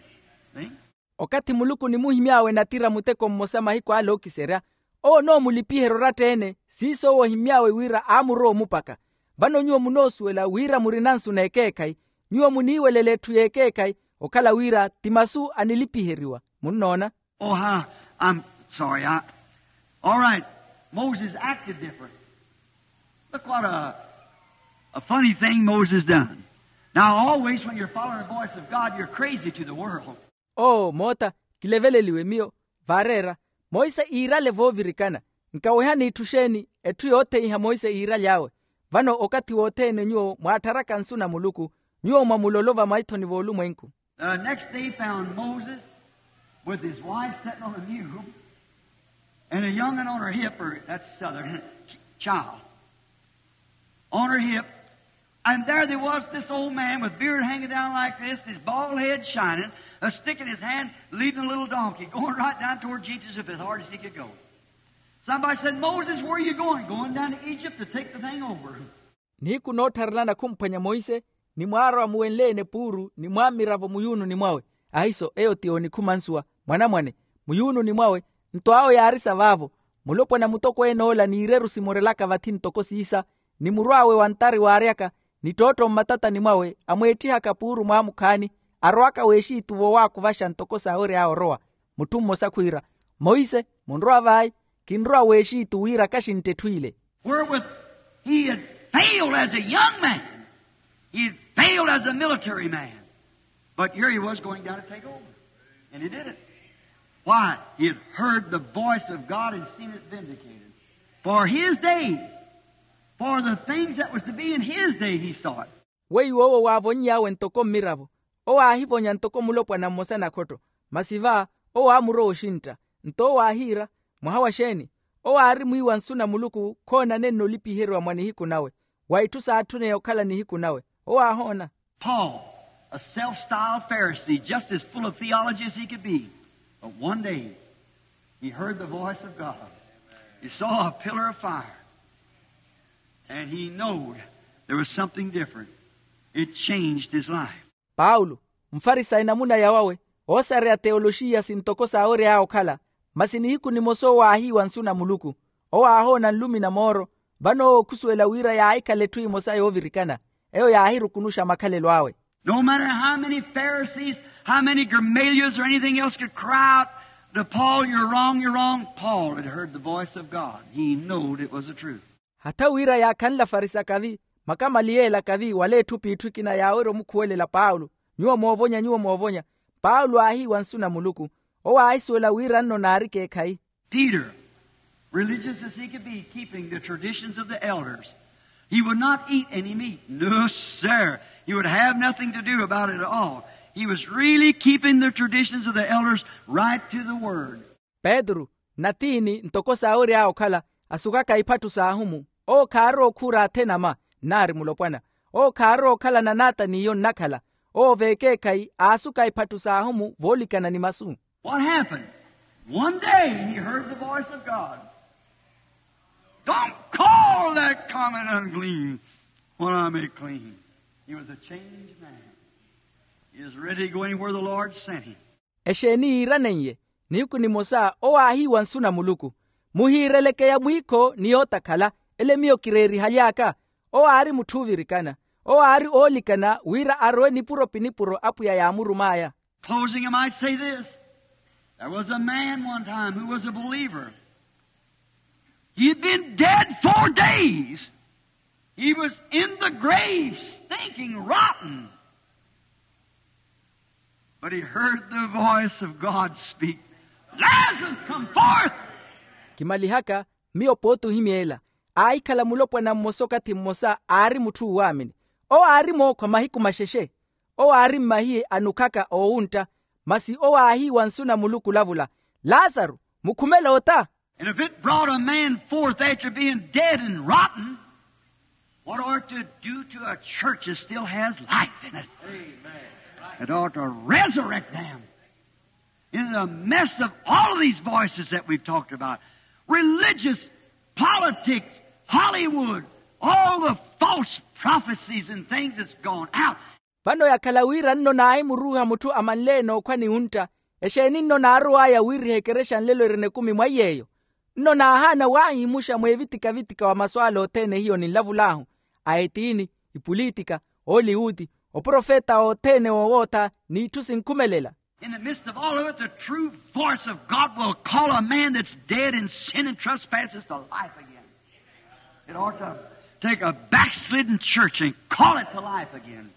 See? Okathi muluku onimuhimy'awe natira muteko mmosa mahiku ale ookiserya, owo onoomulipiherya oratta-ene. Siiso owo ohimmy'awe wira aamurowa omupaka. Vano nyuwo munoosuwela wira murina nsu n'ekeekhayi. Nyuwo muniiwelela etthu y'ekeekhayi, okhala wira ti masu anilipiheriwa. Munnoona? Oh, how, I'm sorry. I, all right. Moses acted different. Look what a, a funny thing Moses done. Now, always when you're following the voice of God, you're crazy to the world. Oo moota, kileveleliwe miyo. Vaareera, monse iirale voovirikana. Nkawehani itthu xeeni? Etthu yootheiha monse iiraly'awe. Vano okathi wothene nyuwo mwaattharaka nsu na muluku, nyuwo mwamulolova maithoni v'olumwenku. The next day found Moses with his wife sitting on a mule and a young'un on her hip, or that's southern, child on her hip. And there they was, this old man with beard hanging down like this, his bald head shining, a stick in his hand, leading a little donkey, going right down toward Jesus as hard as he could go. Somebody said, moses, where are you going? Going down to Egypt to take the thing over. Nihiku noottharelana khumphwanya monse, ni mwaarowa muwenle-ene puuru ni mwaamiravo muyuununi mwawe. Ahiso eyo ti yoonikhuma nsuwa, mwanamwane, muyuununi mwawe. Nto awo yaarisa vaavo. Mulopwana mutokween'ola n'ireru simorelaka vathi ntoko siisa, ni murw'awe wa ntari waaryaka, ni ttootto mmatatani mwawe amweetthihaka puuru mwaamukhaani, arowaka w'exitu vowaakuvaxa ntoko saawery'awe orowa. Mutthu mmosa khwiira, monse, munrowa vai? Kinrowa w'exitu wira kaxintte etthu ile. Wherewith he had failed as a young man. He had failed as a military man. But here he was going down to take over. And he did it. Why? He had heard the voice of God and seen it vindicated. For his day, for the things that was to be in his day, he saw it. Weiwo owo waavony'awe ntoko mmiravo. Owo aahivonya ntoko mulopwana mmosa nakhotto. Masi va, owo aamurowa oxintta. Nto owo aahiira, mwaha wa xeeni? Owo aari mwiiwa nsu na muluku khoonanenna olipiheriwa mwa nihiku nawe, wa itthu saatthuneya okhala nihiku nawe. Owo aahoona. Paul, a self-styled Pharisee, just as full of theology as he could be. But one day, he heard the voice of God. He saw a pillar of fire. And he knowed there was something different. It changed his life. Paulo, mfarisayo namuna yawawe, oosareya teoloxiya sintoko saawery'awe okhala. Masi nihiku nimosa owo aahiiwa nsu na muluku. Owo aahoona nlumi na mooro. Vano owo okhusuwela wira yaahikhala etthu emosa yoovirikana. Eyo yaahirukunuxa makhalelo awe. No matter how many Pharisees, how many Gamaliels or anything else could cry out to Paul, "You're wrong, you're wrong," Paul had heard the voice of God. He knowed it was the truth. Hatha wira yaakhanle afarisi akavi, makamaliyeli akavi wala etthu p'itthu ekina yaawerya omukhuwelela paulo, nyuwo moovonya, nyuwo moovonya. Paulo aahiiwa nsu na muluku. Owo aahisuwela wira nno naari ekeekhayi. Peter, religious as he could be, keeping the traditions of the elders. He would not eat any meat. No, sir. He would have nothing to do about it at all. He was really keeping the traditions of the elders right to the word. Petru, natiini ntoko saawery'awe okhala, asukaka iphatthu s'ahumu. Owo khaarowa okhuura athenama, nnaari mulopwana. Owo khaarowa okhala na naata n'iyo nnakhala. Owo v'ekeekhayi aasuka iphatthu s'ahumu voolikana ni masu. What happened? One day he heard the voice of God. "Don't call that common unclean what I made clean." He was a changed man. He is ready to go anywhere the Lord sent him. Exeeni yiiraneiye? Nihiku nimosa owo aahiiwa nsu na muluku. Muhiireleke yamwiikho ni yootakhala. Ele miyo kireerihaly'aka. Owo aari mutthu oovirikana. Owo aari oolikana wira arowe nipuro-pinipuro apwiya yaamurum'aya. Closing, I might say this. There was a man one time who was a believer. He had been dead four days. He was in the grave, stinking, rotten. But he heard the voice of God speak, "Lazarus, come forth!" Kimalihaka, miyo pooti ohimyeela. Aahikhala mulopwana mmosa okathi mmosa aari mutthu uuwaamini. Owo aari mookhwa mahiku maxexe. Owo aari mmahiye anukhaka oowuntta. Masi owo aahiiwa nsu na muluku olavula, "Lazaru, mukhumele ota." And if it brought a man forth after being dead and rotten, what ought to do to a church that still has life in it? It ought to resurrect them. In the mess of all of these voices that we've talked about, religious, politics, Hollywood, all the false prophecies and things that's gone out. Vano yakhala wira nno naahimuruuha mutthu amanleene okhwa ni wuntta. Exeeni nno naarow'aya wiiriha ekerexa nlelo erina ekumi mwa iy'eyo? Nno naahaana waahimuxa mw'evitika-vitika wa masu ale othene hiyo ninlavul'ahu, a etiini, ipulitika, oliwuti, oprofeta othene oowootha, n'itthu sinkhumelela. In the midst of all of it, the true voice of God will call a man that's dead in sin and trespasses to life again. It ought to take a backslidden church and call it to life again.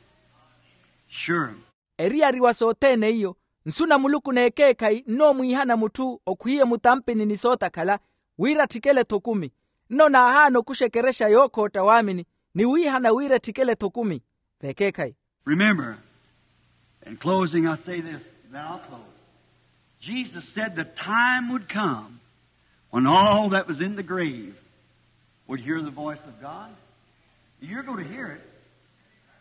Sure. Eriyari wa sothene iyo, nsu na muluku n'ekeekhayi nnoomwiihana mutthu okhwiiye mutampini ni sootakhala, wira atthikele-tho okumi. Nno naahaana okuxa ekerexa yookhootta waamini, ni wiihana wira etthikele-tho okumi. V'ekeekhayi. Remember, in closing, I say this, then I'll close. Jesus said the time would come when all that was in the grave would hear the voice of God. You're going to hear it.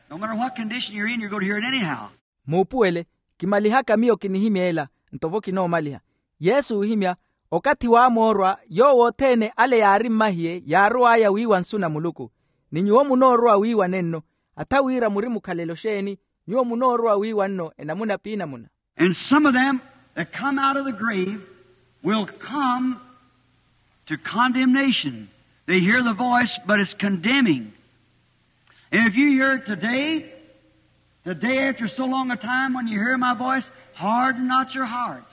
No matter what condition you're in, you're going to hear it anyhow. Muupuwele, kimalihaka miyo kinihimyeela, nto vo kinoomaliha. Yesu oohimya, okathi waamoorwa yoowo othene ale yaari mmahiye yaarow'aya wiiwa nsu na muluku. Ni nyuwo munoorowa wiiwa nenno. Atha wira muri mukhalelo xeeni? Nyuwo munoorowa wiiwa nno enamuna p'inamuna. And some of them that come out of the grave will come to condemnation. They hear the voice, but it's condemning. And if you hear it today, today after so long a time when you hear my voice, harden not your hearts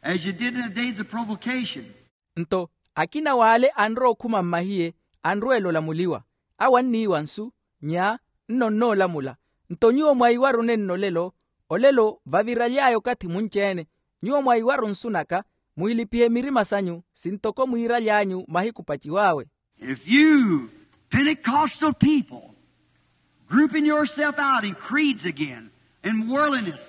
as you did in the days of provocation. Nto akina w'ale anrowa okhuma mmahiye, anrweela olamuliwa. Awo anniiwa nsu, nya, nno nnoolamula. Nto nyuwo mwaiwaru nenno olelo, olelo vaviraly'aya okathi munci-ene. Nyuwo mwaiwaru nsu naka, muhilipihe mirima sanyu sintoko mwiiraly'anyu mahiku paciw'awe. If you Pentecostal people grouping yourself out in creeds again, in worldliness,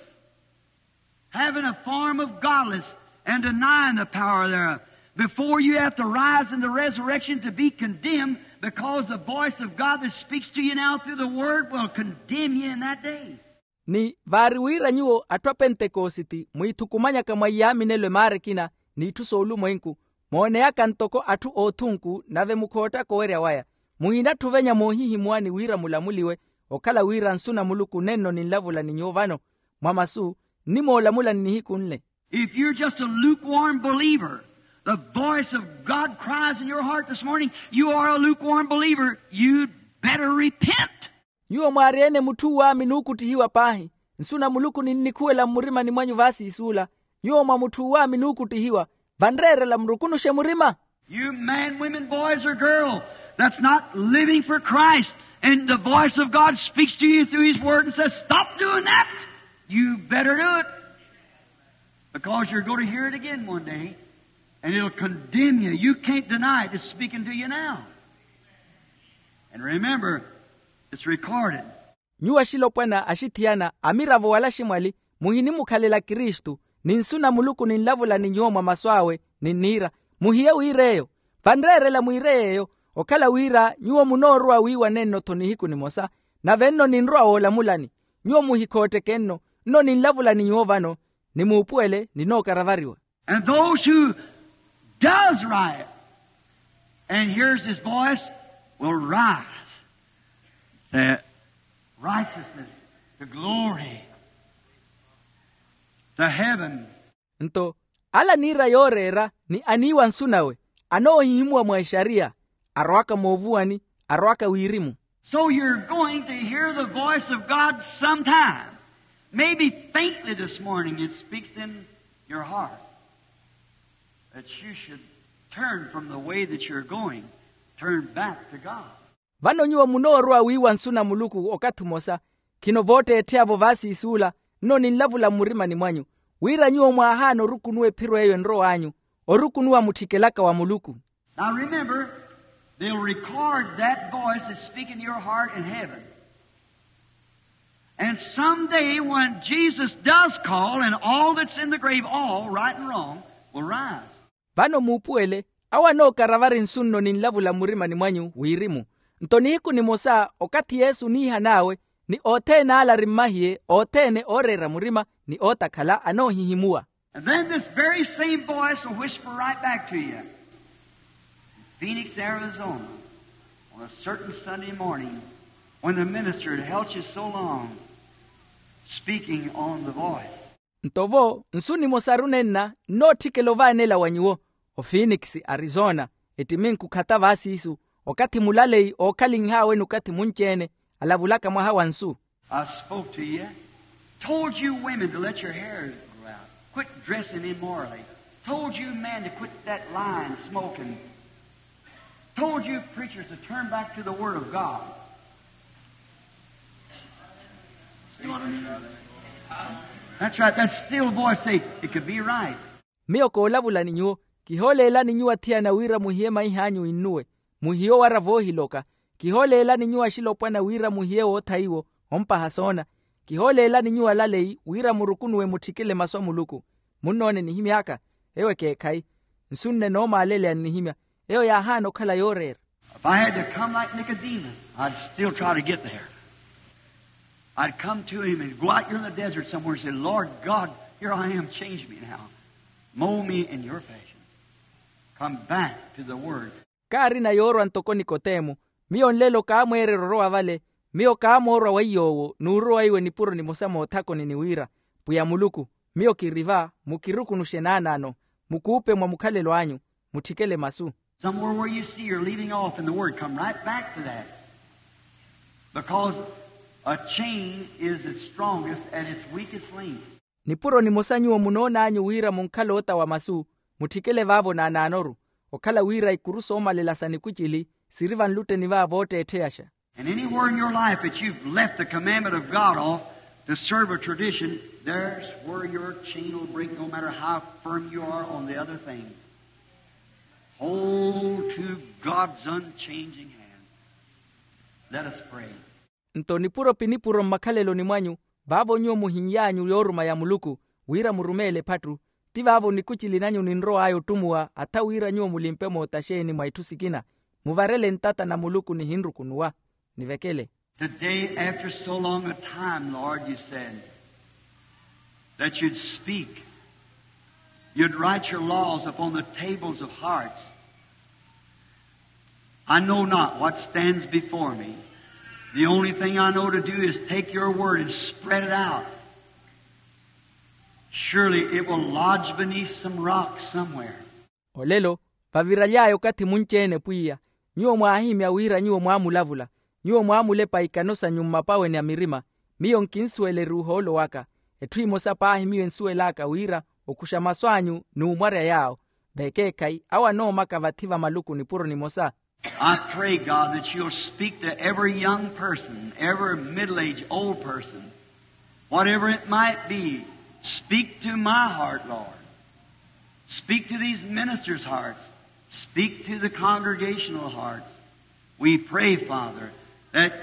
having a form of godliness and denying the power thereof, Before you have to rise in the resurrection to be condemned, because the voice of God that speaks to you now through the word will condemn you in that day. Ni vaari wira nyuwo atthu a pentekositi mwiithukumanyaka mwa iyaaminelo emaara ekina, n'itthu soolumwenku, mooneyaka ntoko atthu oothunku nave mukhoottaka owerya waya. Muhinatthi ovenya moohihimuwani wira mulamuliwe, okhala wira nsu na muluku nenno ninlavula ni nyuwo vano mwa masu, nnimoolamulani nihiku nle. If you're just a lukewarm believer, the voice of God cries in your heart this morning, you are a lukewarm believer, you'd better repent. Nyuwo mwaari-ene mutthu uwaamini ookuttihiwa paahi, nsu na muluku ninnikhuwela mmurimani mwanyu vaasiisuula. Nyuwo mwa mutthu uwaamini ookuttihiwa, vanreerela murukunuxe murima. You man, women, boys, or girl that's not living for Christ, and the voice of God speaks to you through His Word and says, "Stop doing that," you better do it. Because you're going to hear it again one day, and it'll condemn you. You can't deny it. It's speaking to you now. And remember, it's recorded. Nyuwo axilopwana axithiyana amiravo wala aximwali, muhinimukhalela kristu, ni nsu na muluku ninlavula ni nyuwo mwa masu awe, ninniira, muhiye wiir'eyo. Vanreerela mwiire yeeyo, okhala wira nyuwo munoorowa wiiwanenno-tho nihiku nimosa, nave nno ninrowa woolamulani. Nyuwo muhikhootteke nno, nno ninlavula ni nyuwo vano, ni muupuwele ninookaravariwa. And those who does right and hears his voice will rise to righteousness, to glory, to heaven. Nto ala aniira yooreera ni aniiwa nsu nawe, anoohihimuwa mwa exariya, arowaka moovuwani, arowaka wirimu. So you're going to hear the voice of God sometime. Maybe faintly this morning it speaks in your heart that you should turn from the way that you're going, turn back to God. Vano nyuwo munoorowa wiiwa nsu na muluku okathi umosa, khino vootteettheyavo vaasiisuula, nno ninlavula mmurimani mwanyu, wira nyuwo mwaahaana orukunuwa ephiro eyo enrow'anyu, orukunuwa mutthikelaka wa muluku. Now remember, they'll record that voice that's speaking to your heart in heaven. And someday when Jesus does call and all that's in the grave, all right and wrong, will rise. Vano muupuwele, awo anookaravari nsu nno ninlavula mmurimani mwanyu wirimu. Nto nihiku nimosa okathi yesu oniihan'awe, ni othene ale ari mmahiye othene ooreera murima ni ootakhala anoohihimuwa. And then this very same voice will whisper right back to you. Phoenix, Arizona, on a certain Sunday morning, when the minister had held you so long, speaking on the voice. Nto vo nsu nimosaru nenna nnootthikela ovaanela wa nyuwo, o phoenix, arizona, ettiminku khata vaasiisu, okathi mulaleyi ookhalinh'awe n'ukathi munci-ene, alavulaka mwaha wa nsu. I spoke to you, told you women to let your hair grow out, quit dressing immorally, told you men to quit that lying, smoking, told you preachers to turn back to the Word of God. That's right, that still voice say, it could be right. Miyo koolavula ni nyuwo, kihooleelani nyuwo athiyana wira muhiye maih'anyu innuwe, muhiye owara voohiloka, kihooleelani nyuwo axilopwana wira muhiye wootha iwo, ompaha soona, kihooleelani nyuwo alaleyi wira murukunuwe mutthikile masu a muluku. Munnoone nihimy'aka, eyo ekeekhayi, nsu nne noomaaleleya nnihimya, eyo yaahaana okhala yooreera. If I had to come like Nicodemus, I'd still try to get there. I'd come to him and go out here in the desert somewhere and say, Lord God, here I am, change me now. Mold me in your fashion. Come back to the word. Kaarina yoorwa ntoko nikotemo, miyo nlelo kaamweererya orowa vale. Miyo kaamoorwa weiy'owo n'urowa iwe nipuro nimosa moothakoni ni wira, pwiya muluku, miyo kiri va, mukirukunuxe naanaano, mukuupe mwa mukhalelo anyu, mutthikele masu. Somewhere where you see you're leaving off in the word, come right back to that. Because a chain is its strongest at its weakest link. Nipuro nimosa nyuwo munoon'anyu wira munkhala ota wa masu, mutthikele vaavo naanaanoru, okhala wira ikuru soomalela sa nikwicili siri vanlutteni va vootteettheyaxa. And anywhere in your life that you've left the commandment of God off to serve a tradition, there's where your chain will break, no matter how firm you are on the other things. Hold to God's unchanging hand. Let us pray. Nto nipuro pi nipuro mmakhaleloni mwanyu, vaavo nyuwo muhin'yanyu yooruma ya muluku, wira murumeele ephattu, Ti vaavo nikucili nanyu ninrow'aya ottumuwa atha wira nyuwo mulimpe mootta xeeni mwa itthu sikina? Muvarele nttata na muluku nihinrukunuwa. Nivekele. Today, after so long a time, Lord, you said that you'd speak. You'd write your laws upon the tables of hearts. I know not what stands before me. The only thing I know to do is take your word and spread it out. Surely it will lodge beneath some rock somewhere. Olelo, vaviraly'aya okathi munci-ene pwiya, nyuwo mwaahimya wira nyuwo mwaamulavula. Nyuwo mwaamulepa ikano sanyu mmapaweni a mirima. Miyo nkinsuweleriwa ohoolo waka. Etthu emosa paahi miyo ensuwel'aka wira okuxa masu anyu n'umwarya yaawo. Vekeekhayi awo anoomaka vathi va maluku nipuro nimosa. I pray, God, that you'll speak to every young person, every middle-aged old person, whatever it might be. Speak to my heart, Lord. Speak to these ministers' hearts. Speak to the congregational hearts. We pray, Father, that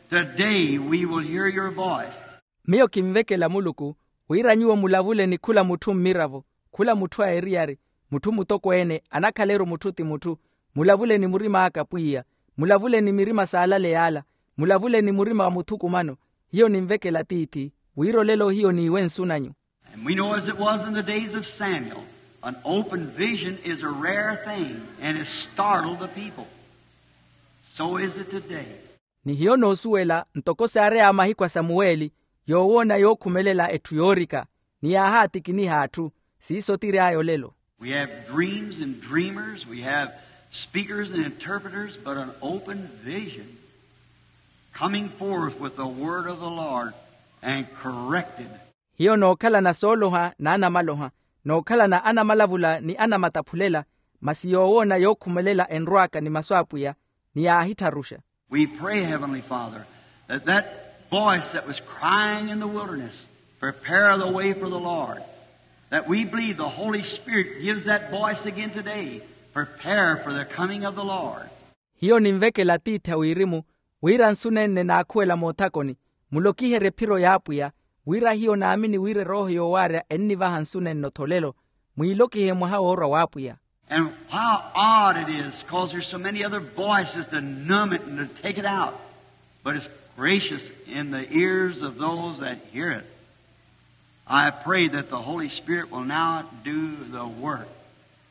today we will hear your voice. Miyo kinvekela muluku wira nyuwo mulavule ni khula mutthu mmiravo, khula mutthu a eriyari, mutthu mutokweene, anakhaleru mutthu ti mutthu. Mulavule ni murim'aka pwiya. Mulavule ni mirima s'alale y'ala. Mulavule ni murima wa muthukumano. Hiyo ninvekela tiithi, wira olelo hiyo niiwe nsu nanyu. And we know, as it was in the days of Samuel, an open vision is a rare thing and it startled the people. So is it today. Ni hiyo noosuwela ntoko saareya mahiku a samuweli, yoowoona yookhumelela etthu yoorika, ni yaahaatikiniha atthu. Siiso tiry'aya olelo. We have dreams and dreamers, we have speakers and interpreters, but an open vision coming forth with the word of the Lord and corrected. Hiyo nookhalana sooloha n'anamaloha, nookhalana anamalavula ni anamataphulela, masi yoowoona yookhumelela enrw'aka ni masu a pwiya, ni yaahittharuxa. We pray, Heavenly Father, that that voice that was crying in the wilderness, "Prepare the way for the Lord," that we believe the Holy Spirit gives that voice again today, "Prepare for the coming of the Lord." Hiyo ninvekela tiithi a wirimu, wira nsu nenne naakhuwela moothakoni, mulokiherye ephiro y'apwiya, wira hiyo naamini wira erooho yoowaarya ennivaha nsu nenno tholelo. Mwiilokihe mwaha woorwa w'apwiya. And how odd it is, 'cause there's so many other voices to numb it and to take it out. But it's gracious in the ears of those that hear it. I pray that the Holy Spirit will now do the work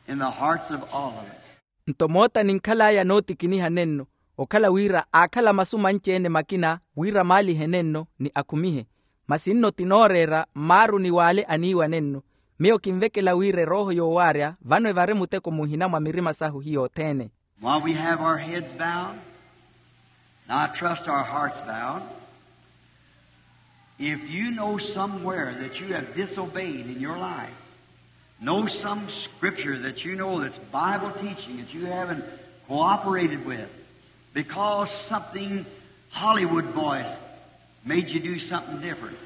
in the hearts of all of us. Nto mootta ninkhal'aya nootikiniha nenno, okhala wira aakhala masu manci-ene makina wira maalihe nenno ni akhumihe. Masi nno ti nooreera mmaaruni w'ale aniiwa nenno. Miyo kinvekela wira erooho yoowaarya vano evari muteko muhina mwa mirima sahu hiyo othene. While we have our heads bowed, and I trust our hearts bowed, if you know somewhere that you have disobeyed in your life, know some scripture that you know that's Bible teaching that you haven't cooperated with because something Hollywood voice made you do something different.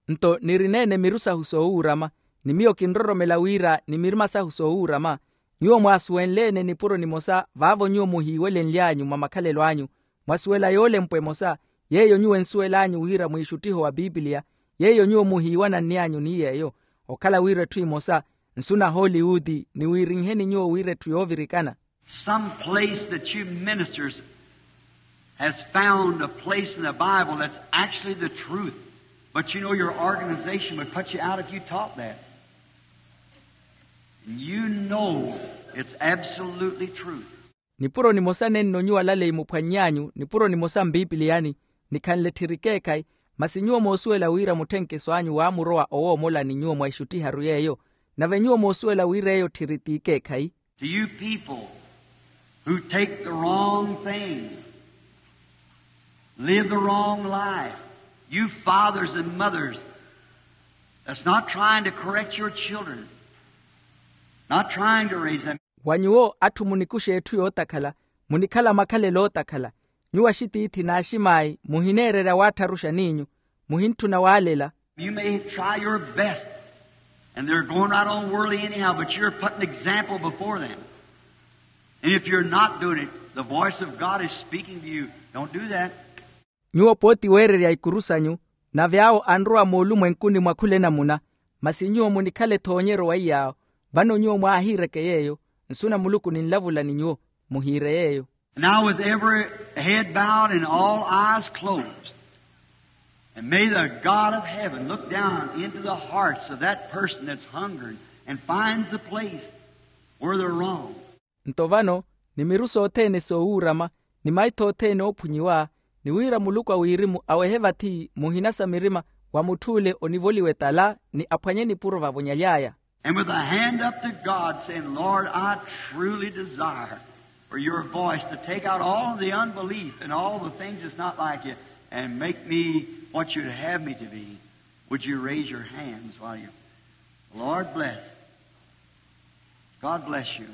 Nto nirineene miru sahu soowuurama, ni miyo kinroromela wira ni mirima sahu soowuurama. Nyuwo mwaasuwenleene nipuro nimosa vaavo nyuwo muhiiwelenly'anyu mwa makhalelo anyu, mwasuwela yoolempwa emosa, yeeyo nyuwo ensuwel'anyu wira mwiixuttiho wa pipiliya, yeeyo nyuwo muhiiwananny'anyu ni yeeyo. Okhala wira etthu emosa, nsu na hollywood, niwiirinheni nyuwo wira etthu yoovirikana. Some place that you ministers has found a place in the Bible that's actually the truth. But you know your organization would put you out if you taught that. And you know it's absolutely truth. Nipuro nimosa nenno nyuwo alaleyi muphwanny'anyu nipuro nimosa mpipiliyani, nikhanle tthiri ekeekhayi, masi nyuwo moosuwela wira mutthenkeso anyu waamurowa owoomolani nyuwo mwa ixuttiharu yeeyo. Nave nyuwo moosuwela wira eyo tthiri t'ikeekhayi. To you people who take the wrong thing, live the wrong life, you fathers and mothers that's not trying to correct your children, not trying to raise them. Wa nyuwo atthu munikuxa etthu yootakhala, munikhala makhalelo ootakhala. Nyuwo axitiithi n'aximaayi muhineererya waattharuxa n'inyu, muhintthuna waalela. You may try your best, and they're going right on worldly anyhow, but you're putting example before them. And if you're not doing it, the voice of God is speaking to you. Don't do that. Nyuwo pooti weererya ikuru sanyu, nave awo anrowa moolumwenkuni mwa khula enamuna. Masi nyuwo munikhala ethoonyeryo wa iyaawo, Vano nyuwo mwaahiireke yeeyo. Nsu na muluku ninlavula ni nyuwo, muhiire yeeyo. Now with every head bowed and all eyes closed, and may the God of heaven look down into the hearts of that person that's hungering and finds the place where they're wrong. Nto vano, ni miru sothene soowuurama, ni maitho othene oophunyiwa, ni wira muluku a wirimu awehe vathi muhina sa mirima wa mutthu ole onivoliwa etala, ni aphwanye nipuro vavonyaly'aya. And with a hand up to God, saying, Lord, I truly desire for your voice to take out all the unbelief and all the things that's not like you and make me what you'd have me to be. Would you raise your hands while you, Lord bless. God bless you.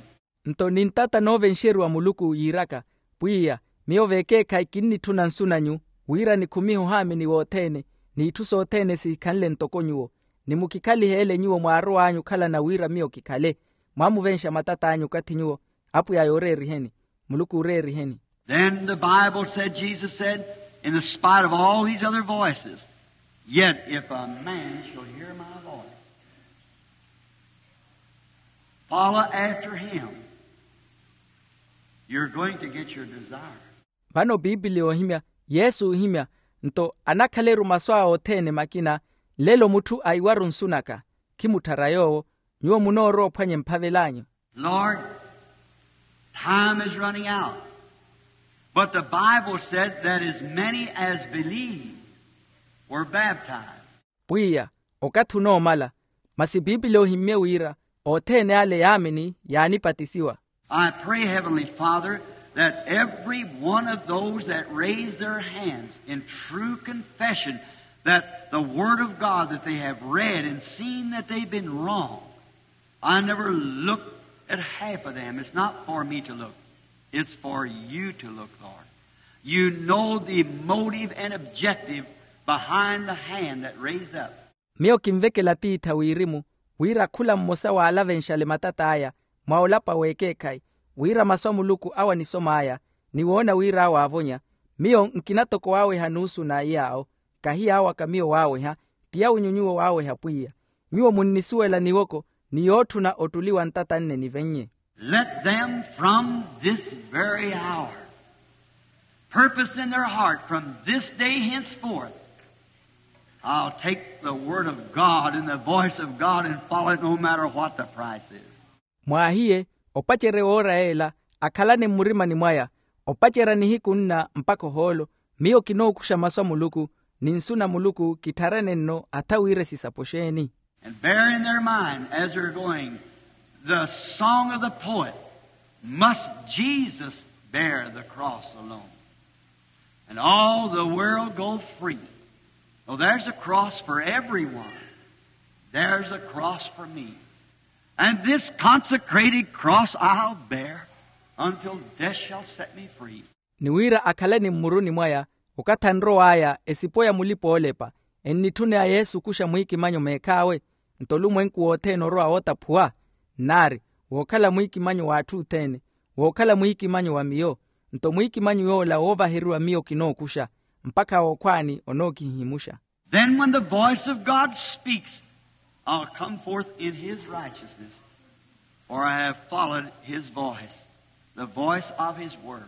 Nto nintata noovenxeriwa muluku yiiraka, pwiya, miyo vekeekhayi kinnitthuna nsu nanyu, wira nikhumihe ohaamini wothene, n'itthu sothene sihikhanle ntoko nyuwo, ni mukikhaliheele nyuwo mwaarow'anyu okhalana wira miyo kikhale. Mwaamuvenxa matat'anyu okathi nyuwo, apwiya yooreeriheni, muluku ooreeriheni. Then the Bible said, Jesus said, in the spite of all these other voices, yet if a man shall hear my voice, follow after him, you're going to get your desire. Vano piipili oohimya, yesu oohimya, nto anakhaleru masu awe othene makina, nlelo mutthu aiwaru nsu naka, khimutthara yoowo, nyuwo munoorowa ophwanya emphavel'anyu. Lord, time is running out. But the Bible said that as many as believed were baptized. Pwiya, okathi onoomala, masi piipili ohimmye wira othene ale yaamini yaanipatisiwa. I pray, Heavenly Father, that every one of those that raise their hands in true confession that the Word of God that they have read and seen that they've been wrong, I never look at half of them. It's not for me to look. It's for you to look, Lord. You know the motive and objective behind the hand that raised up. Miyo kinvekela atiitha wirimu, wira khula mmosa waalavenxale matat'aya mwa olapa w'ekeekhayi, wira masu a muluku awo anisom'aya, ni woona wira awo aavonya. Miyo nkina toko waaweha nuusu na iy'awo, kahi yaawaka miyo waaweha, ti yawinyu nyuwo waaweha pwiya. Nyuwo munnisuwela niwoko ni yootthuna ottuli wa ntata nne nivennye. Let them from this very hour purpose in their heart, from this day henceforth, I'll take the word of God and the voice of God and follow it no matter what the price is. Mwaahiye, opacerya woora yeela, akhalane mmurimani mwaya, opacerya nihiku nna mpakha ohoolo, miyo kinookuxa masu a muluku, ni nsu na muluku kitthare nenno atha wira esisapo xeeni. And bear in their mind as they're going the song of the poet, must Jesus bear the cross alone and all the world go free? Well, there's a cross for everyone. There's a cross for me. And this consecrated cross I'll bear until death shall set me free. Ni wira akhalani mmuruni mwaya, okathi anrow'aya esipo ya mulipa-oolepa, ennitthuna yesu okuxa mwiikimanyo meekhaawe. Nto olumwenku wothene orowa wootaphuwa, nnaari, wookhala mwiikimanyo w'atthu othene, wookhala mwiikimanyo wa miyo. Nto mwiikimanyo yoola woovaheriwa miyo kinookuxa, mpakha wookhwaani onookihihimuxa. Then when the voice of God speaks, I'll come forth in his righteousness, for I have followed his voice, the voice of his word.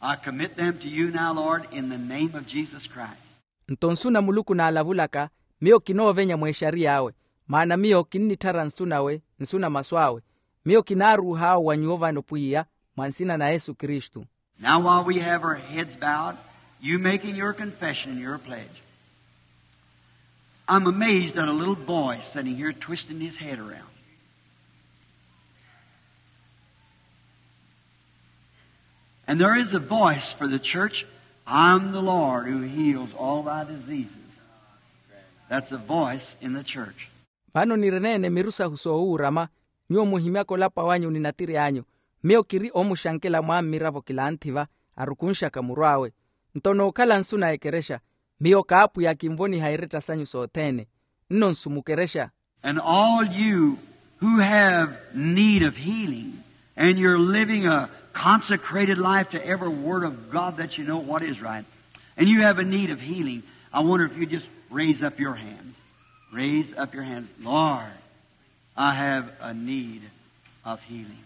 I commit them to you now, Lord, in the name of Jesus Christ. Nto nsu na muluku naalavulaka, miyo kinoovenya mweexariy'awe, maana miyo kinnitthara nsu nawe, nsu na masu awe. Miyo kinaaruuh'awe wa nyuwo vano pwiya, mwa nsina na yesu kristu. Now, while we have our heads bowed, you making your confession and your pledge, I'm amazed at a little boy sitting here twisting his head around. And there is a voice for the church, I'm the Lord who heals all thy diseases. That's a voice in the church. Vano nireneene miru sahu soowuurama, nyuwo muhimyaka olapa wanyu ni natiri anyu. Miyo kiri oomuxankela mwaammiravo kilanthi-va, arukunxaka muru awe. Nto nookhala nsu na ekerexa, miyo kaapwiya kinvoniha iretta sanyu sothene. Nno nsu mukerexa. And all you who have need of healing, and you're living a consecrated life to every word of God that you know what is right, and you have a need of healing, I wonder if you just raise up your hands. Raise up your hands. Lord, I have a need of healing.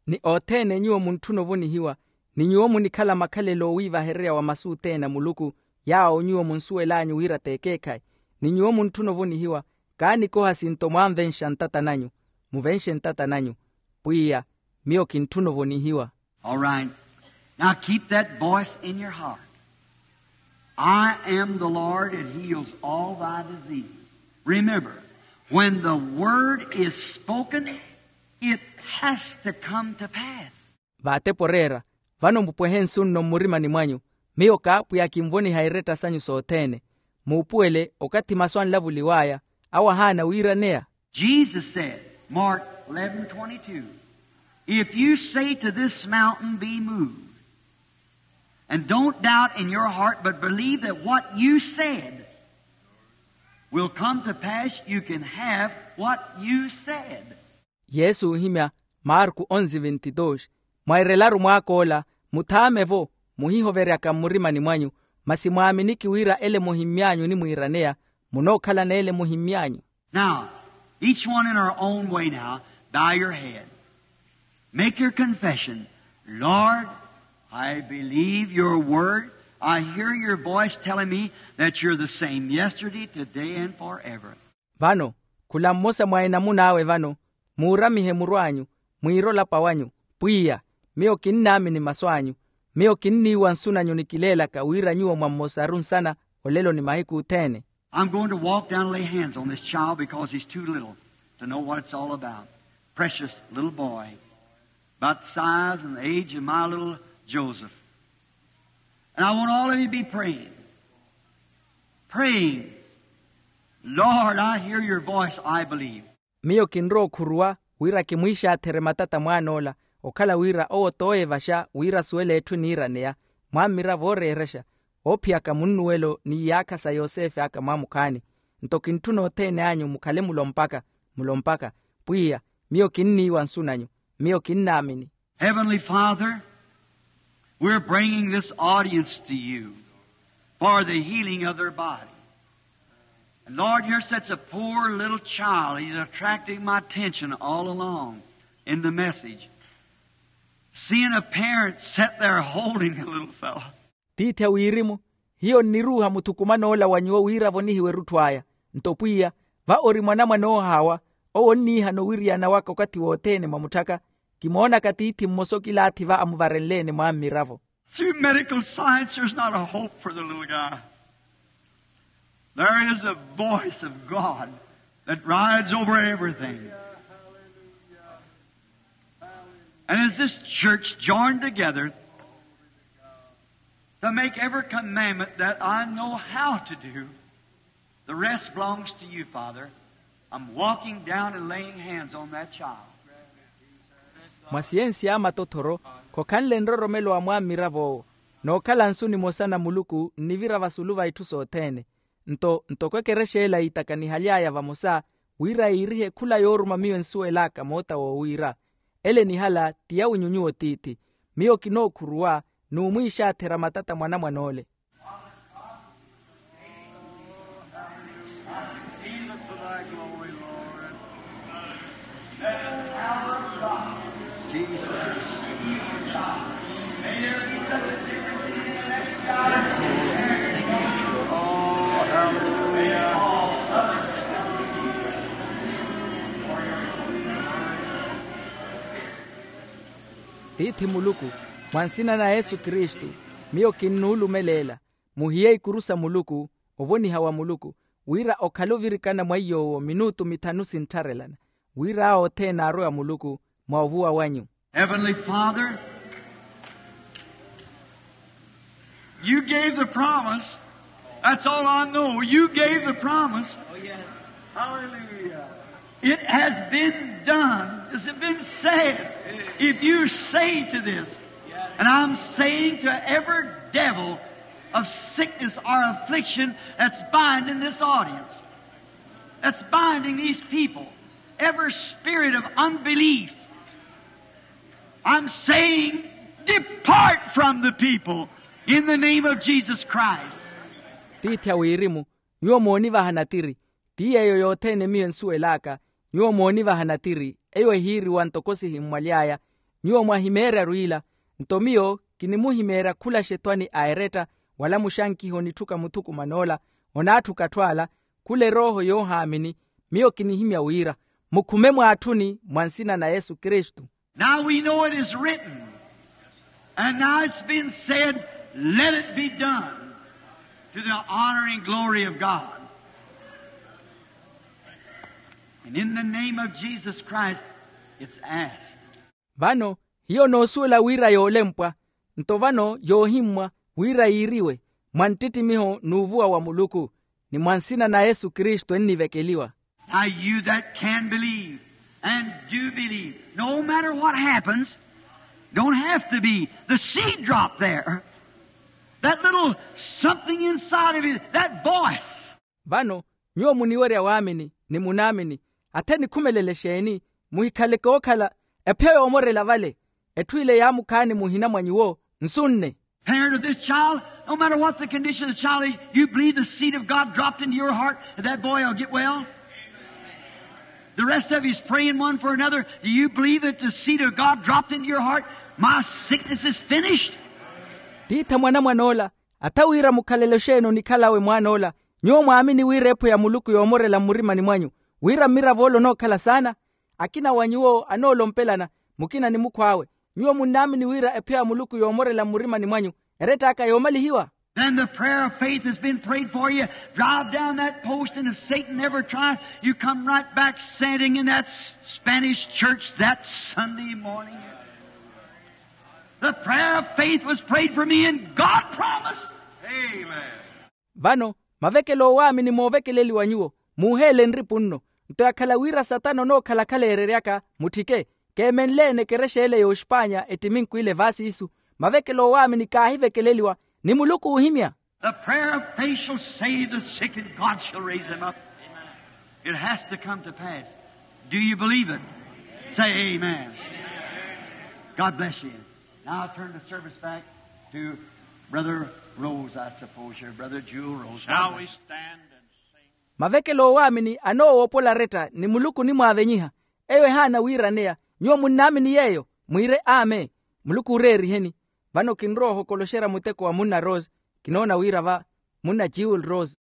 Ni othene nyuwo muntthuna ovonihiwa, ni nyuwo munikhala makhalelo owiivahererya wa masu othene a muluku, yaawo nyuwo munsuwel'anyu wira t'ekeekhayi, ni nyuwo muntthuna ovonihiwa, kaanikoha sinto mwanvenxa ntata nanyu. Muvenxe ntata nanyu. Pwiya, miyo kintthuna ovonihiwa. All right. Now keep that voice in your heart. I am the Lord that heals all thy diseases. Remember, when the word is spoken, it has to come to pass. Vaatepo oreera, vano mupwehe nsu nno mmurimani mwanyu, miyo k'apwiya kinvoniha iretta sanyu sothene. Muupuwele okathi masu anlavuliw'aya, awo ahaana wiiraneya. Jesus said, Mark eleven twenty-two, if you say to this mountain, be moved, and don't doubt in your heart, but believe that what you said will come to pass, you can have what you said. Yesu ohimya, marku onzi vinti dos, mwairelaru mwaak'ola, muthaame-vo, muhihoveryaka mmurimani mwanyu, masi mwaaminiki wira ele muhimmy'anyu onimwiiraneya, munookhala n'ele muhimmy'anyu. Now, each one in our own way now, bow your head. Make your confession. Lord, I believe your word. I hear your voice telling me that you're the same yesterday, today, and forever. Vano, khula mmosa mwa enamun'awe vano, muuramihe murw'anyu, mwiire olapa wanyu, pwiya, miyo kinnaamini masu anyu. Miyo kinniiwa nsu nanyu nikileelaka wira nyuwo mwa mmosaru nsana, olelo ni mahiku othene. I'm going to walk down and lay hands on this child because he's too little to know what it's all about. Precious little boy, about the size and the age of my little Joseph. And I want all of you to be praying. Praying. Lord, I hear your voice, I believe. Miyo kinrowa okhuruwa wira kimwiixaatherye matata mwaan'ola, okhala wira owo t'oyeevaxa wira asuwele etthu eniiraneya, mwammiravo ooreerexa, oophiyaka munnuwelo ni iyaakha sa yosefe aka mwamukhaani. Nto kintthuna othene anyu mukhale mulompaka, mulompaka, pwiya, miyo kinniiwa nsu nanyu, miyo kinnaamini. Heavenly Father, we're bringing this audience to you for the healing of their body. And Lord, here's such a poor little child. He's attracting my attention all along in the message. Seeing a parent sit there holding a little fellow. Tiithi a wirimu, hiyo nniruuha muthukuman'ola wa nyuwo wira avonihiwe erutthu aya. Nto pwiya, va ori mwanamwane oohaawa, owo onniihana owiriyana waka okathi wothene mwa mutthaka. Kimoonaka tiithi mmosa okilaathi va amuvarenle-ene mwaammiravo. Through medical science, there's not a hope for the little guy. There is a voice of God that rides over everything. And as this church joined together to make every commandment that I know how to do, the rest belongs to you, Father. I'm walking down and laying hands on that child. Mwa siyensi y'amatothoro, khokhanle nroromelo wa mwammirav'owo, nookhala nsu nimosa na muluku nnivira vasulu va itthu sothene. Nto ntoko ekerexa ela yiitakanihaly'aya vamosa, wira yiirihe khula yooruma miyo ensuwel'aka moota woowiira, ele enihala ti yawinyu nyuwo tiithi. Miyo kinookhuruwa n'umwiixaatherya matata mwanamwan'ole. Tiithi muluku, mwa nsina na yesu kristu, miyo kinnuulumeleela. Muhiye ikuru sa muluku, ovoniha wa muluku, wira okhale ovirikana mwa iy'owo minutu mithanu sinttharelana, wira awo othene aarowa muluku mwa ovuwa wanyu. Heavenly Father, you gave the promise. That's all I know. You gave the promise. Hallelujah. It has been done. Has it been said? If you say to this, and I'm saying to every devil of sickness or affliction that's binding this audience, that's binding these people, every spirit of unbelief, I'm saying, depart from the people in the name of Jesus Christ. Tiithi a wirimu, nyuwo moonivaha natiri, ti yeeyo yothene miyo ensuwel'aka, Nyuwo moonivaha natiri eyo ehiiriwa ntoko sihimmwaly'aya. Nyuwo mwahimeerya rwiila. Nto miyo kinimuhimeerya khula xetwani a eretta wala muxankiho nitthuka muthukuman'ola onaatthuka atthu ala. Khula erooho yoohaamini. Miyo kinihimya wira mukhume mwaatthuni mwa nsina na yesu kristu. Now we know it is written, and now it's been said, let it be done to the honor and glory of God. And in the name of Jesus Christ, it's asked. Vano hiyo noosuwela wira yoolempwa. Nto vano yoohimmwa wira yiiriwe mwa nttittimiho n'uvuwa wa muluku, ni mwa nsina na yesu kristu ennivekeliwa. Now you that can believe and do believe, no matter what happens, don't have to be the seed drop there, that little something inside of you, that voice. Vano nyuwo muniwerya waamini ni munaamini, athe nikhumelele exeeni? Muhikhaleke ookhala ephiya yoomorela vale. Etthu ile yaamukhaani muhina mwa nyuwo nsu nne. Parent of this child, no matter what the condition of the child is, you believe the seed of God dropped into your heart that that boy will get well? The rest of you is praying one for another. Do you believe that the seed of God dropped into your heart? My sickness is finished. Tiitha mwanamwan'ola, atha wira mukhalele oxeeni onikhalawe mwaan'ola. Nyuwo mwaamini wira epho ya muluku yoomorela mmurimani mwanyu, wira mmirav'ole onookhala saana. Akina wa nyuwo anoolompelana, mukina ni mukhw'awe. Nyuwo munnaamini wira ephiya ya muluku yoomorela mmurimani mwanyu, erett'aka yoomalihiwa? Then the prayer of faith has been prayed for you. Drive down that post, and if Satan ever tries, you come right back standing in that s- spanish church that sunday morning. The prayer of faith was prayed for me, and God promised. Amen. Vano mavekelo oowaamini moovekeleliwa nyuwo, muuheele nripu nno. Nto yakhala wira satana onookhala khaleereryaka, mutthike. Keemenle-ene ekerexa ele y'oxpaanya ettiminku ile vaasi isu. Mavekelo oowaamini kaahivekeleliwa, ni muluku oohimya. The prayer of faith shall save the sick, and God shall raise them up. It has to come to pass. Do you believe it? Say amen. God bless you. Now I'll turn the service back to Brother Rose, I suppose here, Brother Jewel Rose. Now we stand and sing. Mavekelo oowaamini anoowoopola aretta ni muluku onimwaavenyiha. Eyo ehaana wiiraneya. Nyuwo munnaamini yeeyo, mwiire amen. Muluku ooreeriheni. Vano kinrowa ohokoloxerya muteko wa munna rose. Kinoona wira va munna jewel rose.